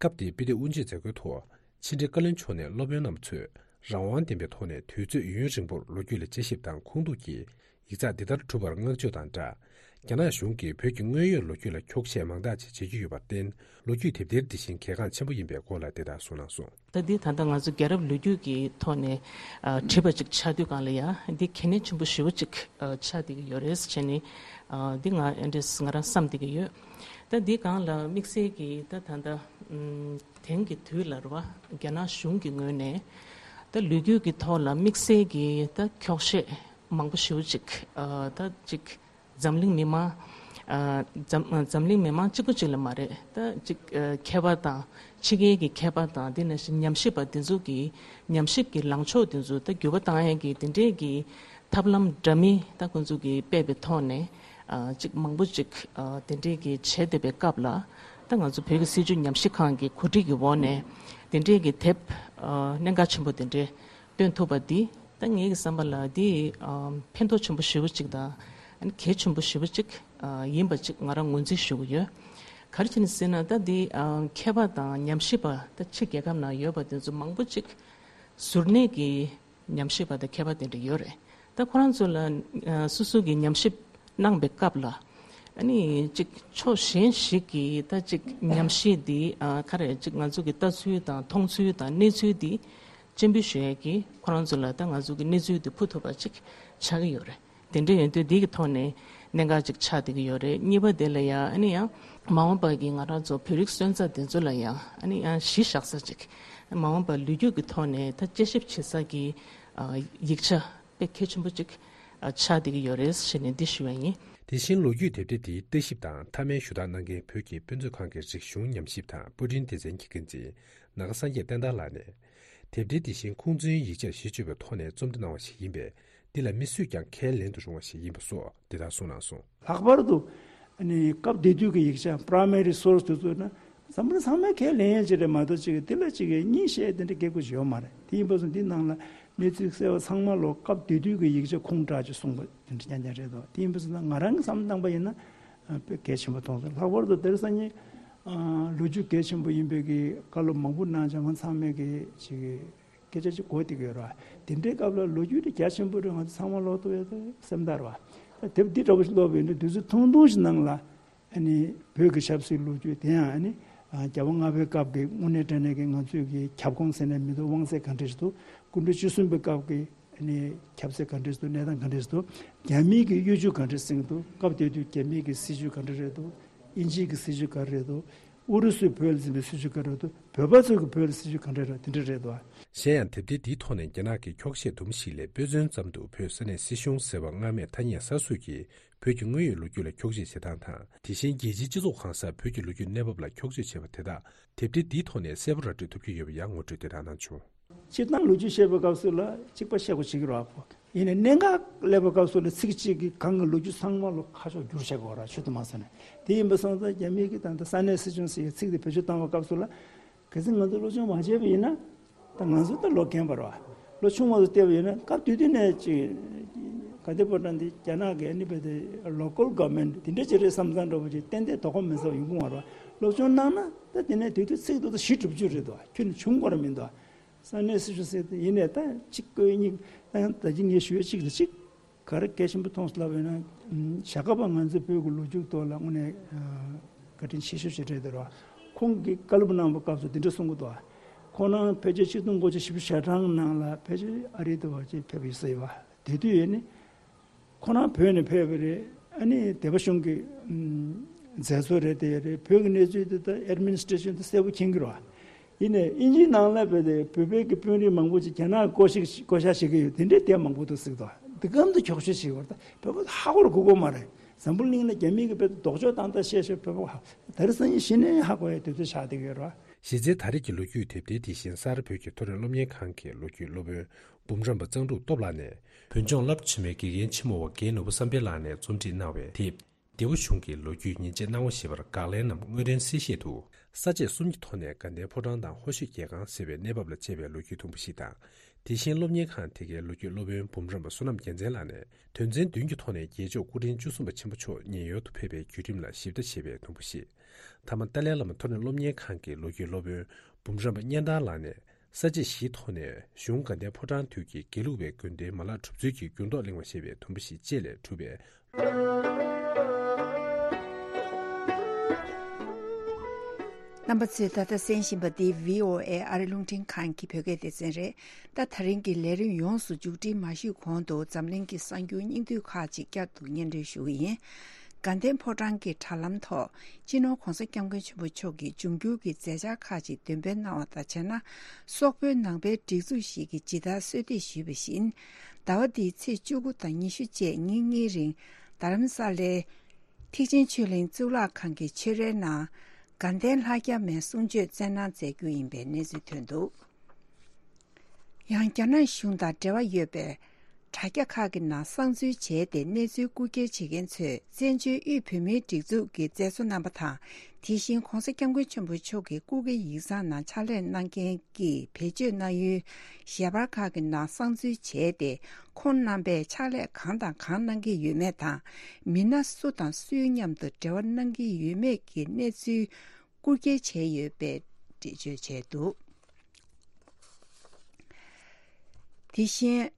སྐབས་དེའི་དཔེ་དེབ་དབུ་འབྱེད་མཛད་སྒོའི་ཐོག་ཕྱི་དྲིལ་བཀའ་བློན་མཆོག་ནས་སློབ་དཔོན་རྣམ་པ་ཚོས་རང་དབང་ལྡན་པའི་ཐོག་ནས་དུས་ཚོད་ཡུན་རིང་པོར་ལོ་རྒྱུས་ལ་དཔྱད་ཞིབ་དང་ཁུངས་གཏུགས་ཀྱིས་ཡིག་ཚགས་འདི་ལྟར་གྲུབ་པར་བསྔགས་བརྗོད་དང་སྦྲགས། རྒྱ་ནག་གཞུང་གིས་བོད་ཀྱི་དངོས་ཡོད་ལོ་རྒྱུས་ལ་འཁྱོག་བཤད་མང་དག་ཅིག་བྱེད་ཀྱི་ཡོད་པར་བརྟེན། ལོ་རྒྱུས་དེབ་ཐེར་འདི་བཞིན་གལ་འགངས་ཆེན་པོ་ཡིན་པའི་སྐོར་ལ་དེ་ལྟར་གསུངས་གནང་སོང་། ད་འདི་ད་ལྟ་ང་ཚོ་རྒྱལ་རབས་ལོ་རྒྱུས་ཀྱི་ཐོག་ནས་ཨ་བྲིས་པ་ཅིག་ཆགས་དུས་སྒང་ལ་ཡང་འདི་གལ་གནད་ཆེན་པོ་ཞེ་པོ་ཅིག་ཨ་ཆགས་བསྡད་ཀྱི་ཡོད་རེད་ཟེར་ནས་ཨ་འདི་ང་ཨེ་འདྲས་ང་རང་བསམ་བསྡད་ཀྱི་ཡོད། ད་འདི་སྒང་ལ་དམིགས་བསལ་གྱི་ད་ད་ལྟ་ཨམ་དེང་གི་དུས་ལ་རེད་བ། རྒྱ་ནག་གཞུང་གི་ངོས་ནས་ད་ལོ་རྒྱུས་ཀྱི་ཐོག་ལ་དམིགས་བསལ་གྱི་ད་འཁྱོག་བཤད་མང་པོ་ཞེ་པོ་ཅིག་ཨ་ད་ཅིག་འཛམ་གླིང་མི་མང་ཨ་འཛམ་འཛམ་གླིང་མི་མང་གཅིག་པུ་གཅིག་ལ་མ་རེད། ད་ཅིག་ཨ་མཁས་པ་དང་ཕྱི་རྒྱལ་གྱི་མཁས་པ་དང་དེ་ནང་བཞིན་ཉམས་ཞིབ་པ་དེ་ཚོ་གིས་ཉམས་ཞིབ་ཀྱི་ལངས་ཕྱོགས་དེ་ཚོ་ད་འགྱུར་བ་བཏང་ཡས་ཀྱི་དེ་འདྲས་ཀྱི་ཐབས་ལམ་འདྲ་མིན་ད་ཁོང་ཚོ་གིས་སྤེལ་བའི་ཐོག་ནས་ཨ་ཅིག་མང་པོ་ཅིག་ཨ་དེ་འདྲས་ཀྱི་བྱས་བསྡད་པའི་སྐབས་ལ་ད་ ད་ང་ཚོ་བོད་ཀྱི་སྲིད་བྱུས་ཉམས་ཞིབ་ཁང་གི་གོ་སྒྲིག་གི་འོག་ནས་དེ་འདྲའི་གི་དེབ་ཨ་གནད་འགག་ཆེན་པོ་དེ་འདྲའི་བཏོན་ཐུབ་པ་འདི་ད་ངེད་ཀྱི་བསམ་པ་ལ་འདི་ཨ་ཕན་ཐོགས་ཆེན་པོ་ཞེ་པོ་ཅིག་དང་ཨ་ནི་གལ་ཆེན་པོ་ཞེ་པོ་ཅིག་ཨ་ཡིན་པ་ཅིག་ང་རང་ངོས་འཛིན་ཞུ་གི་ཡོད། ག་རེ་བྱས་ནས་ཟེར་ན་ད་འདི་ཨ་མཁས་པ་དང་ཉམས་ཞིབ་པ་ད་ཕྱི་རྒྱལ་ཁབ་ནང་ཡོད་པ་དེ་ཚོ་མང་པོ་ཅིག་ཟུར་གནས་ཀྱི་ཉམས་ཞིབ་པ་དང་མཁས་པ་དེ་འདྲ་ཡོད་རེད། ད་ཁོ་རང་ཚོ་ལ་ཨ་སོ་སོ་གི་ཉམས་ཞིབ་གནང་པའི་སྐབས་ལ་ཨ་ནི་ཅིག་ཕྱོགས་གཞན་ཞིག་གི་ད་ཅིག་ཉམས་ཞིབ་འདི་ཨ་ག་རེ་ཅིག་ང་ཚོ་གི་ལྟ་ཚུལ་དང་མཐོང་ཚུལ་དང་གནས་ཚུལ་འདི་སྤྱན་འབུལ་ཞུ་ཡས་ཀྱི་ཁོ་རང་ཚོ་ལ་ད་ང་ཚོ་གི་གནས་ཚུལ་འདི་ཕུལ་ཐུབ་པ་ཅིག་ཆགས་ཀྱི་ཡོད་རེད། དེ་འདྲ་ཡོང་དུས་འདི་གི་ཐོག་ནས་གནད་འགག་ཅིག་ཆགས་བསྡད་ཀྱི་ཡོད་རེད། གཉིས་པ་དེ་ལ་ཡང་ཨ་ནི་ཡང་མ་འོངས་པ་གི་ང་རང་ཚོ་བོད་རིགས་སོན་རྩ་དེ་ཚོ་ལ་ཡང་ཨ་ནི་ཡང་གཞི་བཞག་ས་ཅིག་མ་འོངས་པ་ལོ་རྒྱུས་ཀྱི་ཐོག་ནས་ད་དཔྱད་ཞིབ་བྱེད་ས་གི་ཨ་ཡིག་ཆ་དཔེ་གལ་ཆེན་པོ་ཅིག་ཨ་ཆགས་བསྡད་ཀྱི་ཡོད་རེད་ཞེས་ནས་འདི་ཞུ་བ་ཡིན། དེ་བཞིན་ལོ་རྒྱུས་དེབ་ཐེར་དེའི་ལྟ་ཞིབ་དང་མཐའ་མའི་ཞུ་དག་གནང་མཁན་བོད་ཀྱི་དཔེ་མཛོད་ཁང་གི་རིག་གཞུང་ཉམས་ཞིབ་དང་པར་སྐྲུན་སྡེ་ཚན་གྱི་འགན་འཛིན་ནཱ་ག་སངས་རྒྱས་བསྟན་དར་ལགས་ནས། དེབ་ཐེར་དེ་བཞིན་ཁུངས་བཙུན་ཡིག་ཆར་གཞི་བཅོལ་བའི་ཐོག་ནས་རྩོམ་འབྲི་གནང་བ་ཞིག་ཡིན་པས། འདི་ལ་མི་སུས་ཀྱང་ཁས་ལེན་དུ་རུང་བ་ཞིག་ཡིན་པ་སོགས་འདི་ལྟར་གསུངས་གནང་སོང་། ལྷག་པར་དུ་ཨ་ནི་སྐབས་དེ་དུས་ཀྱི་ཡིག་ཆ་primary source་དེ་ཚོ་ན་འཛམ་བུ་གླིང་ཚང་མས་ཁས་ལེན་ཡས་ཅིག་རེད་མ་གཏོགས་ཅིག་དེ་ལ་ཅིག་གཉིས་བཤད་དེ་འདྲ་སྐད་ཆ་ཡོད་མ་རེད། དེ་ཡིན་པ་སོང་འདི་ནང་ལ་གནས་ཚུལ་གསལ་བ་ཚང་མ་ལོ་སྐབས་དེ་དུས་ཀྱི་ཡིག་ཆ་ཁུངས་དྲངས་ཅིག་གསུངས་པ་དེ་འདྲ་རྐྱང་རྐྱང་རེད་དོ། དེ་ཡིན་པ་སོང་ན་ང་རང་གི་བསམ་བློ་བཏང་པ་ཡིན་ན་དཔེ་གལ་ཆེན་པོ་མཐོང་སོང་། ལྷག་པར་དུ་དེ་རིང་སང་ཉིན་ལོ་རྒྱུས་གལ་ཆེན་པོ་ཡིན་པའི་གི་བཀའ་སློབ་མང་པོ་གནང་བྱས་ང་ཚང་མས་གི་ཅིག་སྐད་ཆ་ཅིག་གོ་བསྡད་ཀྱི་ཡོད་རེད་བ། དེ་འདྲའི་སྐབས་ལ་ལོ་རྒྱུས་དེ་རྒྱ་ཆེན་པོ་རེད། ང་ཚོ་ཚང་མ་ཀློག་ཐུབ་ཡོད་དེ་སེམས་ཐག་རེད་བ། དེབ་འདི་འདྲ་བོ་ཞིག་ཀློག་པ་ཡིན་དུས་དུས་ཚོད་ཐུང་ཐུང་ཞིག་ནང་ལ་ཨ་ནི་བོད་ཀྱི་ཆབ་སྲིད་ལོ་རྒྱུས་དེ་ཡང་ཨ་ནི་རྒྱལ་བ་ལྔ་པའི་སྐབས་ཀྱི་དངོས་གནས་དྲང་གནས་ཀྱི་ང་ཚོས་ཀྱི་ཁྱབ་ཁོངས་ཟེར་ནས་མི་འདུག་དབང་ཚད་ག་འདྲ་ཞིག་འདུག་སྐུ་ཕྲེང་བཅུ་གསུམ་པའི་སྐབས་ཀྱི་ཨ་ནི་ཁྱབ་ཚད་ག་འདྲ་ཞིག་འདུག་གནས་སྟངས་ག་འདྲ་ཞིག་འདུག་རྒྱ་མིའི་གི་གཡོ་ཇུས་ག་འདྲ་ཞིག་འདུག་སྐབས་དེ་དུས་རྒྱ་མིའི་གི་སྲིད་ཇུས་ག་འདྲ་རེད་འདུག་དབྱིན་ཇིའི་གི་སྲིད་ཇུས་ག་རེ་རེད་འདུག་ཨུ་རུ་སུས་བོད་ལ་འཛིན་པའི་སྲིད་ཇུས་ག་རེ་རེད་འདུག་བོད་པ་ཚོས་གི་བོད་ལ་སྲིད་ཇུས་ག་འདྲ་རེད་དེ་འདྲ་རེད་འདུག་གཞན་ཡང་དེབ་ཐེར་འདིའི་ཐོག་ནས་རྒྱ་ནག་གི་འཁྱོག་བཤད་དུམ་བུ་ཞིག་ལས་དཔེ་མཚོན་ཙམ་དུ་བོད་ས་གནས་སྲིད་གཞུང་ཟེར་བ་སྔར་མེད་ཐ་སྙད་གསར་བཟོས་ཀྱིས་བོད་ཀྱི་དངོས་ཡོད་ལོ་རྒྱུས་ལ་འཁྱོག་བཤད་བྱེད་སྟངས་དང་། དེ་བཞིན་རྒྱལ་སྤྱིའི་སྤྱི་ཚོགས་གང་སར་བོད་ཀྱི་ལོ་རྒྱུས་གནས་བབ་ལ་འཁྱོག་བརྗོད་བྱས་པ་དེ་དག་དེབ་ཐེར་འདིའི་ཐོག་ནས་གསལ་པོ་ར་སྤྲོད་ཐུབ་ཀྱི་ཡོད་པ་ཡང་ངོ་སྤྲོད་དེ་དག་གནང་བྱུང་། སྤྱིར་བཏང་ལོ་རྒྱུས་བཤད་པའི་སྐབས་སུ་ལ་གཅིག་པ་བཤད་དགོས་བྱེད་ཀྱི་རེད་བ། ཡིན་ནའི་གནད་འགག་སླེབས་པའི་སྐབས་སུ་ལ་ཚིག་གཅིག་གིས་གང་གི་ལོ་རྒྱུས་ཚང་མ་ལོ་ཁ་ཕྱོགས་བསྒྱུར་བྱེད་དགོས་ར་ཆུ་དུ་མ་ཟེར་ནས། དེ་ཡིན་པ་སོང་ཙང་རྒྱ་མི་གི་ད་ལྟ་ས་གནས་སྲིད་གཞུང་ཟེར་ཡའི་ཚིག་དེ་བེད་སྤྱོད་བཏང་བའི་སྐབས་སུ་ལ། གལ་སྲིད་ང་ཚོ་སློབ་སྦྱོང་མ་བྱས་པ་ཡིན་ན། ད་ང་ཚོ་ད་ལོ་རྒན་པ་རེད་བ། ལོ་ཆུང་བ་ཚོ་བལྟས་པ་ཡིན་ན་སྐབས་དེ་དུས་ནས་ཅིག་དགའ་ལྡན་ཕོ་བྲང་འདི་རྒྱ་ནག་གི་ཨ་ནི་བས་དེ་local government་དེ་འདྲ་ཅིག་རེད་བསམ་བསམ་འདྲ་པོ་ཅིག་ཏན་ཏན་དོ་ཁུར་མེད་ས་ཡོང་གི་མ་རེད་བ། སློབ་སྦྱོང་གནང་ན་ད་དེ་ནས་དེ་དུས་ཚིག་ཏུ་ད་བཞི་དྲུག་ཅུ་རེད་དོ། ཁྱོན་ནས་ཆུང་དགོས་ར་མི་འདུག་ས་གནས་སྲིད་གཞུང་ཟེར་དེ་ཡིན་ནས་ད་གཅིག་བཀོད་གཉིས་ད་ཡང་ད་ཅི་ངས་ཞུ་ཡས་གཅིག་དང་གཅིག་ག་རེ་གལ་ཆེན་པོ་མཐོང་སོང་ལབ་ཡོད་ན། བྱ་དགའ་པ་ང་ཚོའི་བོད་ཀྱི་ལོ་རྒྱུས་ཐོག་ལ་དངོས་གནས་བཀའ་དྲིན་ཆེ་ཤོས་ཅིག་རེད་འདུག་ར། ཁོང་གིས་བཀའ་སློབ་གནང་བའི་སྐབས་སུ་འདི་འདྲ་གསུང་གི་འདུག་ཁོང་རང་ཕལ་ཆེར་ཆིག་སྟོང་དགུ་བརྒྱ་བཞི་བཅུ་ཞེ་གྲངས་ནང་ལ་ཕལ་ཆེར་ཨ་རི་དུ་བ་ཅིག་ཕེབས་ཡོད་ས་ཡོད་བ། དེ་དུས་ཡོད་ནི་ཁོང་རང་བོད་ནས་ཕེབས་པ་རེད། ཨ་ནི་སྡེ་པ་གཞུང་གི་མཛད་གཙོ་རེད་དེ་རེད། བོད་ཀྱི་གནས་ཚུལ་དེ་ད་administration་དེ་གསལ་པོ་མཁྱེན་གྱི་རེད་བ། ཡིན་ནའི་དབྱིན་ཇིའི་ནང་ལ་བས་ཏེ་བོད་པའི་གི་དཔོན་རིགས་མང་པོ་ཅིག་རྒྱ་ནག་བསྐོ་བཞག་བསྐོ་བཞག་བྱེད་ཀྱི་ཡོད་དེ་འདྲའི་དེབ་མང་པོ་འདུག་ཟེར་གི་འདུག་དེ་གམ་དུ་འཁྱོག་བཤད་བྱེད་ཀྱི་ཡོད་རེད། ད་བོད་པ་ཧ་གོ་ར་གོ་གོ་མ་རེད། འཛམ་བུ་གླིང་ལ་རྒྱ་མི་གི་བོད་དུ་ལྡོག་ཕྱོགས་བཏང་ད་བཤད་བཤད་བོད་པ་ཧ་ད་རེས་སང་ཉིན་གཞི་ནས་ཧ་གོ་ཡ་དུས་ཚོད་ཆགས་བསྡད་ཀྱི་ཡོད་རེད། གཞི་རྩའི་ད་རེས་ཀྱི་ལོ་རྒྱུས་དེབ་ཐེར་དེ་བཞིན་སར་བོད་ཀྱི་མཐོ་རིམ་སློབ་གཉེར་ཁང་གི་ལོ་རྒྱུས་སློབ་དཔོན་འབུམ་རམས་པ་གཙང་ཕྲུག་སྟོབས་ལགས་ནས་བོད་ལྗོངས་རླབས་ཆེན་མོའི་དགེ་རྒན་ཆེན་མོ་བ་རྒན་ནོར་བུ་བསམ་འཕེལ་ལགས་ནས་རྩོམ་སྒྲིག་གནང་བའི་དེབ། སྡེ་བ་གཞུང་གི་ལོ་རྒྱུས་ཉིན་བྱེད་སྣང་བ་ཞེས་པར་དགག་ལན་ནམ་དངོས་དོན་གསལ་བཤད་དུ། ས་བཅད་གསུམ་གྱི་ཐོག་ནས་དགའ་ལྡན་ཕོ་བྲང་དང་ཧོར་ཤོད་རྒྱལ་ཁང་ཟེར་བའི་གནས་བབ་ལ་དཔྱད་པའི་ལོ་རྒྱུས་ཐུང་བུ་ཞིག་དང་། དེ་བཞིན་སློབ་གཉེར་ཁང་དེ་གའི་ལོ་རྒྱུས་སློབ་དཔོན་འབུམ་རམས་པ་བསོད་ནམས་རྒྱལ་མཚན་ལགས་ནས་དོན་ཚན་བདུན་གྱི་ཐོག་ནས་རྒྱལ་མཆོག་སྐུ་ཕྲེང་བཅུ་གསུམ་པ་ཆེན་པོ་མཆོག་ཉེན་གཡོལ་དུ་ཕེབས་པའི་བརྒྱུད་རིམ་ལ་ཞིབ་ལྟ་བྱེད་པའི་ཐུང་བུ་ཞིག་མཐའ་མ་ཏཱ་ལའི་བླ་མ་མཐོ་རིམ་སློབ་གཉེར་ཁང་གི་ལོ་རྒྱུས་སློབ་དཔོན་འབུམ་རམས་པ་གཉན་ཐར་ལགས་ནས། ས་བཅད་བཞིའི་ཐོག་ནས་གཞུང་དགའ་ལྡན་ཕོ་བྲང་དུས་ཀྱི་དགེ་ལུགས་པའི་དགོན་སྡེའི་མ་ལག་གྲུབ་ཚུལ་གྱི་འགྱུར་ལྡོག་གླེང་བ་ཞེས་པའི་དུམ་བུ་ཞིག་བཅས་ལས་གྲུབ་པའི། རྣམ་པ་ཚོས་ད་ལྟ་གསན་བཞིན་པ་འདི་བྷི་ཨོ་ཨེ་ཨ་རི་རླུང་འཕྲིན་ཁང་གི་བོད་སྐད་སྡེ་ཚན་རེད། ད་ད་རིང་གི་ལས་རིམ་ཡོངས་སུ་མཇུག་སྒྲིལ་མ་ཞུས་གོང་དུ་འཛམ་གླིང་གི་གསར་འགྱུར་སྙིང་བསྡུས་ཁག་ཅིག་བསྐྱར་དུ་སྙན་སྒྲོན་ཞུ་གི་ཡིན། དགའ་ལྡན་ཕོ་བྲང་གི་དྲ་ལམ་ཐོག་སྤྱི་ནོར་༧གོང་ས་༧སྐྱབས་མགོན་ཆེན་པོ་མཆོག་གི་འབྱུང་འགྱུར་གྱི་མཛད་འཆར་ཁག་ཅིག་འདོན་སྤེལ་གནང་བ་དང་བྱས་ན། སོག་པོའི་ནང་པའི་སྒྲིག་འཛུགས་ཤིག་གིས་ཇི་ལྟར་གསོལ་འདེབས་ཞུས་པ་བཞིན། ཟླ་བ་འདིའི་ཚེས་བཅུ་དགུ་དང་ཉི་ཤུ་བཅས་ཉིན་གཉིས་རིང་རྡ་རམ་ས་ལའི་ཐེག་ཆེན་ཆོས་གླིང་གཙུག་ལག་ཁང་གི་ཆོས་རའི་ནང་དགའ་ལྡན་ལྷ་བརྒྱ་མའི་གསུང་ཆོས་སྩལ་གནང་མཛད་རྒྱུ་ཡིན་པའི་གནས་ཚུལ་ཐོན་འདུག་ཡང་རྒྱ་ནག་གཞུང་དང་འབྲེལ་བ་ཡོད་པའི་ དྲ་རྒྱ་ཁག་གི་ནང་གསང་འཛུལ་བྱས་ཏེ་གནས་ཚུལ་རྐུ་འཁྱེར་བྱེད་མཁན་ཚོས་བཙན་བྱོལ་དབུས་བོད་མིའི་སྒྲིག་འཛུགས་ཀྱི་མཛད་གཙོ་རྣམ་པ་དང་། དེ་བཞིན་༸གོང་ས་༸སྐྱབས་མགོན་ཆེན་པོ་མཆོག་གི་སྐུ་སྒེར་ཡིག་ཚང་ནང་ཕྱག་ལས་གནང་མཁན་གྱི་བེད་སྤྱོད་གནང་ཡུལ་ཞལ་པར་ཁག་གི་ནང་གསང་འཛུལ་བྱས་ཏེ། ཁོང་རྣམ་པས་ཕྱག་ལས་གང་དང་གང་གནང་གི་ཡོད་མེད་དང་། མི་སྣ་སུ་དང་སུའི་མཉམ་དུ་འབྲེལ་བ་གནང་གི་ཡོད་མེད་ཀྱི་གནས་ཚུལ་རྐུ་འཁྱེར་བྱས་ཡོད་པའི་འགྲེལ་བརྗོད་བྱས་འདུག། དེ་བཞིན།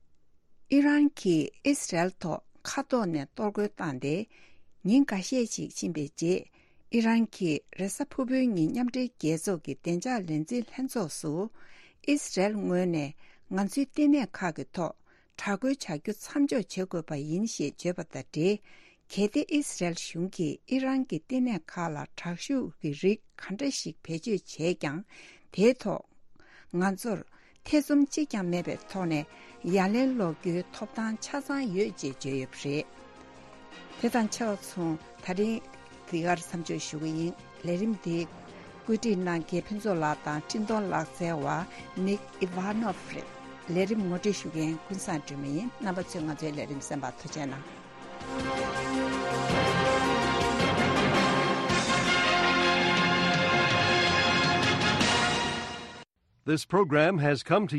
ཨི་རན་གྱིས་ཨི་སི་རལ་ཐོག་མཁའ་ཐོག་ནས་གཏོར་རྒོལ་བཏང་སྟེ། ཉིན་འགའ་ཤས་ཤིག་ཕྱིན་པའི་རྗེས། ཨི་རན་གྱིས་རེས་གཟའ་ཕུར་བུའི་ཉིན་མཉམ་འབྲེལ་རྒྱལ་ཚོགས་ཀྱི་བདེ་འཇགས་ལས་འཛིན་ལྷན་ཚོགས་སུ། ཨི་སི་རལ་ངོས་ནས་ང་ཚོའི་ལྟེ་གནས་ཁག་གི་ཐོག་དྲག་རྒོལ་བྱ་རྒྱུ་མཚམས་འཇོག་བྱེད་དགོས་པ་ཡིན་ཞེས་བརྗོད་པ་དང་འབྲེལ། གལ་ཏེ་ཨི་སི་རལ་གཞུང་གིས་ཨི་རན་གྱི་ལྟེ་གནས་ཁག་ལ་དྲག་ཤུགས་ཀྱི་རིགས་ག་འདྲ་ཞིག་བེད་སྤྱོད་བྱས་ཀྱང་། དེའི་ཐོག་ང་ཚོར་ཐེ་ཚོམ་གཅིག་ཀྱང་མེད་པའི་ཐོག་ནས་ཡ་ལན་སློག་རྒྱུའི་ཐོབ་ཐང་ཆ་ཚང་ཡོད་ཅེས་བརྗོད་ཡོད་པ་རེད། དེ་དང་ཆ་མཚུངས། ད་རིང་འདི་གར་མཚམས་འཇོག་ཞུ་གི་ཡིན། ལས་རིམ་འདི་བཀོད་སྒྲིག་གནང་མཁན་ཕུན་ཚོགས་ལགས་དང་འཕྲིན་གཏོང་ལག་རྩལ་བ་ནིག་ཨི་ཝཱ་ནོབ་རེད། ལས་རིམ་ངོ་སྤྲོད་ཞུ་མཁན་ཀུན་བཟང་སྒྲོལ་མ་ཡིན། རྣམ་པ་ཚོས་ང་ཚོའི་ལས་རིམ་གསན་པར་ཐུགས་རྗེ་གནང་། This program has come to